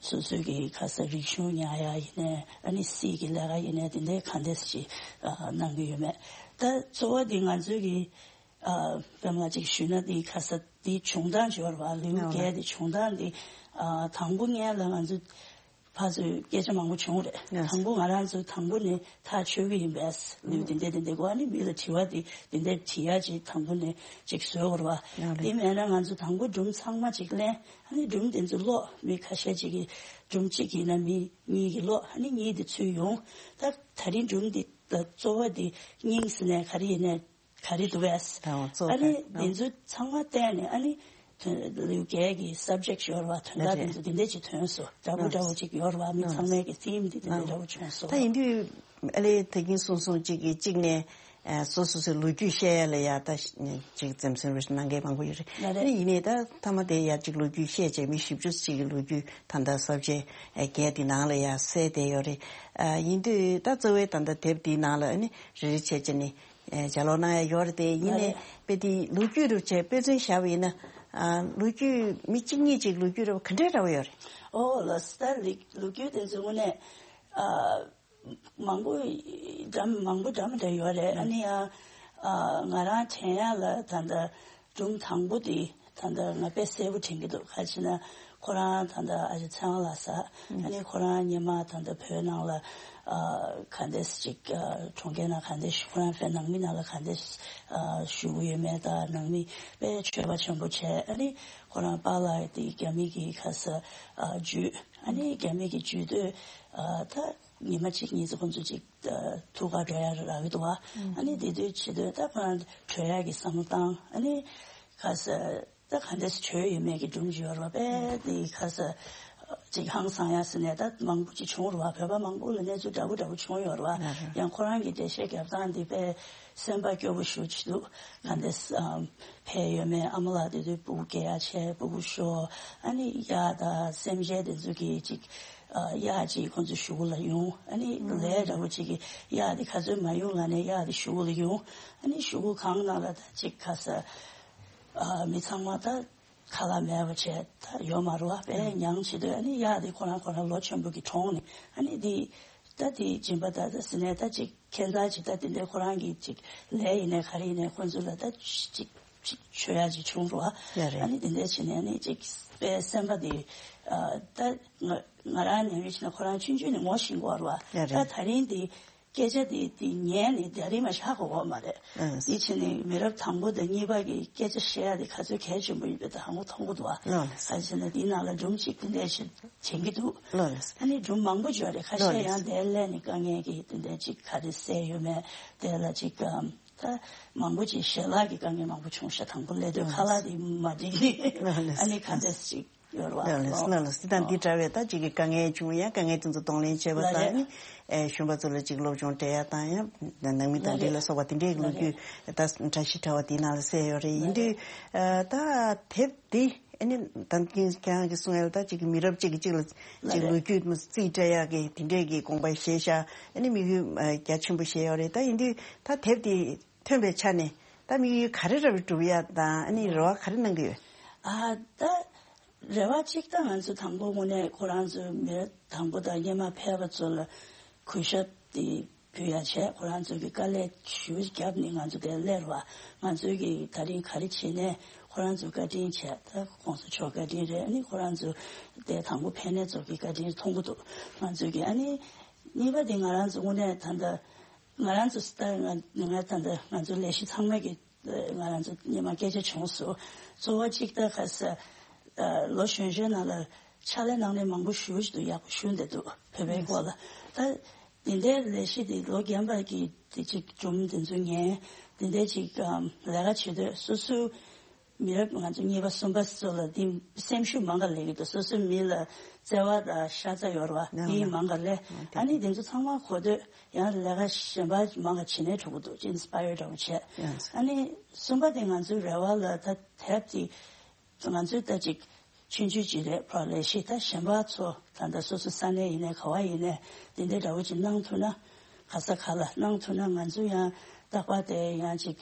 སོ་སོའི་གི་ག་ས་རིག་གཞུང་ཉར་ཡ་ཡིན་ནའི་ཨ་ནི་སྲིད་ཀྱི་ལས་ཀ་ཡིན་ནའི་དེ་འདྲའི་ག་འདྲས་ཅིག་ཨ་གནང་གི་ཡོད་མེད། ད་གཙོ་བོ་དེ་ང་ཚོའི་གི་ཨ་དཔེ་མ་ཅིག་ཞུས་ན་དེ་ག་ས་དེ་བྱུང་སྟངས་ཅིག་ཡོད་རེད་བ། ལེའུ་ཡང་བརྒྱད་དེ་བྱུང་སྟངས་དེ་ཨ་དང་པོ་སྔོན་ལ་ང་ཚོ་ཕར་ཚུར་སྐད་ཆ་མང་པོ་བྱུང་རེད། ཡང་། དང་པོ་ང་རང་ཚོ་དང་པོ་ནས་ཐག་ཆོད་གི་ཡིན་པས། ལེའུ་དེ་འདྲ་དེ་འདྲ་དགོས། ཨ་ནི་མི་ལ་དྲི་བ་དེ་དེ་འདྲ་དྲི་ཡ་ཅིག་དང་པོ་ནས་ཅིག་བཟོས་ཡོད་རེད་བ། ཡང་རེད། དེ་མེད་ན་ང་ཚོ་དང་པོ་སྒྲུང་ཚང་མ་ཅིག་ལེན། ཨ་ནི་སྒྲུང་དེ་ཚོ་ཀློག་མི་ཁ་ཤས་ཅིག་གིས་སྒྲུང་གཅིག་ཡིན་ན་མི་གཉིས་ཀྱིས་ཀློག་ཨ་ནི་གཉིས་དེ་ཚུར་ཡོང་། ད་ད་རིང་སྒྲུང་འདི་ད་གཙོ་བོ་འདི་སྙིང་ཟེར་ནས་ག་རེ་ཡིན་ནའི་ག་རེ་འདུག་བས། ད་འོ་གཙོ་ཨ་ནི་བོ་དེ་ཚོ་ཚང་མ་བལྟས་ནས་ཨ་ནི་ལེའུ་བརྒྱད་ཀྱི་subject་ཡོད་རེད་བ། དོན་དག་དེ་ཚོ་དེ་འདྲ་ཅིག་ཐོན་སོང་། འདྲ་པོ་འདྲ་པོ་ཅིག་ཡོད་རེད་བ། མི་ཚང་མའི་གི་theme་འདི་དེ་འདྲ་འདྲ་པོ་བྱུང་སོང་། ད་ཡིན་དུས་ཨ་ལེ་ད་གིན་གསུངས་སོང་། གཅིག་གིས་གཅིག་ནས་ཨ་སོ་སོ་སོའི་ལོ་རྒྱུས་བཤད་ཡ་ལ་ཡ་ད་གཅིག་འཛེམ་ཟོན་རེ་གནང་མཁན་མང་པོ་ཡོད་རེད། ལགས་རེད། ཨ་ནི་ཡིན་ནའི་ད་མཐའ་མ་དེ་ཡ་གཅིག་ལོ་རྒྱུས་བཤད་བྱས་མི་བཞི་བཅུ་ཅིག་གི་ལོ་རྒྱུས་ད་ལྟ་subject་བརྒྱད་དེ་ནང་ལ་ཡ་གསལ་བསྡད་ཡོད་རེད། ཨ་ཡིན་དུས་ད་གཙོ་བོའི་ད་ལྟ་དེབ་དེའི་ནང་ལ་ཨ་ནི་རེ་རེ་བྱས་བྱས་ནས་ཨ་ལྗགས་ཀློག་གནང་ཡ་ཡོད་རེད་དེ། ཡིན་ནའི་ལགས་རེད། དཔེ་དེ་ལོ་རྒྱུས་རུ་བྱས་དཔེ་མཚོན་བཞག་པ་ཡིན་ན་ཨ་ལོ་རྒྱུས་མི་གཅིག་གཉིས་ཅིག་ལོ་རྒྱུས་རུ་ག་འདྲའི་འདྲ་པོ་ཡོད་རེད། ཨོ་ལགས་སོ། ད་ལོ་རྒྱུས་དེ་ཚོ་དངོས་གནས་ཨ་མང་པོ་འདྲ་མ་མང་པོ་འདྲ་མི་འདྲ་ཡོད་རེད། ཨ་ནི་ཡང་ཨ་ང་རང་དྲན་ཡ་ལ་ད་ལྟ་སྒྲུང་དང་པོ་དེ་ད་ལྟ་ང་དཔེ་གསལ་པོ་དྲན་གྱི་འདུག་ག་རེ་ཟེར་ན་ཁོ་རང་ད་ལྟ་ཨ་ཅག་ཚེ་དབང་ལགས་ཟེར། ཨ་ནི་ཁོ་རང་སྔོན་མ་ད་ལྟ་བོད་ནང་ལ་ཨ་ག་འདྲས་ཅིག་ཨ་གྲོང་ཁྱེར་ནང་ག་འདྲས་ཁོ་རང་དཔེ་ནང་མི་ནང་ལ་ག་འདྲས་ཨ་བཞུགས་ཡོད་མེད་དང་། ནང་མི་དཔེ་ཆོས་པ་ཆེན་པོ་བྱས། ཨ་ནི་ཁོ་རང་པཱ་ལགས་དེ་རྒྱ་མི་གི་ག་ས་ཨ་བརྒྱུད། ཨ་ནི་རྒྱ་མི་གི་བརྒྱུད་དུས་ཨ་ད་ཉི་མ་གཅིག་གཉིས་ཙམ་ཁོང་ཚོ་ཅིག་ཨ་ཐུག་ག་འགྲོ་ཡ་རག་གི་འདུག་བ། ཨ་ནི་དེ་དུས་བྱེད་དུས་ད་ཁོ་རང་བྲོས་ཡ་གི་བསམ་བློ་བཏང་། ཨ་ནི་ག་ས་ད་ག་འདྲས་བྲོས་ཡོད་མེད་ཀྱི་སྒྲུང་ཅིག་ཡོད་རེད་བ། དཔེ་དེ་ག་ས་ཅིག་ཧང་སང་ཡ་ཟེར་ནས་ད་མང་པོ་ཅིག་བྱུང་རེད་བ། བོད་པ་མང་པོ་ལ་གནས་ཚུལ་འདྲ་པོ་འདྲ་པོ་བྱུང་ཡོད་རེད་བ། ཡང་ཁོ་རང་གི་འགྲེལ་བཤད་རྒྱབ་སྟངས་དེ་དཔེ་སེམས་པ་སྐྱོ་པོ་ཞེ་པོ་ཅིག་འདུག་ག་འདྲས་ཨམ་ཕེབས་ཡོད་མེད། ཨ་མ་ལགས་དེ་དུས་སྤུ་གུ་སྐྱེ་ཡ་བྱས། སྤུ་གུ་ཤོར། ཨ་ནི་གཡག་དང་སེམས་ཅན་དེ་ཚོ་གི་ཅིག་ཨ་གཡག་ཅིག་ཁོང་ཚོ་གཞུག་གུ་ལ་ཡོང་། ཨ་ནི་ལས་འདྲ་པོ་ཅིག་གི་གཡག་དེ་ག་ཚོད་མ་ཡོང་ལབ་ནས་གཡག་དེ་གཞུག་གུ་ལ་ཡོང་། ཨ་ནི་གཞུག་གུ་གངས་ནང་ལ་ད་ཅིག་ག་ས་ཨ་མི་ཚང་མ་ད་ཁ་ལག་མེད་པ་བྱས་ད་ཡོད་མ་རེད་བ། དཔེ་མྱངས་བྱེད་དུས་ཨ་ནི་གཡག་དེ་ཁོ་རང་ཁོ་རང་ལོ་ཆེན་པོ་གི་གྲོངས་ནས། ཨ་ནི་དེ་ད་དེ་སྦྱིན་པ་ད་ད་ཟེར་ནས་ད་ཅིག་ཁྱད་མཚར་ཅིག་ད་དེ་འདྲའི་ཁོ་རང་གི་ཅིག་ལས་ཡིན་ནའི་ག་རེ་ཡིན་ནའི་ཁོ་ཚོ་ལ་ད་ཅིག་ ཅིག་ཆོས་ཡ་ཅིག་བྱུང་རོ། ཡ་རེད། ཨ་ནི་དེ་འདྲ་བྱས་ནས་ཨ་ནི་ཅིག་དཔེ་སེམས་པ་དེ་ཨ་ད་ང་ང་རང་ནས་ཡོད་ཕྱིན་ན་ཁོ་རང་ཆུང་ཆུང་ནས་ངོ་ཤེས་ཀྱི་ཡོད་རེད་བ། ཡ་རེད། ད་ད་རིང་དེ་སྐད་ཆ་དེ་དེ་ཉན་ནས་ད་རིང་མ་ཤག་གོ་གོ་མ་རེད། ཨ་དེ་ཕྱིན་ནས་མི་རབས་དང་པོ་དང་གཉིས་པ་གི་སྐད་ཆ་བཤད་ཡ་དེ་ག་ཚོད་གལ་ཆེན་པོ་ཡིན་པའི་ད་ཧ་གོ་མཐོང་གི་འདུག་བ། ཨ་ག་ཅེ་ན་དེའི་ནང་ལ་སྒྲུང་ཅིག་དེ་འདྲ་ཞིག་བྱེད་ཀྱི་འདུག་ལོ་ལེགས། ཨ་ནི་སྒྲུང་མང་པོ་ཡོད་རེད། ཁ་ཤས་ལོ་ལེགས། ཡང་དེ་སླེབས་ནས་དཀའ་ངལ་གྱི་དེ་འདྲ་ཅིག་ག་རེ་སེལ་ཡོད་མེད་དེ་ལ་ཅིག་ཨམ། ད་མང་པོ་ཅིག་ཞལ་ལག་གི་དཀའ་ངལ་མང་པོ་བྱུང་ཤག་དང་པོ་སླེབས་དུས་ཁ་ལག་དེ་མ་འགྲིག་ནས་ཨ་ནི་ག་འདྲ་ཅིག་ཡོད་རེད་བ། ལགས་ལགས་ལགས་ལགས། དེ་དང་འདི་འདྲ་བའི་ད་ཅིག་གི་དཀའ་ངལ་བྱུང་ཡང་དཀའ་ངལ་དེ་ཚོ་གདོང་ལེན་བྱས་པ་དང་ཨ་ནི་ཨེ་གཞོན་པ་ཚོ་ལ་ཅིག་སློབ་སྦྱོང་སྤྲད་ཡ་དང་ཡང་ནང་མི་དང་འབྲེལ་ལ་སོགས་པ་དེ་འདྲའི་ལོ་རྒྱུས་ད་བཀྲ་ཤིས་ཕྲེང་བ་དེའི་ནང་ལ་གསལ་ཡོད་རེད། ཡིན་དུས་ད་དེབ་འདི་ཨ་ནི་ད་ཁྱེད་རང་གིས་གསུངས་ཡ་ད་ཅིག་གི་མི་རབས་གཅིག་གིས་གཅིག་ལ་ཅིག་ལོ་རྒྱུས་རྩིས་སྤྲད་ཡ་གི་དེ་འདྲའི་གི་དགོངས་པ་བཞེས་ཤག་ཨ་ནི་དམིགས་ཡུལ་རྒྱ་ཆེན་པོ་བཞེས་ཡོད་རེད། ད་ཡིན་དུས་ད་དེབ་དེ་ཐོན་པའི་ཆ་ནས་ད་དམིགས་ཡུལ་ག་རེ་ར་བ་སྒྲུབ་ཡ་དང་ཨ་ནི་རེ་བ་ག་རེ་གནང་གི་ཡོད། ཨ་ད་རེ་བ་གཅིག་ད་ང་ཚོ་དང་པོ་དངོས་གནས་ཁོ་རང་ཚོ་མི་རབས་དང་པོ་དང་སྔོན་མ་ཕེབས་པ་ཚོ་ལ་གུས་ཞབས་དེ་ཕུལ་ཡ་བྱས། ཁོ་རང་ཚོ་གི་དཀའ་ལས་ཞེ་པོ་བརྒྱབ་ནས་ང་ཚོ་དེ་སླེབས་ར་བ། ང་ཚོ་གི་ད་རིང་ག་རེ་བྱས་ནས་ཁོ་རང་ཚོ་བཀའ་དྲིན་བྱས། ད་གོང་ས་མཆོག་བཀའ་དྲིན་རེད། ཨ་ནི་ཁོ་རང་ཚོ་དེ་དང་པོ་ཕེབས་ནས་ཚོ་གི་བཀའ་དྲིན་མཐོང་གི་འདུག་ང་ཚོ་གི་ཨ་ནི་གཉིས་པ་དེ་ང་རང་ཚོ་དངོས་གནས་ད་ལྟ་ང་རང་ཚོ་ད་ང་ང་ད་ལྟ་ང་ཚོ་ལས་གཞི་ཚང་མ་གི་ང་རང་ཚོ་སྔོན་མ་སྐད་ཆ་བྱུང་སོང་། གཙོ་བོ་གཅིག་ད་ག་ས་ལོ་གཞོན་གཞོན་ནང་ལ་ཕྱག་ལས་གནང་མཁན་མང་པོ་ཞེ་པོ་ཅིག་འདུག་ཡག་པོ་ཞུ་བསྡད་འདུག་བོད་པའི་སྐོར་ལ། ད་འདི་འདྲའི་ལས་གཞི་འདི་ལོ་རྒན་པ་གི་དེ་ཅིག་སྒྲུང་འདི་ཚོ་ཉན། འདི་འདྲའི་ཅིག་ལས་ཀ་བྱེད་དུས་སོ་སོའི་མི་རབས་ང་ཚོ་གཉིས་པ་གསུམ་པ་ཚོ་ལ་འདི་སེམས་ཤུགས་མང་ག་ལེན་གི་འདུག་སོ་སོའི་མི་ལ་བརྩེ་བ་དང་ཤ་ཚ་ཡོད་རེད་བ། འདི་མང་ག་ལེན། ཨ་ནི་འདི་ཚོ་ཚང་མ་གོ་དུས་ཡང་ལས་ཀ་གཞན་པ་མང་ག་བྱེད་ནས་འགྲོ་གི་འདུག་ཅིག་ཨིན་སི་པ་ཡར་འདྲ་བོ་བྱས། ཨ་ནི་གསུམ་པ་དེ་ང་ཚོའི་རེ་བ་ལ་ད་དེབ་དེ་ང་ཚོའི་ད་ཅིག་ཆུང་ཆུང་ཅིག་རེད། ཕར་ལས་ཤིག་ད་གཞན་པ་ཚོ་ད་ལྟ་སོ་སོ་ས་གནས་ཡིན་ནའི་ག་བ་ཡིན་ནའི་འདི་འདྲའི་འདྲ་བོ་ཅིག་གནང་ཐུབ་ན། ག་ས་ག་ལ་གནང་ཐུབ་ན་ང་ཚོ་ཡང་རྟག་པར་དེ་ཡང་ཅིག་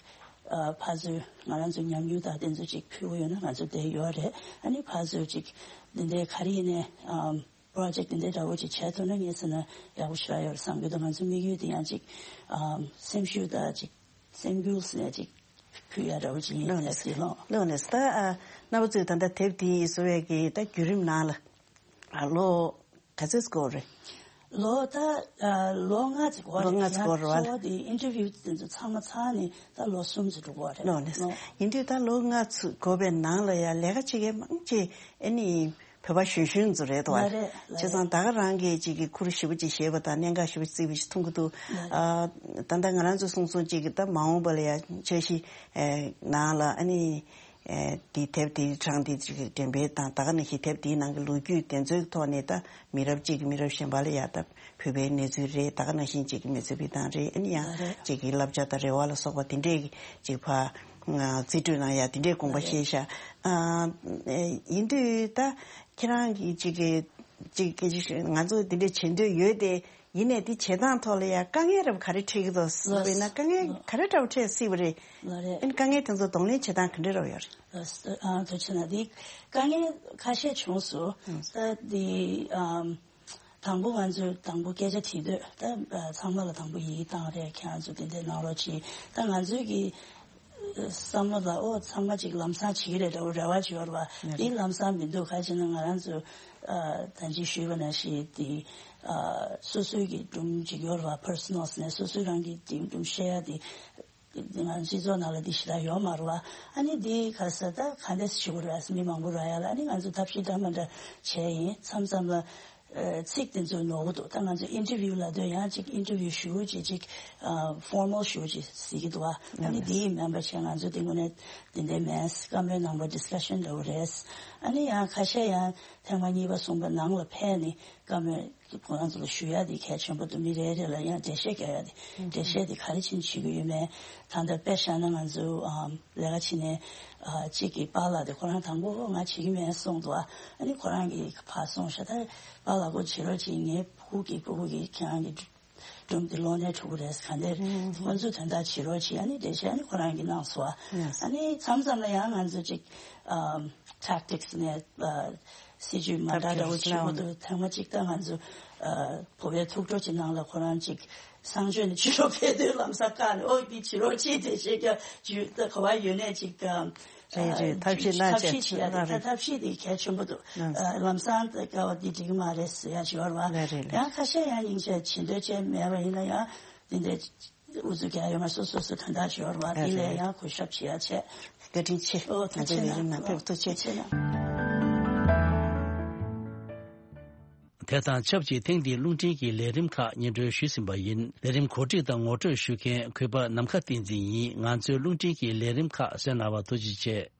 ཨ་ཕར་ཚུར་ང་རང་ཚོ་ཉམས་མྱོང་དང་དེ་ཚོ་ཅིག་ཕུལ་གི་ཡོད་ན་ང་ཚོ་དེ་ཡོད་རེད། ཨ་ནི་ཕར་ཚུར་ཅིག་འདི་འདྲའི་ག་རེ་ཡིན་ནའི་ཨམ་པོ་རོ་ཇེག་འདི་འདྲའི་འདྲ་བོ་ཅིག་བྱས་ཐུབ་ན་ངས་ཟེར་ན་ཡག་པོ་ཞེ་དྲག་ཡོད་རེད་བསམ་གྱི་འདུག་ང་ཚོ་དམིགས་ཡུལ་དེ་ཡང་ཅིག་ཨམ་སེམས་ཤུགས་དང་ཅིག་སེམས་འགུལ་ཟེར་ནས་ཅིག་ཕུལ་ཡ་འདྲ་བོ་ཅིག་ཡིན། ལགས་ནས་ལགས་ནས་ད་ཨ་རྣམ་པ་ཚོས་ད་ལྟ་དེབ་དེ་བཟོ་བའི་གི་ད་བརྒྱུད་རིམ་ནང་ལ་ཨ་ལོ་ག་ཚོད་འགོར་རེད། ལོ་ད་ཨ་ལོ་ལྔ་ཙམ་འགོར་རེད། ལོ་ལྔ་ཙམ་འགོར་རེད་བ། གཙོ་བོ་དེ་ཨིན་ཊར་བིའུ་དེ་ཚོ་ཚང་མ་ཚར་ནས་ད་ལོ་གསུམ་ཙམ་འགྲོ་གི་རེད། ལོ་ནས་ཡིན་དུས་ད་ལོ་ལྔ་ཙམ་འགོར་བའི་ནང་ལ་ཡ་ལས་ཀ་བྱེད་མཁན་མང་ཆེ་ཨ་ནི་བོད་པ་གཞོན་གཞོན་ཚོ་རེད་དོ། ལ་རེད་ལ་བྱས་ཙང་རེད། ད་ག་རང་གིས་ཅིག་གི་ཁུར་ཞེ་པོ་ཅིག་བཞེས་པ་དང་གནད་འགག་ཞེ་པོ་ཅིག་བརྩིས་པ་ཞིག་མཐོང་གི་འདུག་ལ་རེད། ཨ་ད་ལྟ་ང་རང་ཚོ་གསུང་སོང་ཅིག་གི་ད་མ་འོངས་པ་ལ་ཡ་འཆར་གཞི་ཨེ་ནང་ལ་ཨ་ནི་ཨེ་དེ་དེབ་དེའི་གྲངས་དེ་ཅིག་འགྲེམས་སྤེལ་དང་ད་ག་ནང་བཞིན་དེབ་དེའི་ནང་གི་ལོ་རྒྱུས་དེ་ཚོའི་ཐོག་ནས་ད་མི་རབས་གཅིག་གིས་མི་རབས་གཞན་པ་ལ་ཡ་ད་བོད་པའི་གནས་ཚུལ་རེད། ད་ག་ནང་བཞིན་ཅིག་གི་མི་ཚེ་བི་དང་རེད། ཨ་ནི་ཡང་ལ་རེད། ཅིག་གི་བསླབ་བྱ་དང་རེ་བ་ལ་སོགས་པ་དེ་འདྲས་ཀྱི་ཅིག་ཕ་རྩིས་སྤྲོད་གནང་ཡ་དེ་འདྲས་དགོངས་པ་བཞེས་ཤག་ཨ་ཡིན་དུས་ད་ཁྱེད་རང་གི་ཅིག་གི་ཅིག་གི་ང་ཚོ་དེ་འདྲས་བྱེད་འདོད་ཡོད་དེ་ཡིན་ནའི་དེ་བྱེད་སྟངས་ཐོག་ལ་ཡ་དཀའ་ངལ་རབ་ག་རེ་འཕྲད་ཀྱི་འདུག་ལགས། དཔེར་ན་དཀའ་ངལ་ག་རེ་འདྲ་བོ་འཕྲད་སྲིད་པ་རེད། ལགས་རེད། ཨ་ནི་དཀའ་ངལ་དེ་ཚོ་གདོང་ལེན་བྱེད་སྟངས་ག་འདྲ་རབ་ཡོད་རེད། ལགས་སོ། ཨ་ཐུགས་རྗེ་གནང་། དེ་དཀའ་ངལ་ཁ་ཤས་བྱུང་སོང་། ད་དེ་ཨམ། དང་པོ་ང་ཚོས་དང་པོ་སྐད་ཆ་དྲིས་དུས་ད་ཚང་མ་ལ་དང་པོ་ཡིད་བཏང་རེད། ཁྱེད་རང་ཚོ་དེ་འདྲའི་གནང་རོགས་གྱིས། ད་ང་ཚོའི་གི་བསམ་བློ་ལ་ཨོ་ཚང་མ་ཅིག་ལམ་སང་བྱེད་ཀྱི་རེད་འདྲ་བོ་རེ་བ་ཅིག་ཡོད་རེད་བ། དེ་ལམ་སང་མི་འདུག་ག་ཅི་ན་ང་རང་ཚོ་ད་ཅི་ཞུས་པ་ནང་བཞིན་དེ་སོ་སོའི་གི་སྒྲུང་ཅིག་ཡོད་རེད་བ། པར་སོ་ནལ་ནས་སོ་སོའི་རང་གི་དེ་སྒྲུང་བཤད་ཡ་དེ། ང་སྤྱི་ཚོགས་ནང་ལ་འདི་ཞེ་དྲག་ཡོད་མ་རེད་བ། ཨ་ནི་འདི་ག་ས་ད་ག་འདྲས་ཞུ་དགོས་རེད། མི་མང་པོ་རག་ཡ་ལ་ཨ་ནི་ང་ཚོ་ཐབས་ཤེས་འདྲ་མ་འདྲ་བྱས་ཡིན། མཚམས་མཚམས་ལ་ཚིག་དེ་ཚོ་ནོར་གི་འདུག་ད་ང་ཚོ་ཨིན་ཊར་བིའུ་ལབ་དུས་ཡང་ཅིག་ཨིན་ཊར་བིའུ་ཞུ་ཅིག་ཅིག་ཕོར་མལ་ཞུ་ཅིག་ཟེར་གི་འདུག་བ། ཨ་ནི་འདི་མིན་པ་བྱས་ང་ཚོ་འདི་དངོས་གནས་འདི་འདྲའི་མེད། བཀའ་མོལ་གནང་བ་ཌི་སི་ཀ་ཤན་འདྲ་བོ་རེད། ཨ་ནི་ཡང་ཁ་ཤས་ཡང་ཐེངས་མ་གཉིས་པ་གསུམ་པ་ནང་ལ་ཕེབས་ནས་བཀའ་མོལ། ཁོ་རང་ཚོ་ལ་ཞུ་ཡ་དེ་གལ་ཆེན་པོ་འདུག་མི་རེ་རེ་ལ་ཡང་འགྲེལ་བཤད་རྒྱག་ཡ་དེ། འགྲེལ་བཤད་དེ་ག་རེ་བྱས་ནས་བྱེད་ཀྱི་ཡོད་མེད། ད་ལྟ་དཔེ་བཞག་ན་ང་ཚོ་ཨམ་ལས་ཀ་བྱེད་ནས་ཨ་གཅིག་གིས་པཱ་ལགས་དེ་ཁོ་རང་དང་པོ་ང་བྱེད་ཀྱི་མེད་གསུངས་འདུག་ཨ་ནི་ཁོ་རང་གིས་ཕར་སོང་ཤག་ད་པཱ་ལགས་ཁོ་བྱེད་རོགས་བྱེད། ངའི་ཕྲུ་གུ་གིས་ཕྲུ་གུ་གིས་ཁྱེད་རང་གི་སྒྲུང་དེ་ཀློག་ནས་འགྲོ་གི་རེད། ག་འདྲས་ཁོ་ཚོའི་དོན་དག་བྱེད་རོགས་བྱེད། ཨ་ནི་འགྲེལ་བཤད་ཨ་ནི་ཁོ་རང་གིས་གནང་སོང་། ཨ་ནི་མཚམས་མཚམས་ལ་ཡང་ང་ཚོ་ཅིག་ཨམ་ཊེག་ཊིག་སི་ནས་ཨ། སྲིད་ཇུས་མ་འདྲ་འདྲ་བོ་བྱེད་དགོས་འདུག་ཐེངས་མ་གཅིག་ད་ང་ཚོ་ཨ་བོད་པའི་ཐུགས་སྤྲོ་ཅིག་ནང་ལ་ཁོ་རང་ཅིག་གསང་སྤྱོད་ནས་ཕྱི་ལོགས་ཕེབས་དུས་ལམ་སང་བཀག་ནས་ཨོ་འདི་བྱེད་རོགས་གྱིས་དེ་བྱེད་རྒྱུ་ཇུས་ད་ག་བ་ཡོད་ནས་ཅིག་རེད་རེད། ཐབས་ཤེས་གནང་ཐབས་ཤེས་བྱེད་ཡ་རེད། ད་ཐབས་ཤེས་དེ་གལ་ཆེན་པོ་འདུག་ཨ་ལམ་སང་ད་དཀའ་བ་འདི་འགྲིག་གི་མ་རེད་ཟེར་ཡ་ཅིག་ཡོད་རེད་བ། ཡང་ཁ་ཤས་ཡང་སྙིང་རྗེ་བྱེད་འདོད་བྱས་མེད་པ་ཡིན་ན་ཡང་འདི་འདྲའི་ཨུ་ཚུགས་རྒྱག་ཡོད་མ་སོ་སོ་སོ་གང་ལྟར་ཞོར་བ་འདི་ལས་ཡང་གུས་ཞབས་བྱེད་ཡ་བྱས། བཀའ་དྲིན་ཆེ། ཨོ་ཐུགས་རྗེ་ཆེ་གནང་། ཕེབས་ཐུགས་རྗེ་ཆེ་གནང་། དེ་དང་ཆབས་ཅིག་ཐེངས་འདིའི་རླུང་འཕྲིན་གྱི་ལས་རིམ་ཁག་སྙན་སྒྲོན་ཞུས་ཟིན་པ་ཡིན། ལས་རིམ་གོ་སྒྲིག་དང་ངོ་སྤྲོད་ཞུ་མཁན་གུས་པ་ནམ་མཁའ་བསྟན་འཛིན་ཡིན། ང་ཚོའི་རླུང་འཕྲིན་གྱི་ལས་རིམ་ཁག་གསན་གནང་བར་ཐུགས་རྗེ་ཆེ།